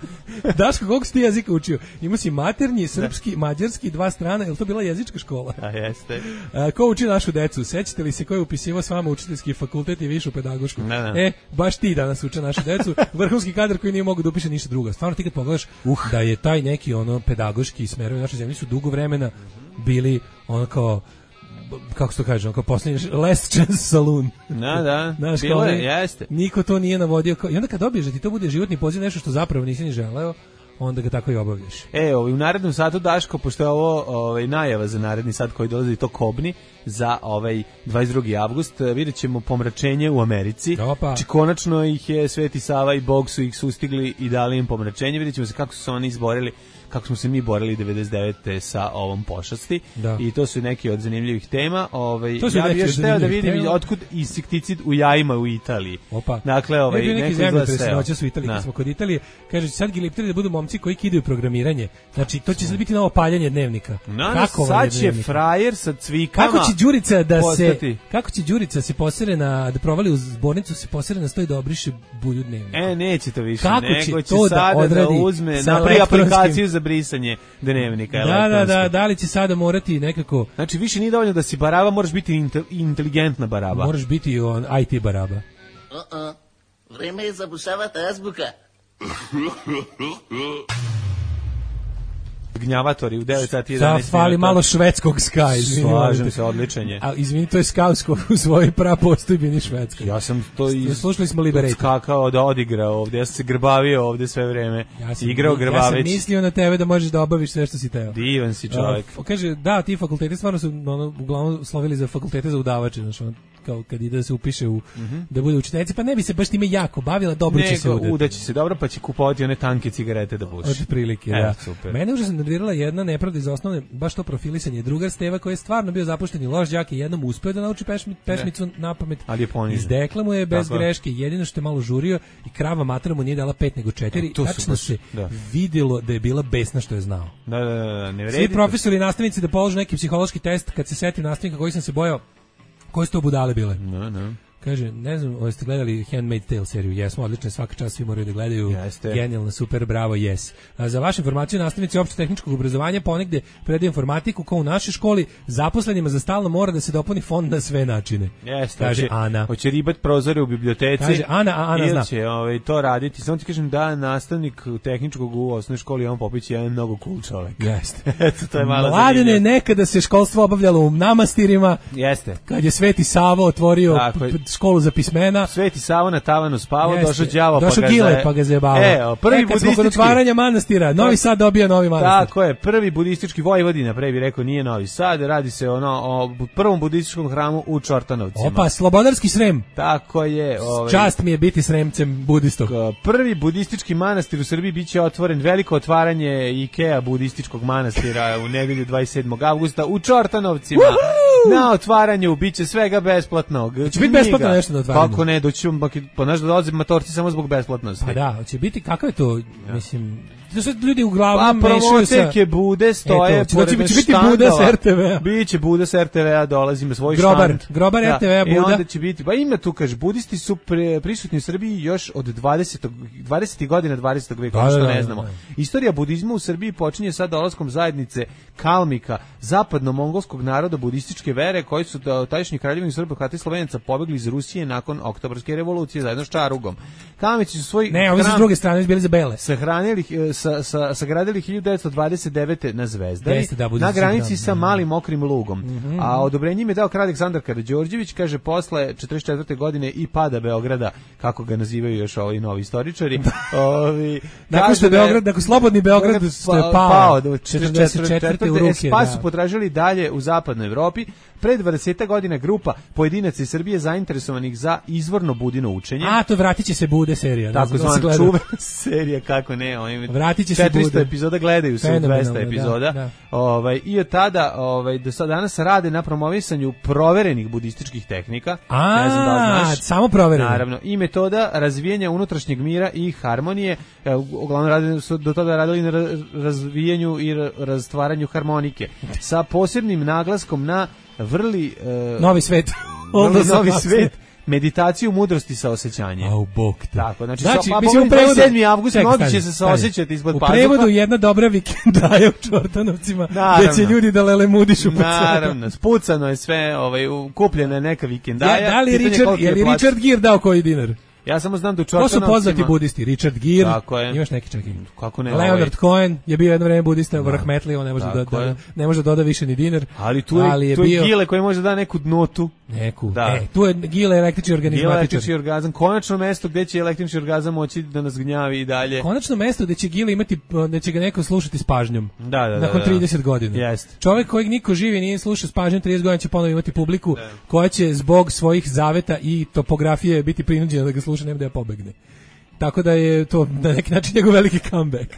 Daško, koliko si ti jezika učio? Ima si maternji, srpski, mađarski, dva strana, je li to bila jezička škola?
A jeste.
A, ko uči našu decu? Sećate li se ko je upisivao s vama učiteljski fakultet i višu pedagošku?
Ne, ne.
E, baš ti danas uče našu decu. Vrhunski kadar koji nije mogu da upiše ništa drugo. Stvarno ti kad pogledaš uh. da je taj neki ono pedagoški smerovi naše zemlje su dugo vremena bili ono kao kako se to kaže, kao posljednji last chance saloon.
Da, da,
znaš,
bilo je, jeste.
Niko to nije navodio. Kao, i onda kad dobiješ da ti to bude životni poziv, nešto što zapravo nisi ni želeo, onda ga tako i obavljaš.
E, ovaj, u narednom satu, Daško, pošto je ovo ovaj, najava za naredni sat koji dolazi, to Kobni, za ovaj dvadeset drugi avgust, vidjet ćemo pomračenje u Americi.
Opa.
Či konačno ih je Sveti Sava i Bog su ih sustigli i dali im pomračenje. Vidjet ćemo se kako su se oni izborili, kako smo se mi borili devedeset devete sa ovom pošasti. Da. I to su neki od zanimljivih tema. Ovaj, ja bih još hteo da vidim tema. Otkud insekticid u jajima u Italiji.
Opa.
Dakle, ovaj,
ne, neki zemljotres noćas u Italiji, kad smo kod Italije, kaže sad gilipteri da budu momci koji kidaju programiranje. Znači, to će sad biti novo paljanje dnevnika.
No, kako sad će frajer sa cvikama.
Kako će Đurica da postati. se kako će Đurica se posere na da provali u zbornicu, se posere na sto i da obriše bulju dnevnika.
E, neće to više,
kako
nego će,
će to
sada
da,
da uzme na aplikaciju za brisanje dnevnika.
Da, da, da, da li će sada morati nekako...
Znači, više nije dovoljno da si baraba, moraš biti inteligentna baraba.
Moraš biti on I T baraba.
Uh-uh. Vreme je zabušavati azbuka.
Gnjavatori u devet sati jedanaest
minuta. Da, fali malo švedskog ska, izvini.
Slažem se, odličan je.
A izvini, to je skausko u svojoj prapostojbini švedska.
Ja sam to iz...
Slušali smo Liberate.
Skakao da odigrao ovdje, ja sam se grbavio ovdje sve vreme.
Ja sam,
igrao grbaveć.
Ja sam mislio na tebe da možeš da obaviš sve što si teo.
Divan si čovjek.
Uh, kaže, da, ti fakulteti stvarno su ono, uglavnom slovili za fakultete za udavače, znači ono, kao kad ide da se upiše u, mm-hmm. da bude učiteljica, pa ne bi se baš time jako bavila, dobro će se udati.
Udaće se dobro, pa će kupovati one tanke cigarete da puši.
Od prilike, e, da. Super. Mene užasno nervirala jedna nepravda iz osnovne, baš to profilisanje. Drugar Steva koji je stvarno bio zapušten i loš đak i jednom uspeo da nauči pešmi, pesmicu na pamet.
Ali je ponižen.
Izdekla mu je bez tako greške, jedino što je malo žurio i krava mater mu nije dala pet nego četiri. E, tačno se da. vidjelo da je bila besna što je znao.
Da, da, da, ne vredi.
Svi profesori i nastavnici da polože neki psihološki test, kad se setim nastavnika koji sam se bojao, koje su to budale bile?
No, no.
Kaže, ne znam, jeste gledali Handmaid's Tale seriju? Jesmo, odlično, svaka čast svi moraju da gledaju.
Jeste.
Genijalno, super, bravo, yes. A za vašu informaciju, nastavnici opšte tehničkog obrazovanja ponegde predaju informatiku kao u našoj školi, zaposlenima za stalno mora da se dopuni fond na sve načine.
Jeste.
Kaže
hoće,
Ana.
Hoće ribat prozore u biblioteci.
Kaže Ana, a Ana zna.
Će ovaj, to raditi. Samo ti kažem da nastavnik tehničkog u osnovnoj školi Jovan Popović je mnogo cool čovjek.
Jeste.
Eto, to je malo
Mladene, nekada se školstvo obavljalo u namastirima.
Jeste.
Kad je Sveti Savo otvorio školu za pismena.
Sveti Savo na tavanu spavao, došao đavo
došao
pa,
Gile, pa ga zajebavao.
E, prvi
e, kad
budistički...
smo kod otvaranja manastira, Novi Sad dobija novi manastir.
Tako je, prvi budistički Vojvodina, pre bi rekao, nije Novi Sad, radi se ono, o prvom budističkom hramu u Čortanovcima.
Opa, Slobodarski Srem.
Tako je. Ovaj,
čast mi je biti Sremcem budistog.
Prvi budistički manastir u Srbiji biće otvoren, veliko otvaranje Ikea budističkog manastira u nedelju dvadeset sedmog avgusta u Čortanovcima. Uhu! Na otvaranju biće svega besplatnog.
Će biti besplatno nešto na otvaranju.
Kako ne, doći ćemo, pa znaš da dolaze matorci samo zbog besplatnosti.
Pa da, će biti, kako je to, ja. mislim, to su ljudi uglavnom
pa,
mešaju sa...
promoterke bude stoje
Eto, će, će biti Buda s R T V-a.
Biće Buda s R T V-a, dolazimo svoj
Grobar,
štand.
Grobar da. R T V-a Buda.
I onda će biti, pa ima tu, kaže, budisti su pre, prisutni u Srbiji još od dvadesetih dvadesetih godina dvadesetog veka, ono što ne znamo. Da, da, da. Istorija budizma u Srbiji počinje sa dolaskom zajednice Kalmika, zapadno-mongolskog naroda budističke vere, koji su tadašnji kraljevini Srba, Hrvata i Slovenaca pobegli iz Rusije nakon Oktobarske revolucije zajedno s Čarugom. Kalmici su svoj
Ne, ovi su s druge strane bili za bele.
Sahranili sa sa sagradili hiljadu devetsto dvadeset devete na Zvezdari,
da,
na granici sa Malim Mokrim Lugom. Mm-hmm. A odobrenje im je dao kralj Aleksandar Karađorđević, kaže, posle četrdeset četvrte godine i pada Beograda, kako ga nazivaju još ovi novi istoričari. Ovi,
nakon što Beograd, nakon slobodni Beograd pa, pao, pao do četrdeset četvrte u ruke.
Pa su potražili dalje u zapadnoj Evropi. Pre dvadeset godina grupa pojedinaca iz Srbije zainteresovanih za izvorno budino učenje.
A, to vratit će se Bude serija.
Tako zvana čuvena serija, kako ne. Oni
vratit će se
četiristo
Bude.
Epizoda gledaju se u dvesta epizoda. Da, da. Ovaj, I od tada, ovaj, do sada danas rade na promovisanju proverenih budističkih tehnika.
A,
ne znam da li znaš.
Samo proverene.
Naravno. I metoda razvijanja unutrašnjeg mira i harmonije. Uglavnom rade, su do tada radili na razvijanju i razstvaranju harmonike. Sa posebnim naglaskom na vrli uh,
novi svet.
Vrli novi svet. Meditaciju mudrosti sa osjećanjem.
Au bog te.
Tako, znači,
znači
so, pa
mislim u prevodu
sedmi avgust mnogi će se saosećati ispod pazuha.
U prevodu jedna dobra vikendaja u Čortanovcima, gdje će ljudi da lele mudišu po
Naravno, spucano je sve, ovaj, kupljena je neka vikendaja.
Ja, da li Richard, je li Richard Gere dao koji dinar?
Ja samo znam da u Čortanovcima...
To su poznati budisti, Richard Gere, imaš neki čak i...
Kako ne,
Leonard
ovaj...
Cohen je bio jedno vreme budista, da. Rahmetli, on ne može da, da, ne može da doda više ni dinar.
Ali tu je, ali je, tu je bio... Gile koji može da neku notu.
Neku, da. E, tu je Gile električni organizmatičar.
Gile električni orgazam, konačno mesto gde će električni orgazam moći da nas gnjavi i dalje.
Konačno mesto gde će Gile imati, da će ga neko slušati s pažnjom.
Da, da, da.
Nakon
da,
trideset godina.
Jeste.
Čovjek kojeg niko živi nije slušao s pažnjom trideset godina će ponovo imati publiku da. Koja će zbog svojih zaveta i topografije biti prinuđena da ga sluša, nema da je pobegne. Tako da je to na neki način njegov veliki comeback.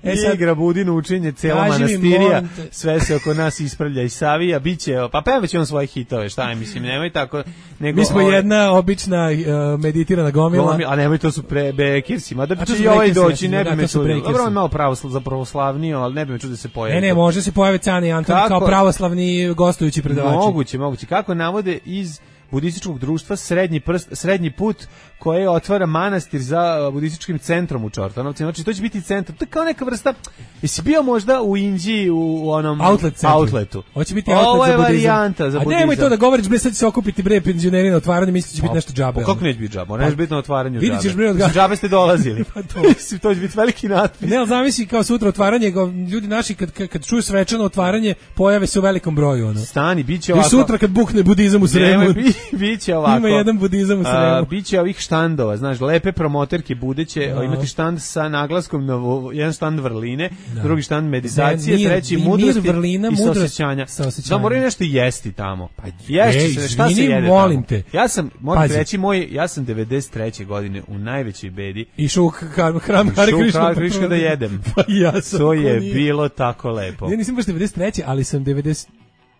E sad, igra budino učenje, cijela manastirija, sve se oko nas ispravlja i savija, biće, pa pevaće on svoje hitove, šta je, mislim, nemoj tako, nego...
Mi smo ove, jedna obična uh, meditirana gomila. gomila.
A nemoj, to su pre Bekirsi, mada bi će i ovaj doći, ne bi me čudilo. Dobro, on malo pravosl, za pravoslavnio, ali ne bi me čudilo da se pojavi.
Ne, ne, može se pojaviti Cane i Anton kao pravoslavni gostujući predavači.
Moguće, moguće. Kako navode iz budističkog društva Srednji prst, Srednji put, koje otvara manastir za budističkim centrom u Čortanovcima. Znači to će biti centar. To je kao neka vrsta. Jesi bio možda u Indiji u, u onom
outlet centru.
outletu?
Hoće biti outlet
Ovo je
za budizam.
varijanta za budizam.
A nemoj to da govoriš, bre, sad će se okupiti bre penzioneri na otvaranju, misliš da će biti nešto džabe.
Kako neće biti džabe? Neće biti na otvaranju džabe.
Vidiš bre,
od džabe ste dolazili.
Pa to.
To će biti veliki natpis.
Ne, al zamisli kao sutra otvaranje, ljudi naši kad kad čuju svečano otvaranje, pojave se u velikom broju, ono.
Stani, biće ovako.
I sutra kad bukne budizam u Sremu.
Biće ovako.
Ima jedan budizam u Sremu.
Biće ovih štandova, znaš, lepe promoterke budeće, no. Imati štand sa naglaskom na jedan štand vrline, no. Drugi štand meditacije, mir, treći mudrosti vrlina, i saosećanja. Da moraju nešto jesti tamo. Pa ješće se, šta se jede
molim
tamo?
Te.
Ja sam, moram reći, moj, ja sam devedeset treće godine u najvećoj bedi.
Išao u hram Hare Krishna
Krishna da jedem.
Pa ja sam.
To je bilo tako lepo.
Ja nisam baš devedeset treće, ali sam devedeset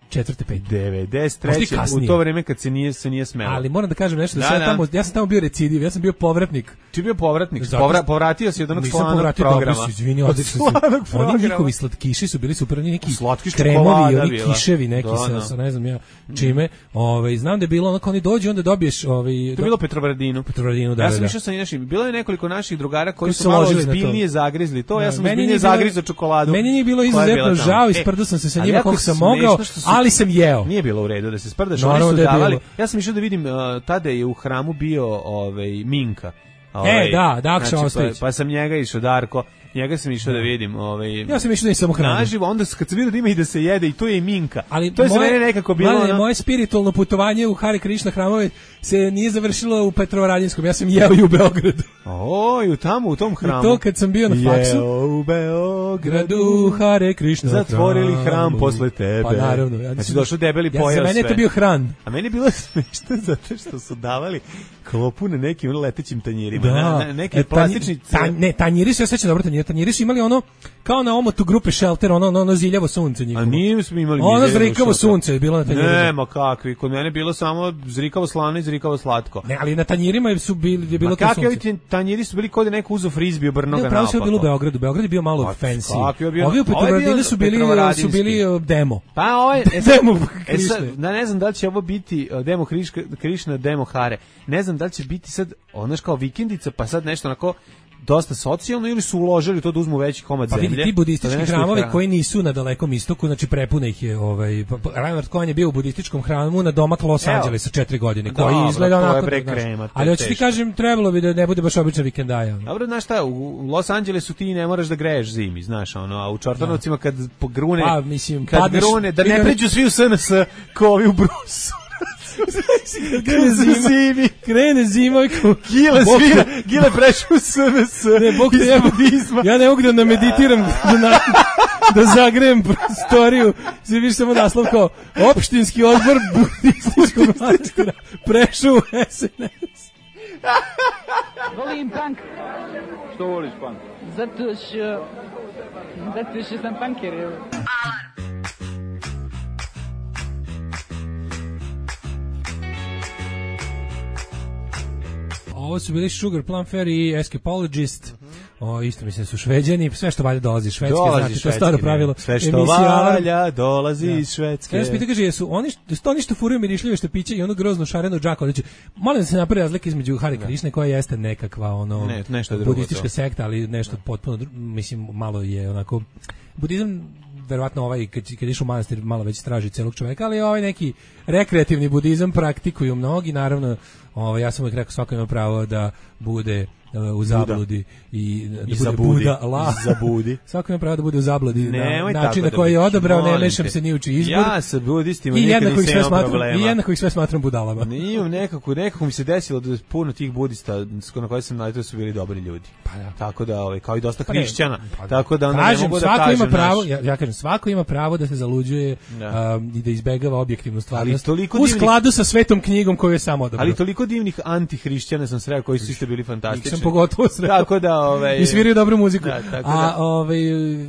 četvrte pete
devedeset treće u to vrijeme kad se nije se nije smelo.
Ali moram da kažem nešto da, da, ja tamo ja sam tamo bio recidiv, ja sam bio povratnik.
Ti bio povratnik, Povra, povratio si od onog slavnog programa.
Dobro, izvini, odlično. Oni njihovi slatkiši su bili super, neki kremovi, oni kiševi neki sa, sa ne znam ja čime. Ovaj znam da je bilo onako oni dođu onda dobiješ ovaj
to je bilo Petrovaradinu.
Petrovaradinu, da.
Ja sam išao sa našim, bilo je nekoliko naših drugara koji su malo ozbiljnije zagrizli to, ja sam ozbiljnije zagrizao čokoladu.
Meni nije bilo izuzetno žao, isprdao sam se sa njima koliko sam mogao, ali sam jeo.
Nije bilo u redu da se sprdaš, oni su davali. Ja sam išao da vidim, uh, tada je u hramu bio ovaj Minka.
Ovaj, e, da, Dakša znači, Ostojić.
Pa, pa sam njega išao, Darko, njega sam išao da vidim. Ovaj,
ja sam išao da je samo hranu.
Naživo, onda kad sam vidio da ima i da se jede, i to je i Minka. Ali to je moje, za mene nekako bilo...
Mali, ono... Moje spiritualno putovanje u Hare Krishna hramove se nije završilo u Petrovaradinskom, ja sam jeo i u Beogradu.
O, i tamo, u tom hramu.
I to kad sam bio na faksu.
Jeo u Beogradu,
Hare Krishna
zatvorili hram posle tebe.
Pa naravno. Ja
znači došao debeli pojao sve.
Ja sam mene to bio hran.
A meni je bilo smešno zato što su davali klopu na nekim letećim tanjirima.
Da.
Na, na, neki e, plastični...
Tanj, ne, tanjiri su, ja sećam dobro tanjiri. Tanjiri su imali ono, kao na omotu grupe Shelter, ono, ono, ono ziljavo sunce njihovo.
A nije smo imali
ono zrikavo sunce je bilo na tanjirima.
Nema kakvi, kod mene je bilo samo zrikavo slano i zrikavo slatko.
Ne, ali na tanjirima su bili, je bilo
Ma
to sunce.
kakvi ovi tanjiri su bili kod neko uzo frizbi obrno ga
naopako. Ne, pravo je bilo u
naopako.
Beogradu, Beograd je bio malo
Pa,
fancy.
kakvi je bio-
Ovi u
ovaj je bio
Petrovaradinu su bili, su
Petrovaradinski.
bili uh, demo.
Pa ovaj, e sad,
Demo
e sad,
Krišne.
da ne znam da li će ovo biti uh, demo Kriška, Krišna, demo Hare. Ne znam da li će biti sad, ono kao vikendica, pa sad nešto onako dosta socijalno ili su uložili to da uzmu veći komad
Pa
zemlje.
vidi, ti budistički
da nešto
hramovi
hrane.
koji nisu na dalekom istoku, znači prepuna ih je, ovaj, pa- pa- Reinhard Cohen je bio u budističkom hramu na domak Los
Evo.
Angelesa četiri godine,
Dobro,
koji izgleda
to je
onako,
bre
znaš,
krema, to
ali
je
hoću ti
teško.
kažem, trebalo bi da ne bude baš obična vikendaja. ono.
Dobro, znaš šta, u Los Angelesu ti ne moraš da greješ zimi, znaš, ono, a u Čortanovcima kad pogrune,
Pa, mislim,
kad
padneš-
grune, da ne
vidio-
pređu svi u S N S ko ovi u Brusu.
Krene zima, krene zima, kao,
Gile
Bog te-
svira, Gile prešao u S N S.
Ne, Bog te
iz
jebo,
budizma.
ja ne mogu da nameditiram, da, na, da zagrejem prostoriju, svi više samo naslov kao opštinski odbor budističkog manastira prešao u S N S.
Volim punk.
Što voliš punk?
Zato što... Zato što sam punker. evo.
Ovo su bili Sugar Plum Fairy i Escapologist. O, isto mislim su Šveđani, sve što valja dolazi iz Švedske,
Dolazi
znate,
iz
to je staro
Švedske,
pravilo.
sve što
Emisija Alarm.
valja dolazi
Da.
iz Švedske.
Ja sam pitao, kaže, jesu oni, što- jesu to oni što furaju mirišljive štapiće i ono grozno šareno džako, znači, molim da se napravi razlika između Hare Krišne, koja jeste nekakva, ono,
Ne, nešto je drugo
budistička
to.
sekta, ali nešto potpuno, dru- mislim, malo je onako, budizam, verovatno ovaj, kad, kad išu u manastir, malo već straži celog čoveka, ali ovaj neki rekreativni budizam praktikuju mnogi, naravno, ovaj, ja sam uvijek rekao, svako ima pravo da bude uh, u zabludi i da
I
bude
zabudi.
Buda, la.
I zabudi.
Svako ima pravo da bude u zabludi na
Nemoj tako
način na
da
koji je
budeš,
odabrao, ne
molim
mešam
te.
se ni u čiji izbor.
Ja sa budistima
I
nikad
jednako ih
nisam
sve
imao
smatram,
problema.
i jednako ih sve smatram budalama.
Nije nekako, nekako mi se desilo da puno tih budista na koje sam naletio su bili dobri ljudi.
Pa da.
Tako da, ovaj, kao i dosta
Pa ne,
hrišćana.
pa da.
Tako da onda ne
Kažem,
mogu da
svako
kažem
ima pravo,
naš-
ja, ja kažem, svako ima pravo da se zaluđuje
Da.
um, i da izbegava objektivnu stvarnost.
toliko
U
divnih-
skladu sa svetom knjigom koju je sam odabrao.
Ali toliko divnih antihrišćana sam sreo koji su isto bili fantastični.
Ih sam pogotovo sreo.
Tako da, ovaj,
I sviraju dobru muziku.
Da, tako
A
da.
ovaj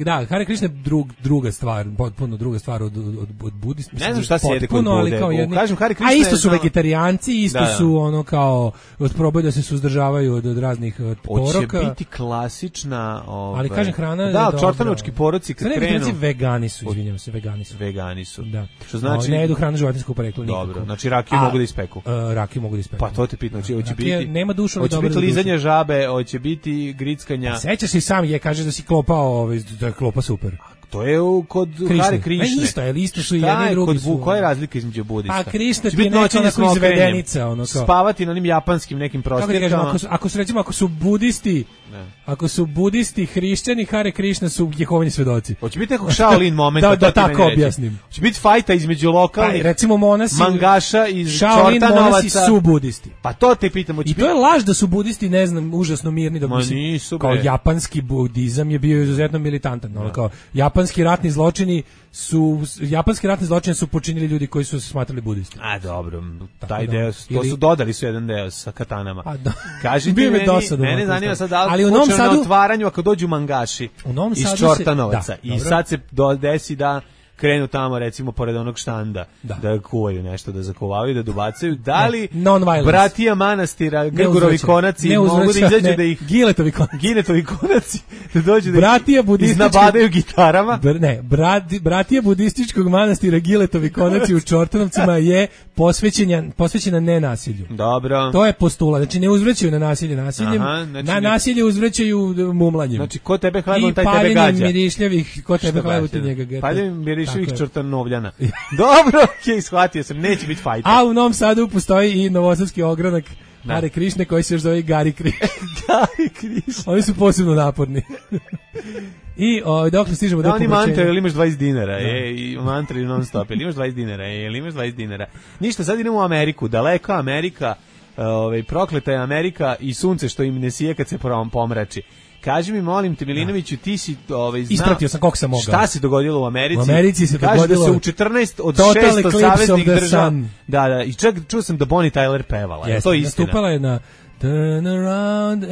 da, Hare Krishna je drug, druga stvar, potpuno druga stvar od od od budizma.
Ne znam šta se jede kod
Potpuno, ali
Bude.
kao
U-
jedni-
kažem, Hare Krishna
A isto
je
su
znao-
vegetarijanci, isto
Da, da.
su ono kao probaju da se suzdržavaju od, od raznih od
Hoće
poroka.
biti klasična, ovaj.
Ali kažem, hrana je
Da,
dobra.
čortanovčki poroci kad
Sad ne,
krenu.
vegetarijanci vegani su, izvinjavam se, vegani su.
Vegani su.
Da.
Što znači
ne jedu hranu životinjskog porekla nikako.
Dobro, znači rakiju
A,
mogu da ispeku.
Uh, rakiju mogu da ispeku.
Pa to te pitam, znači hoće
Rakija
biti
nema dušu, ali
hoće
dobro
biti
za dušu.
lizanje žabe, hoće biti grickanja.
Pa sećaš se i sam je, kaže da si klopao, ovaj, da je klopa super.
To je u, kod
Krišne.
Hare Krišne.
A isto je, ali isto su i
Šta
jedni i
je
drugi
kod
su,
Bu- koja je
ono.
razlika između budista?
Pa Krišna
Će
ti je
biti
neka
noćenje
onako
s mokrenjem.
izvedenica, ono kao.
Spavati na onim japanskim nekim
Kako ti kažem,
prostirkama.
ako su, ako su recimo, ako su budisti,
Ne.
ako su budisti, hrišćani, Hare Krišna su Jehovini svedoci.
Hoće biti nekog Shaolin momenta.
Da, da
to ti meni
tako
reći.
objasnim.
Hoće biti fajta između
Pa,
lokalnih
recimo monasi,
mangaša iz
Shaolin
Čortanovaca.
monasi su budisti.
Pa to te pitam. Hoće
I to je
biti-
laž da su budisti, ne znam, užasno mirni, da
Ma
mislim,
nisu,
kao
bre.
japanski budizam je bio izuzetno militantan, ono, kao japanski ratni zločini su japanski ratni zločini su počinili ljudi koji su se smatrali budisti.
A dobro,
Tako
taj
da,
deo, to
ili-
su dodali su jedan deo sa katanama.
A da.
Kažite
Bio mi
meni,
dosadan
mene
ovako
zanima
stvar.
sad da li
Ali u
ali
Novom
na
Sadu-
otvaranju ako dođu mangaši
U Novom
iz
Sadu se-
Čortanovaca
da,
i
dobro.
sad se do, desi da krenu tamo recimo pored onog štanda
Da.
da, kuvaju nešto, da zakuvavaju, da dobacaju. Da li
Ne, non-violence.
bratija manastira, Grgurovi
uzvraćaj.
konaci
Ne
mogu da
uzvraćaj,
izađu
ne,
da ih
Giletovi konaci.
Ginetovi konaci da dođu da
Bratija
ih
budistički-
iznabadaju gitarama?
Br, ne, brat, bratija budističkog manastira Giletovi konaci u Čortanovcima je posvećena, posvećena nenasilju.
Dobro.
To je postulat, znači ne uzvraćaju na nasilje nasiljem,
Aha, znači
na
ne-
nasilje uzvraćaju mumlanjem.
Znači, ko tebe hlebom,
I
taj tebe
paljenjem
gađa.
mirišljavih, ko tebe
Što
hlebom ti
gađa?
njega geta.
Paljenjem mirišljivih
Tako je.
čortanovljana. Dobro, okej, shvatio sam, neće biti fajta.
A u Novom Sadu postoji i novosadski ogranak
Da.
Hare Krišne koji se još zove Gari Krišne.
Gari Krišne.
Oni su posebno naporni. I o, dokle stižemo
Da,
do
oni
pomračenja.
mantra, ili imaš dvadeset dinara, e, i mantra ili non stop, ili imaš dvadeset dinara, e, ili imaš dvadeset dinara. Ništa, sad idemo u Ameriku, daleka Amerika, ovaj, prokleta je Amerika i sunce što im ne sije kad se prom- pomrači. Kaži mi, molim te, Milinoviću, ti si ovaj, znao...
Ispratio sam koliko sam mogao.
Šta se dogodilo u Americi?
U Americi se
Kaže
dogodilo
da se u četrnaest od
Total
šesto
Eclipse
saveznih
of the
država...
Sun.
Da, da, i čak čuo sam da Bonnie Tyler pevala. Je
Jeste,
to istina?
nastupala je na Turn around.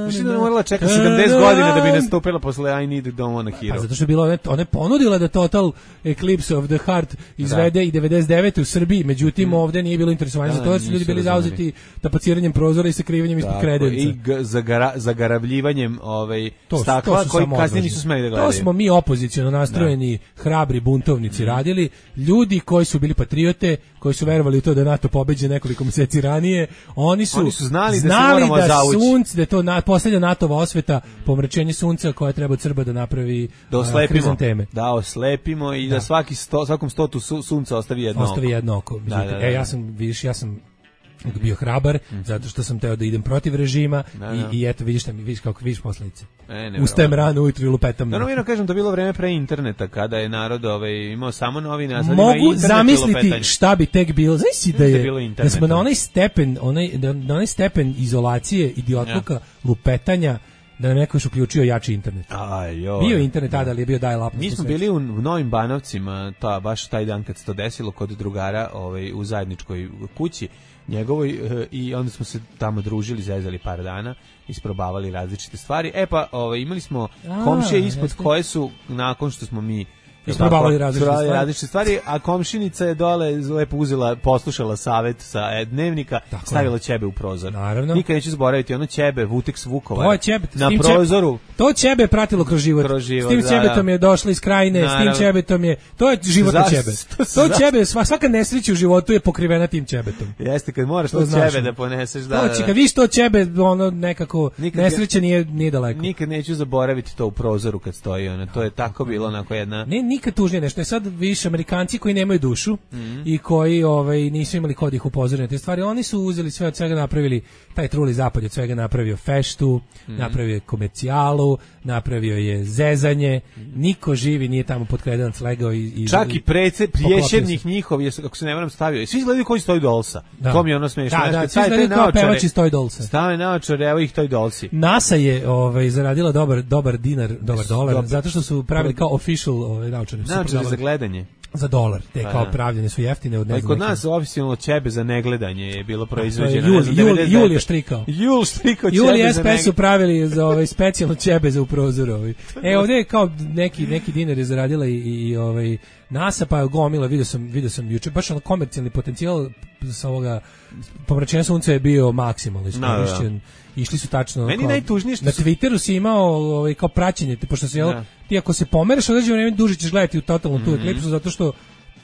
Mislim da je morala čeka sedamdeset godina da bi nastupila posle I Need Don't Want a Hero.
Pa zato što je bilo, one ponudila da Total Eclipse of the Heart izvede da. i devedeset devete u Srbiji, međutim mm. ovde nije bilo interesovanje da, za to, jer su ljudi bili zauzeti tapaciranjem prozora i sakrivanjem ispod kredenca.
I zagara, zagarabljivanjem ovaj, to, stakla, to koji kasnije nisu smeli da gledaju.
To smo mi opoziciono nastrojeni, da. hrabri buntovnici mm. radili, ljudi koji su bili patriote, koji su verovali u to da NATO pobeđe nekoliko mjeseci ranije, oni su,
oni su znali,
znali
da, se
da
zavući.
sunce, da je to na, posljednja NATOva osveta, pomračenje sunca koja treba od Srba da napravi
da oslepimo,
krizanteme.
Da oslepimo i da, da svaki sto, svakom stotu su, sunca ostavi jedno
ostavi
oko.
jedno oko.
Da, da, da, da.
E, ja sam, vidiš, ja sam bio hrabar, mm. zato što sam teo da idem protiv režima da, da. I, i eto, vidiš šta mi, vidiš kako vidiš posledice.
E,
Ustajem rano ujutru i lupetam.
Da, no, no, kažem, to bilo vreme pre interneta, kada je narod ovaj, imao samo novine, a sad
mogu
ima internet
zamisliti šta bi tek bilo. Znaš si da, je,
da,
da smo na onaj stepen, onaj, na onaj stepen izolacije, idiotluka, ja. lupetanja, da nam neko još uključio jači internet.
Aj, joj.
Bio internet tada, ali je bio dial-up.
Mi smo bili u Novim Banovcima, ta, baš taj dan kad se to desilo, kod drugara ovaj, u zajedničkoj kući njegovoj, i onda smo se tamo družili, zezali par dana, isprobavali različite stvari. E pa, ovaj, imali smo a, komšije ispod jeste. Koje su, nakon što smo mi
isprobavali različite stvari.
različite stvari, a komšinica je dole lepo uzela, poslušala savet sa dnevnika, tako stavila ćebe u prozor.
Naravno.
Nikad neću zaboraviti ono ćebe, Vuteks Vukovar.
To je ćebe,
na prozoru.
Ćebe, to ćebe pratilo kroz život.
Kroz život,
s tim
da,
ćebetom
da.
je došla iz krajine,
Naravno.
s tim ćebetom je, to je život na ćebe. To, to ćebe, svaka nesreća u životu je pokrivena tim ćebetom.
Jeste, kad moraš to, to ćebe da poneseš, da.
To, kad viš to ćebe, ono nekako nikad, nesreća nije, nije daleko.
Nikad neću zaboraviti to u prozoru kad stoji, ono, to je tako bilo onako jedna.
Ne, nikad tužnije nešto. Sad više Amerikanci koji nemaju dušu mm-hmm. i koji ovaj nisu imali kod ih upozoriti na te stvari, oni su uzeli sve od svega, napravili taj truli zapad, od svega napravio feštu, mm-hmm. napravio je komercijalu, napravio je zezanje, mm-hmm. niko živi nije tamo pod kredenac legao i, i
čak i prece, priješednik njihov je, ako se ne varam, stavio. Svi izgledaju koji stoji Dolsa. Da. To mi je ono smešno.
Da, da, svi izgledaju kao pevači stoji Dolsa.
Stave naočare, evo ih toj Dolsi.
NASA je ovaj, zaradila dobar, dobar dinar, dobar dolar, dobar. Zato što su pravili kao official ovaj, naočare.
Naočare za gledanje.
Za dolar, te kao pravljene su jeftine od ne znam.
Kod nas oficijalno ćebe za negledanje je bilo proizvođeno.
Jul, Jul, Jul je štrikao.
Jul štrikao ćebe
Jul i
za
S P su pravili za ovaj specijalno ćebe za u prozoru. Ovaj. E ovdje je kao neki neki dinar je zaradila i, i ovaj NASA, pa je gomila, vidio sam, vidio sam juče, baš ono komercijalni potencijal sa ovoga pomračenja sunca je bio maksimalno iskorišćen. Išli su tačno
meni najtužnije što
na Twitteru si imao ovaj kao praćenje, pošto se jel, ti ako se pomeraš određeno vreme duže ćeš gledati u totalnu mm-hmm. tu eklipsu, zato što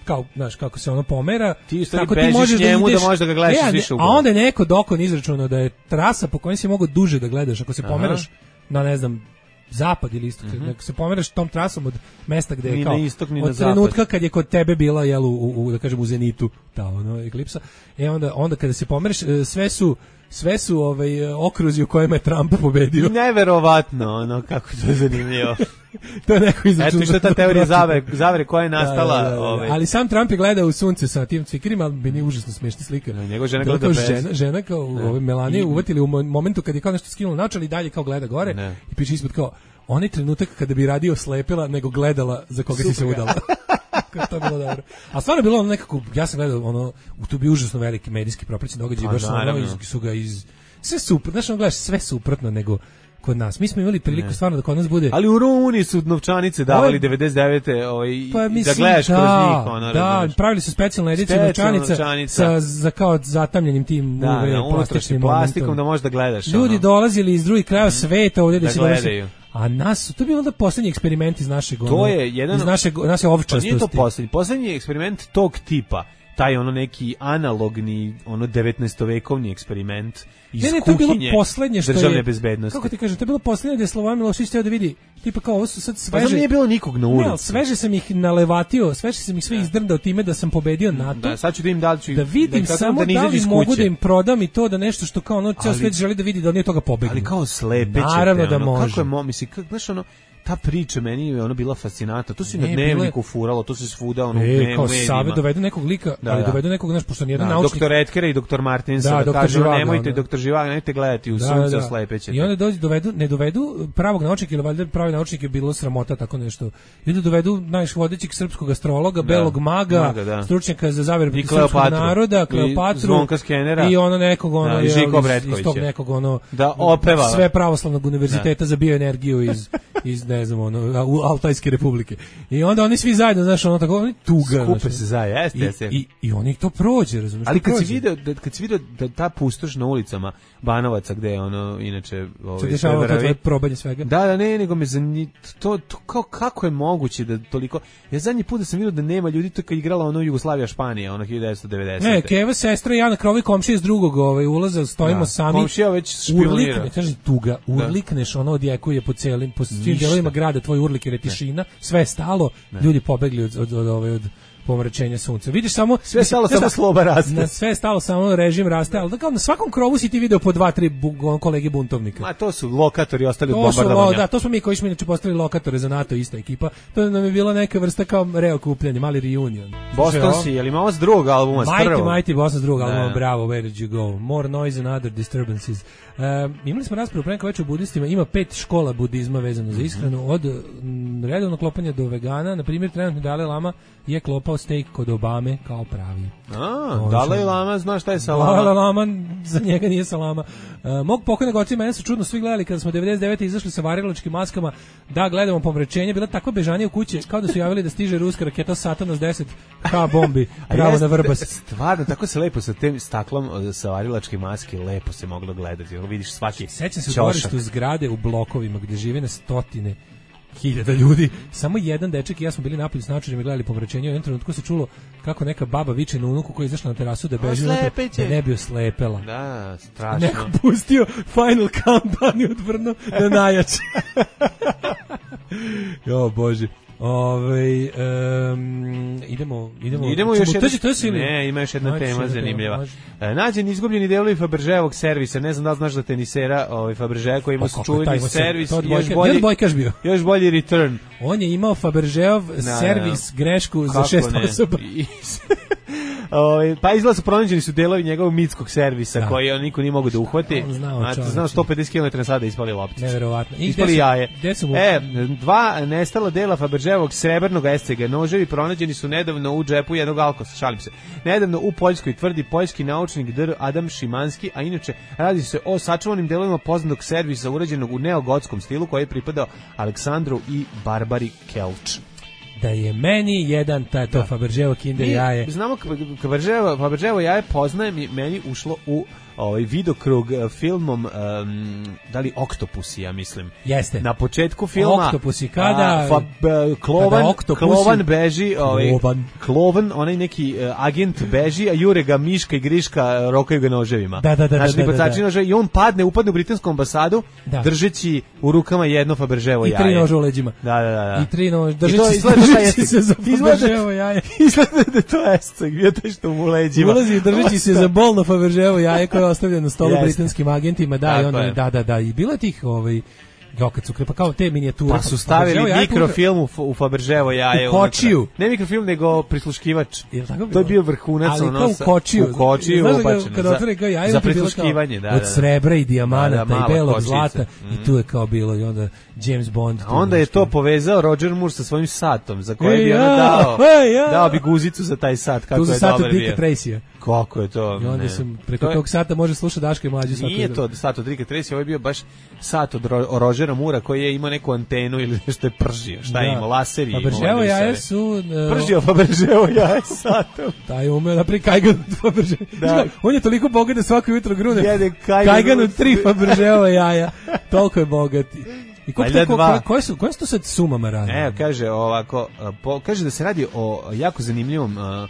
kao, znaš, kako se ono pomera,
ti tako ti možeš njemu da, ideš, da možeš da ga gledaš
ne,
više
a onda je neko dokon izračunao da je trasa po kojoj si mogu duže da gledaš ako se Aha. pomeraš na ne znam zapad ili istok, mm-hmm. ako se pomeraš tom trasom od mesta gde je kao
istok,
od trenutka kad je kod tebe bila jel u, u, u da kažem u zenitu ta ono eklipsa, e onda onda kada se pomeraš sve su sve su ovaj okruzi u kojima je Trump pobedio.
Neverovatno, ono kako to je zanimljivo.
To je neko izračunao.
Eto što ta teorija zavere, zavere koja je nastala, da, da, da,
ovaj. Ali sam Trump je gledao u sunce sa tim cvikerima, ali bi nije užasno smešna slika.
No, njegova žena gleda bez.
Žena, žena kao ovaj Melanije uvatili u momentu kad je kao nešto skinulo naočale i dalje kao gleda gore ne. I piše ispod kao onaj trenutak kada bi radio slepila nego gledala za koga Super. Si se udala. To je bilo dobro. A stvarno bilo ono nekako, ja sam gledao ono, tu bi užasno veliki medijski propraćeni događaj, pa, baš ono, iz, su ga iz, sve super, znaš, ono gledaš sve suprotno nego kod nas. Mi smo imali priliku ne. Stvarno da kod nas bude.
Ali u Rumuniji su novčanice davali ovaj, devedeset devete ovaj, pa, mislim, da gledaš da, kroz njih. Ono,
da, razumeš. Pravili su specijalne edicije novčanica, novčanica sa za kao zatamljenim tim
da, uve, da, plastičnim plastikom da možeš da gledaš.
Ljudi
ono.
Dolazili iz drugih krajeva sveta ovdje da, da se gledaju. A nas, to je bio onda posljednji eksperiment iz našeg,
to je jedan,
iz našeg, naše ovčastosti.
Pa nije to posljednji, posljednji eksperiment tog tipa, taj ono neki analogni, ono devetnaestovekovni eksperiment iz ne, ne,
to
kuhinje
bilo poslednje što
državne
je,
bezbednosti.
Kako ti kažem, to je bilo poslednje da je Slobodan Milošević teo da vidi, tipa kao ovo su sad sveže.
Pa nije bilo nikog na ulici.
Ne, sveže sam ih nalevatio, sveže sam ih sve izdrndao time da sam pobedio NATO.
Da, sad ću da im da ću
da vidim da samo da, da li mogu da im prodam i to da nešto što kao ono ceo svet želi da vidi da on nije toga pobegne.
Ali kao slepeće.
Naravno
te,
da
ono,
može.
Kako je mo, misli, kako, znaš ono, ta priča meni je ono bila fascinantna. To se na Dnevniku furalo, to se svuda ono
e, kao Save dovedu nekog lika, da, ali da. dovedu nekog, znaš, pošto nijedan da, naučnik...
doktor Etkera i doktor Martinsa da, kažu, nemojte, doktor Živaga, nemojte gledati, u da, sunce da, da. Slepećete.
I onda dođu, dovedu, ne dovedu pravog naučnika, ili valjda pravi naučnik je bilo sramota, tako nešto. I onda dovedu najviš vodećeg srpskog astrologa, da, belog maga, maga da. stručnjaka za zavere protiv srpskog naroda, Kleopatru,
Zvonka Skenera,
i ono nekog, ono,
da,
je,
iz,
iz tog nekog, ono,
da opeva.
Sve pravoslavnog univerziteta da. za bioenergiju iz, iz, ne znam, ono, Altajske republike. I onda oni svi zajedno, znaš, ono tako, oni tuga.
Skupe se zajedno, jeste, jeste.
I, i oni to prođe, razumiješ?
Ali kad si video, da, kad si video da ta pustoš na ulicama Banovaca, gde je ono, inače...
Ovaj, se dešava to tvoje probanje svega?
Da, da, ne, nego me zanimljivo, to, to kao, kako je moguće da toliko... Ja zadnji put da sam vidio da nema ljudi, to kad igrala ono Jugoslavija Španija, ono hiljadu devetsto devedesete.
Ne, Keva, sestra i ja na krovi komšije s drugog ovaj, ulaza, stojimo da, sami.
Komšija već špionira.
Urlikne, kaže tuga, urlikneš, ono odjekuje po celim, po svim delovima grada, tvoj urlik je tišina, sve je stalo, ne. Ljudi pobegli od, od, od, od, od pomračenja sunca. Vidiš samo
sve stalo samo sloba raste.
Na sve stalo samo režim raste, al da kao na svakom krovu si ti video po dva tri bu, kolege buntovnika.
Ma to su lokatori ostali od bombardovanja.
Da, to smo mi koji smo inače postavili lokatore za NATO, ista ekipa. To nam je bila neka vrsta kao reokupljanje, mali reunion.
Boston si, je li imao s drugog albuma, s prvog?
Mighty, Mighty Boston s drugog albuma, bravo, Where Did You Go? More Noise and Other Disturbances. Uh, imali smo raspravu pre večer o budistima, ima pet škola budizma vezano za ishranu, od m, redovnog klopanja do vegana, na primjer trenutno Dalaj Lama je klopao steak kod Obame kao pravi.
A, Dalaj Lama, znaš šta je salama?
Dalaj Lama, za njega nije salama. Uh, mog pokojnog oca i mene su čudno svi gledali kada smo devedeset devete izašli sa varilačkim maskama da gledamo pomračenje, bila takva bežanja u kući kao da su javili da stiže ruska raketa Satanas deset K bombi pravo na Vrbas.
Stvarno, tako se lepo sa tim staklom sa varilačke maske lepo se moglo gledati. Vidiš svaki
sećam se u dvorištu zgrade u blokovima gdje žive na stotine hiljada ljudi, samo jedan dečak i ja smo bili napolju s naočarima i gledali pomračenje. U jednom trenutku se čulo kako neka baba viče na unuku koja je izašla na terasu da beži unutra, da ne bi oslepela.
Da, strašno.
Neko pustio Final Countdown i odvrnuo da najjače. Jo, Bože. Ove, um, idemo, idemo,
idemo još jedna,
to je
ne, ima još jedna Mači, tema zanimljiva. E, nađen izgubljeni delovi Fabergeovog servisa, ne znam da li znaš da tenisera ovaj Fabergé koji ima čuveni servis, još bolji,
bio.
još bolji return.
On je imao Fabergeov servis grešku za šest osoba.
O, pa izgleda su pronađeni su delovi njegovog mitskog servisa da. Koji on niko nije mogao da uhvati.
Znao,
znao sto pedeset kilometara na sat da ispali lopticu.
Neverovatno.
Ispali jaje.
Mu...
E, dva nestala dela Fabergeovog srebrnog S C G noževi pronađeni su nedavno u džepu jednog alkosa, šalim se. Nedavno u Poljskoj, tvrdi poljski naučnik Dr. Adam Šimanski, a inače radi se o sačuvanim delovima poznatog servisa urađenog u neogotskom stilu koji je pripadao Aleksandru i Barbari Kelč.
Da je meni jedan ta, to Fabergeovo Kinder jaje.
Mi znamo Fabergeovo, Fabergeovo jaje poznajem i meni ušlo u ovaj videokrug filmom um, da li Oktopusi, ja mislim.
Jeste.
Na početku filma
Oktopusi kada
a, fa, b, Klovan, kada Klovan beži, ovaj Klovan. Klovan, onaj neki uh, agent beži, a jure ga Miška i Griška rokaju ga noževima.
Da, da, da,
znači,
da, da, da,
da. I on padne, upadne u britansku ambasadu, da. Držeći u rukama jedno Fabergeovo jaje.
I tri noža u leđima.
Da, da, da.
I tri noža, držeći, držeći se za Fabergeovo jaje.
Izgleda da to esceg, bio taj što mu u leđima.
Ulazi i držeći se za bolno Fabergeovo jaje koje ostavljeno na stolu yes. britanskim agentima, da, i onda, je. da, da, da, i bilo je tih, ovaj, jo, kad su krepa, kao te minijature.
Pa su stavili mikrofilm u, u Fabergevo jaje.
U kočiju.
Unutra. Ne mikrofilm, nego prisluškivač. Je tako bilo? To je bio vrhunac.
Ali kao u kočiju.
U kočiju ubačeno.
Kada otvore kao jaje,
za prisluškivanje, da, da.
Od srebra i dijamanata da, da, i belog zlata. Mm. I tu je kao bilo, i onda James Bond.
A onda je to povezao Roger Moore sa svojim satom, za koje bi ona dao, dao bi guzicu za taj sat, kako je dobar bio. Tu za sat od Dicka
Tracyja.
Kako je to?
I onda ne. sam preko to je, tog sata može slušati Daška i Mlađu.
Nije to sat od Dicka Tracyja, ovo je bio baš sat od Ro, Rogera Moora koji je imao neku antenu ili nešto je pržio. Šta da. je imao? Laser i imao.
Fabergeovo jaje su...
Uh, pržio Fabergeovo jaje satom.
Taj umeo napri kajgan od Fabergeovo. Da. On je toliko bogat da svako jutro grune.
Jede
kajgan, kajgan od tri Fabergeovo jaja. Toliko je bogati. I ko, ko, ko, koje su koje su to sad sumama radi?
Evo, kaže ovako, po, kaže da se radi o jako zanimljivom uh,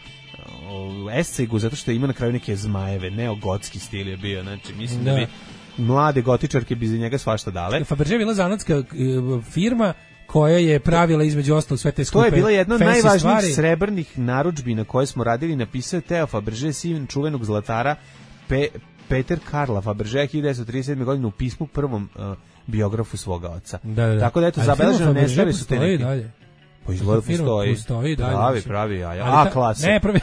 S C G-u zato što ima na kraju neke zmajeve, neogotski stil je bio, znači mislim da, da bi mlade gotičarke bi za njega svašta dale.
Fabergé je bila zanatska firma koja je pravila između ostalog sve te skupe.
To je bila jedna od najvažnijih
stvari.
Srebrnih narudžbi na koje smo radili, napisao Teo Fabergé, sin čuvenog zlatara Pe, Peter Karla Fabergé hiljadu devetsto trideset sedme. godine u pismu prvom uh, biografu svoga oca.
Da, da.
Tako da eto, zabeleženo nestali su te neki.
Dalje.
Pa izgleda postoji.
Postoji dalje.
Pravi, pravi jaja. A klasa.
Ne, pravi...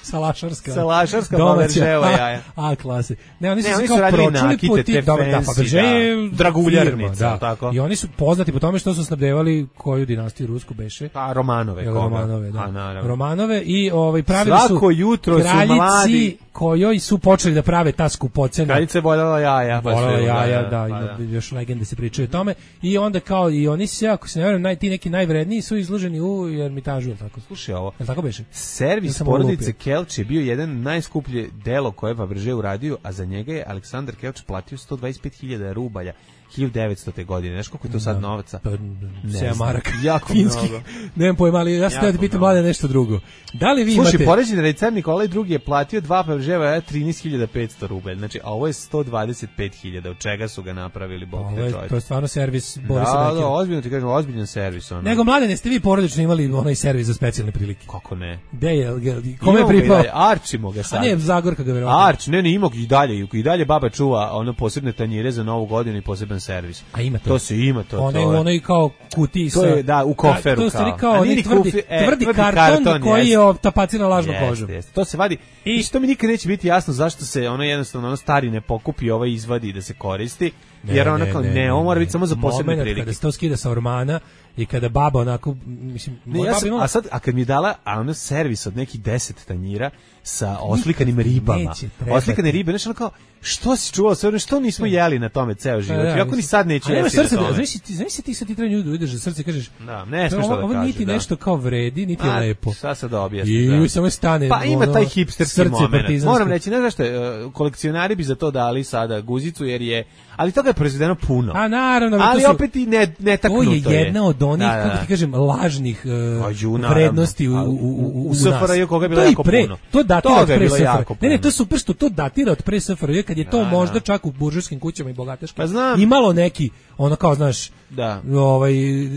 Salašarska.
Salašarska Fabergéova jaja.
A klase. Ne, oni su
ne,
se
oni
kao
su radili
pročuli
nakite,
po
te
ti, da, da, Fabergé je
draguljarnica,
da.
tako.
I oni su poznati po tome što su snabdevali koju dinastiju rusku beše.
Pa Romanove, koga?
Romanove, da.
A, naravno.
Romanove i ovaj pravili su
svako jutro su mladi
kojoj su počeli da prave ta skupocena.
Kraljica je voljela jaja.
Voljela jaja, da, ima još legende se pričaju o tome. I onda kao i oni se, ako se ne verujem, naj, ti neki najvredniji su izloženi u Ermitažu, tako.
Slušaj ovo.
Je tako beše?
Servis porodice Kelč je bio jedan najskuplje delo koje je Fabergé uradio, a za njega je Aleksandar Kelč platio sto dvadeset pet hiljada rubalja hiljadu devetste. godine. Znaš koliko je to sad novaca?
Pa, sedam maraka.
Jako
finski.
mnogo.
Nemam pojma, ali ja sam da pitam mlade nešto drugo. Da li vi
Slušaj,
imate...
poređen da je car Nikolaj drugi je platio dva Fabergéva trinaest hiljada petsto rubalja. Znači, a ovo je sto dvadeset pet hiljada. Od čega su ga napravili, bog te čovječe?
To je stvarno servis Borisa
Da,
Bekira.
da, ozbiljno ti kažem, ozbiljan servis. Ono.
Nego, mlade, ne ste vi porodično imali onaj servis za specijalne prilike?
Kako ne?
Gde je? Kome je pripao?
Arčimo ga sad.
A ne, Zagorka ga verovatno.
Arč, ne, ne, ima i dalje. I dalje baba čuva ono posebne tanjire za novu godinu i poseban servis.
A ima to?
To se ima, to.
One, to je. kao kutiji sa...
To je, da, u koferu
da,
kao.
To je kao oni tvrdi,
kufi, e,
tvrdi,
tvrdi
karton,
karton
koji
jest.
je tapaciran lažnom
jest,
kožom.
Jest. To se vadi. I što mi nikad neće biti jasno zašto se ono jednostavno ono stari ne pokupi, ovaj izvadi da se koristi.
Ne,
jer ono
ne,
kao
ne,
ne,
ne,
ovo mora
ne.
biti samo za posebne
Moment
prilike.
kada se to skida sa ormana i kada baba onako, mislim,
ne, ja sam, imala... a sad, a kad mi je dala a ono servis od nekih deset tanjira sa oslikanim ribama, oslikane ribe, znači ono kao, što si čuvao sve, što nismo jeli na tome ceo život, ja, ako ni sad neću jesti na tome.
Znaš ti, znaš ti sad ti treba nju da ideš za srce i kažeš,
da, ne smiješ to da kažeš.
Ovo niti nešto kao vredi, niti je lepo.
Šta sad da objasnim?
I samo stane.
Pa ima taj hipsterski moment. Moram reći, ne znaš što, kolekcionari bi za to dali sada guzicu, jer je, ali toga je proizvedeno puno.
A naravno,
ali opet i ne, netaknuto je.
To je jedna od onih, kako ti kažem, lažnih vrednosti u, u, u,
u S F R J koga je bilo jako puno.
To datira od pre S F R J. Ne, ne, to je super što to datira od pre S F R J, kad je to možda čak u buržujskim kućama i bogateškim imalo neki, ono kao, znaš, ovaj,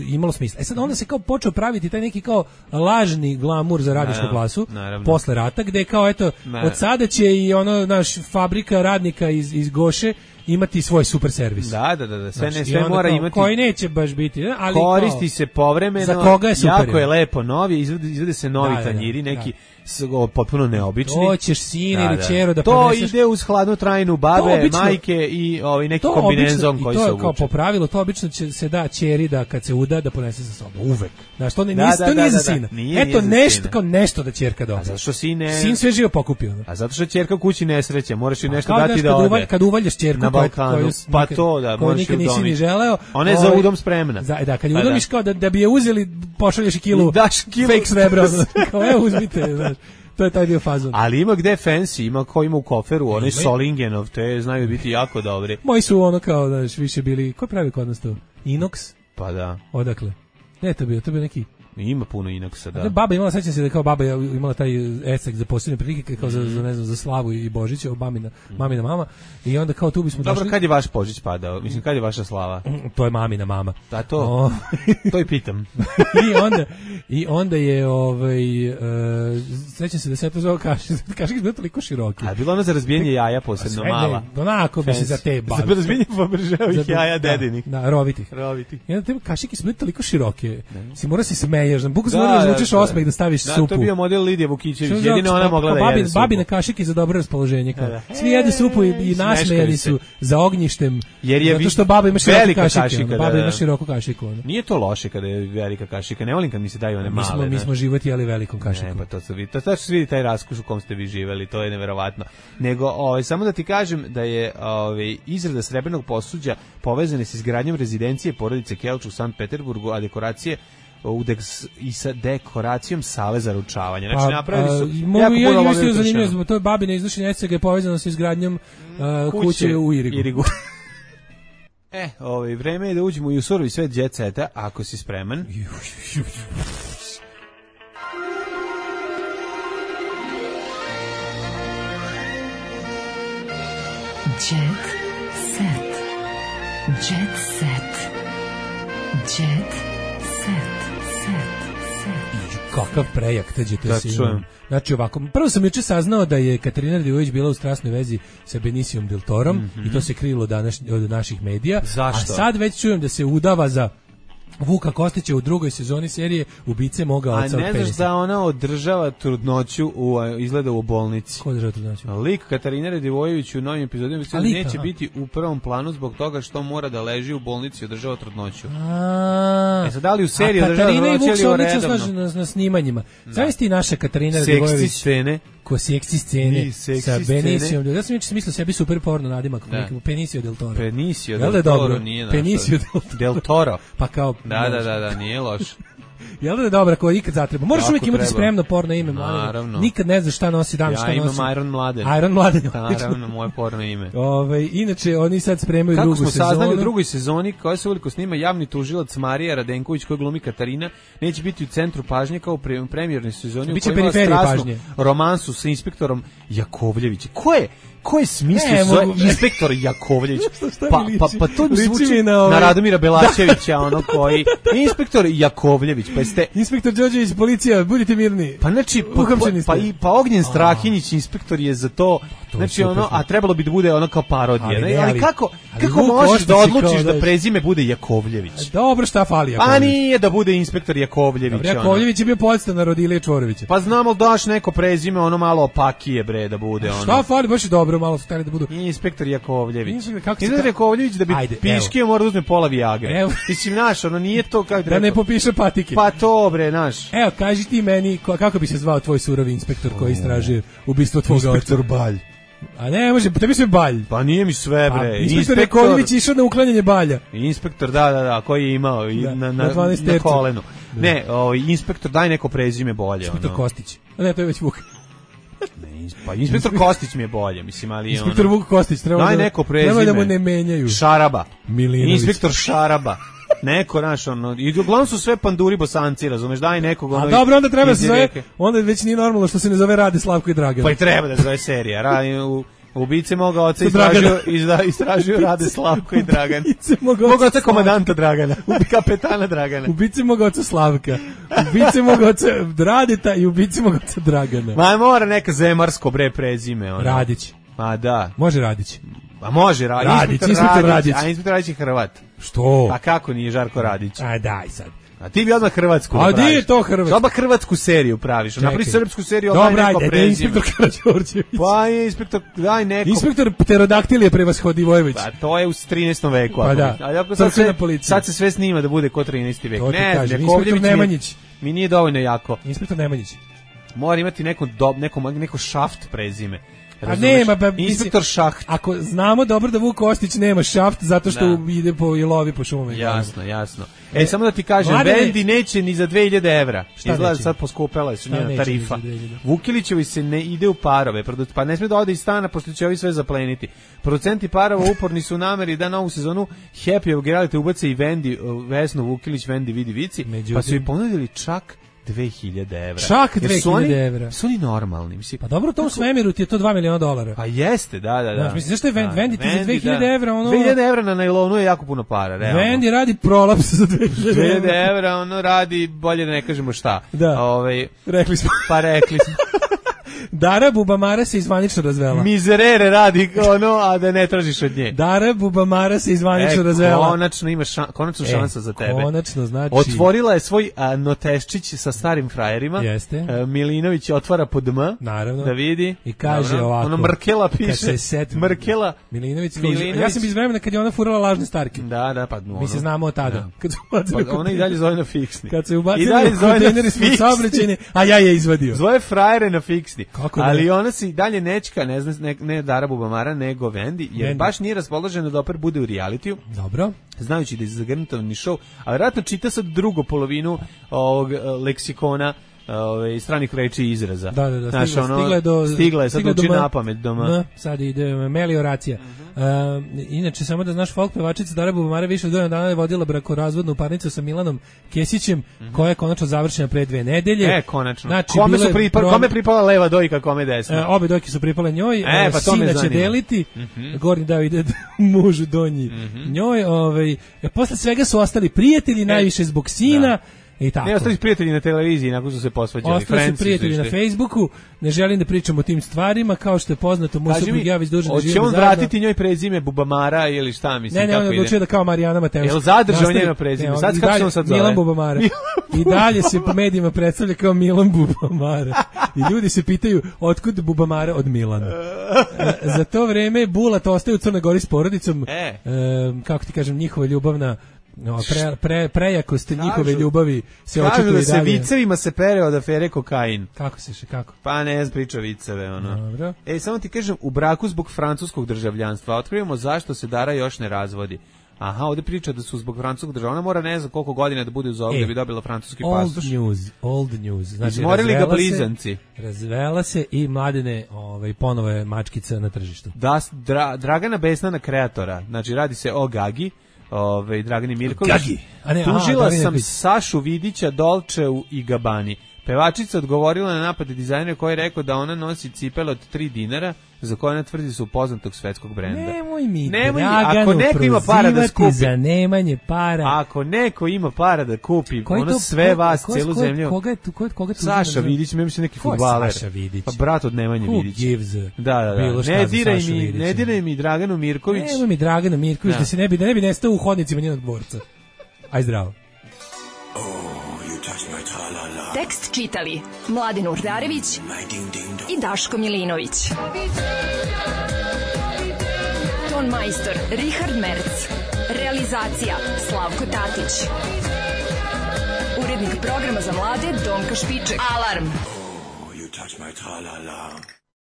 imalo smisla. E sad onda se kao počeo praviti taj neki kao lažni glamur za radničku klasu posle rata, gde kao, eto, od sada će i ono, naš fabrika radnika iz, iz Goše imati svoj super servis.
Da, da, da, da. sve, ne, sve mora
kao,
imati.
Koji neće baš biti, ali
koristi
kao,
se povremeno.
Za koga je super.
Jako je lepo novi, izvode, izvode se novi da, tanjiri, da, neki da. potpuno neobični.
To ćeš sine ili ćero da
to
preneseš.
ide uz hladnu trajnu babe, obično, majke i ovaj neki kombinezon koji se obuče.
I to kao po pravilu, to obično će se da ćeri da kad se uda da ponese sa sobom. Uvek. Znaš, to, ne,
da,
nis,
da,
to nije
da,
za sina.
Da, nije,
Eto,
nije
nešto, kao nešto da ćerka dobije.
A zato što sine...
Sin sve živo pokupio.
A zato što ćerka u kući nesreće, moraš joj nešto
kao
dati da ode.
Uvalj, kad uvaljaš ćerku
na Balkanu, koju, pa to da,
koju nikad nisi ni želeo.
Ona je za udom spremna.
Da, da, kad je udomiš kao da, da bi je uzeli, pošalješ i kilu,
daš kilu
fake srebra. Kao, evo, uzmite, znaš. To je taj bio fazon.
Ali ima gde fancy, ima ko ima u koferu, onaj Solingenov, te znaju biti jako dobri.
Moji su ono kao, znaš, više bili, ko pravi kod nas to? Inox?
Pa da.
Odakle? Ne, to bio, to bio neki...
Ima puno Inoxa, da.
A baba imala, sećam se da kao baba imala taj esek za posebne prilike, kao za, za, ne znam, za Slavu i Božića, mamina, mamina mama, i onda kao tu bismo
Dobro,
došli...
kad je vaš Božić padao? Mislim, kad je vaša Slava?
To je mamina mama.
Da, to, o... to i pitam.
I onda, i onda je, ovaj, uh, sećam se da se to zove kašike, kašike su toliko široke.
A bilo ono za razbijenje jaja posebno
sve,
mala?
Ne, onako bi se za te bavi.
Za razbijenje Fabergéovih jaja dedinih.
Da, rovitih.
Rovitih.
I onda te kašike su bile toliko široke. Si mora se smeješ, buku se mora izvučeš osmeh da staviš
da,
supu.
To je bio model Lidija Vukićević, jedino ona mogla da
babi,
jede supu.
Babine kašike za dobro raspoloženje. Kao. Da. Svi jedu supu i, i nasmejani su za ognjištem,
jer je
zato što baba ima široku kašiku.
kašika,
baba
da,
ima široku kašiku. Ono.
Nije to loše kada je velika kašika, ne volim kad mi se daju one
mi
male.
Smo, mi smo život jeli velikom kašikom.
Ne, pa to se vidi, to, to se vidi taj raskuš u kom ste vi živeli, to je neverovatno. Nego, ovaj, samo da ti kažem da je ovaj, izrada srebrnog posuđa povezana s izgradnjom rezidencije porodice Kelč u Sankt Peterburgu, a dekoracije u deks, i sa dekoracijom sale za ručavanje. Znači,
pa,
napravili su
a, jako ja, puno ja, zanimljivo, to je babina iznošenje esega je povezano sa izgradnjom uh, kuće, kuće u Irigu.
Irigu. E, ovaj, vreme je da uđemo i u surovi svet jet seta, ako si spreman.
Jet set. Jet set. Jet set. Set.
Kakav prejak, tađe to
da,
si imam. Znači ovako, prvo sam juče saznao da je Katarina Radivojević bila u strasnoj vezi sa Benicijom Del Torom mm -hmm. i to se krilo danas, od naših medija.
Zašto?
A sad već čujem da se udava za Vuka Kostića u drugoj sezoni serije Ubice moga oca od penisa.
A ne znaš da ona održava trudnoću u, izgleda u bolnici.
Ko održava trudnoću?
Lik Katarina Radivojević u novim epizodima neće biti u prvom planu zbog toga što mora da leži u bolnici i održava trudnoću.
A,
e sad, da li u seriji održava
trudnoću ili redovno? A Katarina i Vuk se odlično na, na snimanjima. Znaš ti naša Katarina Radivojević?
Seksi scene.
Ko seksi scene
seksi
sa Benicijom. Ja sam juče mislio sebi super porno nadimak, Benicio Del Toro.
Benicio Del Toro nije naš.
Benicio
Del Toro.
Pa kao
da, da, da, da, nije loš.
Jel da je dobra koja ikad zatreba? Moraš uvijek imati spremno porno ime,
naravno.
Nikad ne znaš šta nosi dan,
ja
šta nosi.
Ja imam Iron Mladen.
Iron Mladen.
Naravno, moje porno ime.
Ove, inače, oni sad spremaju
kako
drugu sezonu.
Kako smo saznali u drugoj sezoni, koja se uveliko snima javni tužilac Marija Radenković, koja glumi Katarina, neće biti u centru pažnje kao u premijernoj sezoni.
Biće periferija pažnje.
Romansu sa inspektorom Jakovljevićem. Ko je? Ko je smislio zove inspektor Jakovljević? Pa, pa, pa to mi zvuči na, ovaj... na Radomira Belačevića, ono koji... Inspektor Jakovljević, pa jeste...
Inspektor Đorđević, policija, budite mirni.
Pa znači, pa, pa, pa, i, pa Ognjen Strahinjić, inspektor je za to... to znači, ono, a trebalo bi da bude ono kao parodija. Ali, ne, ali, ali kako, ali kako možeš da odlučiš da, da prezime bude Jakovljević?
Dobro, šta fali Jakovljević?
A nije da bude inspektor Jakovljević.
Dobro, Jakovljević je bio podstanar od Ilije Čvorovića.
Pa znamo li daš neko prezime, ono malo opakije, bre, da bude ono.
Šta fali, baš je dobro, malo stali da budu.
Inspektor Jakovljević.
Inspektor, kako
se ka... Jakovljević da bi Ajde, piškio mora da uzme pola Viagre. Mislim, naš, ono nije to kao
da ne popiše patike.
Pa to, bre, naš.
Evo, kaži ti meni, kako bi se zvao tvoj surovi inspektor koji istražuje ubistvo tvog oca?
Inspektor Balj.
A ne, može, tebi sve Balj.
Pa nije mi sve, bre.
Pa, inspektor Jakovljević išao na uklanjanje balja.
Inspektor, da, da, da, koji je imao i da, na, na, na, na kolenu. Da. Ne, o, inspektor, daj neko prezime bolje.
Inspektor
ono.
Kostić. A ne, to je već Vuk.
Ne, pa inspektor Kostić mi je bolje, mislim, ali
inspektor
ono,
Vuk Kostić, treba
daj
da,
neko prezime.
Treba da mu ne menjaju.
Šaraba.
Milinović.
Inspektor Šaraba. Neko naš ono i uglavnom su sve panduri bosanci, razumeš, daj nekog ono.
A dobro, onda treba se zove, onda već nije normalno što se ne zove Rade, Slavko i Dragan.
Pa i treba da zove serija. Ra, u, ubice moga oca istražuju, izda, istražuju Rade, Slavko i Dragan.
Ubice moga
oca, oca komandanta Dragana, ubi kapetana Dragana.
Ubice moga oca Slavka, ubice moga oca Radeta i ubice moga oca Dragana.
Ma mora neka zemarsko bre prezime. Ono.
Radić.
Ma da.
Može Radić.
A može Radić.
Radić, inspektor Radić.
A inspektor Radić je Hrvat.
Što?
A kako nije Žarko Radić?
A daj sad.
A ti bi odmah Hrvatsku
praviš. A di je to Hrvatsku?
Odmah Hrvatsku seriju praviš. Napravi srpsku seriju, odmah neko
prezime. Dobro, ajde, inspektor Karađorđević.
Pa je inspektor, daj neko.
Inspektor Pterodaktil je prevashodi Vojević.
Pa to je u trinaestom veku.
Pa da,
ali ako sad, sve, sad se sve snima da bude ko trinaesti vek. Ne,
kaže, inspektor Nemanjić.
Mi nije dovoljno jako.
Inspektor Nemanjić.
Mora imati neko, dob, neko, neko šaft prezime.
A nema, pa,
inspektor Šaht.
Ako znamo dobro da Vuk Kostić nema šaft zato što da. ide po lovi po šumama.
Jasno, jasno. E, e samo da ti kažem, Mladene... Vendi neće ni za dve hiljade evra. Izgleda sad poskupela je su njena tarifa. Vukilićevi se ne ide u parove, pa ne sme da ode iz stana, pošto će ovi sve zapleniti. Producenti parova uporni su u nameri da novu sezonu Happy of Reality ubace i Vendi, Vesnu Vukilić, Vendi vidi vici, Međutim... pa su i ponudili čak dve hiljade evra.
Čak dve hiljade evra.
Su oni normalni, mislim.
Pa dobro, u tom svemiru ti je to dva miliona dolara.
Pa jeste, da, da, da.
Znaš, mislim, zašto je Vendi, Vendi ti za dve hiljade evra, ono...
dve hiljade evra na najlonu je jako puno para, realno.
Vendi radi prolaps za dve hiljade
evra, ono radi, bolje da ne kažemo šta.
Da,
Ove,
rekli smo.
Pa rekli smo.
Dara Bubamara se izvanično razvela.
Mizerere radi ono, a da ne tražiš od nje.
Dara Bubamara se izvanično
e,
razvela.
Konačno ima ša, konačno šansa e, za tebe.
Konačno, znači.
Otvorila je svoj a, noteščić sa starim frajerima.
Jeste.
A, Milinović otvara pod M.
Naravno.
Da vidi.
I kaže Naravno. ovako.
Ono Mrkela piše.
Set,
Mrkela.
Milinović. Milinović. Ja sam iz vremena kad je ona furala lažne starke.
Da, da, pa ono.
Mi se znamo od tada.
Da.
Kad su
pa, ona i dalje zove na fiksni.
Kad se ubacili u kontejneri smo saobraćajni, a ja je izvadio.
Zove frajere na fiksni.
Kako
ali ona se i dalje nečka, ne znam, ne, ne Dara Bubamara, nego Vendi, jer Vendi. baš nije raspoložena da opet bude u realitiju.
Dobro.
Znajući da je zagrnutovani show, a vjerojatno čita sad drugu polovinu ovog leksikona ove stranih reči i izraza.
Da, da, da.
Znaš,
stigla,
ono,
stigla je do
stigla je sad
stigla
uči na pamet doma.
Sad ide melioracija. Uh -huh. uh, inače samo da znaš, folk pevačica Dara Bubamara više od godinu dana je vodila brakorazvodnu parnicu sa Milanom Kesićem, uh -huh. koja je konačno završena pre dve nedelje.
E, konačno. Znači, kome su pripa, pro... kome pripala leva dojka, kome desna?
Uh, obe dojke su pripale njoj.
E, pa to me zanima.
Sina će deliti. Uh -huh. Gornji dao ide mužu donji. Uh -huh. Njoj, ovaj, posle svega su ostali prijatelji, e. najviše zbog sina. Da. I tako.
Ne, ostali prijatelji na televiziji nakon su se posvađali.
Ostali su prijatelji na Facebooku, ne želim da pričam o tim stvarima, kao što je poznato, moj suprug ja već duže da živimo zajedno.
Hoće on vratiti njoj prezime Bubamara ili šta mislim?
Ne, ne, on odlučio da kao Marijana Mateuška.
Jel zadržao njeno prezime? Ne, sad kako se on sad zove?
Milan Bubamara. I dalje se po medijima predstavlja kao Milan Bubamara. I ljudi se pitaju otkud Bubamara od Milana. Za to vreme Bulat ostaje u Crnoj Gori s porodicom. E. E, kako ti kažem, njihova ljubavna no, pre, pre, prejakost kažu, njihove ljubavi se očekuje dalje.
Kažu da se vicevima se pere od afere kokain.
Kako se še, kako?
Pa ne znam, priča viceve, ono.
Dobro.
E, samo ti kažem, u braku zbog francuskog državljanstva otkrivamo zašto se Dara još ne razvodi. Aha, ovdje priča da su zbog francuskog država. Ona mora ne znam koliko godina da bude uz ovog e, da bi dobila francuski pasoš.
Old news, old news. Znači,
izmorili ga blizanci.
Se, razvela se i Mladene ovaj, ponovo je mačkica na tržištu.
Da, dra, Dragana Besnana kreatora. Znači, radi se o Gagi. Ove, Dragani Mirković.
Gagi. A ne,
tužila
aha,
sam Sašu Vidića, Dolčeu i Gabani. Pevačica odgovorila na napade dizajnera koji je rekao da ona nosi cipele od tri dinara, za koje ona tvrdi su poznatog svetskog brenda.
Nemoj mi
Nemoj mi, ako neko ima para da skupi,
za nemanje para.
Ako neko ima para da kupi, koji ono to, sve ko, vas, ko, celu ko, zemlju.
Koga je tu, ko, koga tu
Saša Vidić, mislim se neki fudbaler.
Saša Vidić?
Pa brat od Nemanje
Who
Vidić.
Gives a
da, da, da. Ne diraj mi, ne diraj mi Draganu Mirković.
Nemoj mi Draganu Mirković, da. da se ne bi, da ne bi nestao u hodnicima njenog dvorca. Aj zdravo.
Tekst čitali Mladen Urdarević i Daško Milinović. Ton majstor Richard Merc. Realizacija Slavko Tatić. Urednik programa za mlade Donka Špiček. Alarm! Oh, you touch my tra-la-la.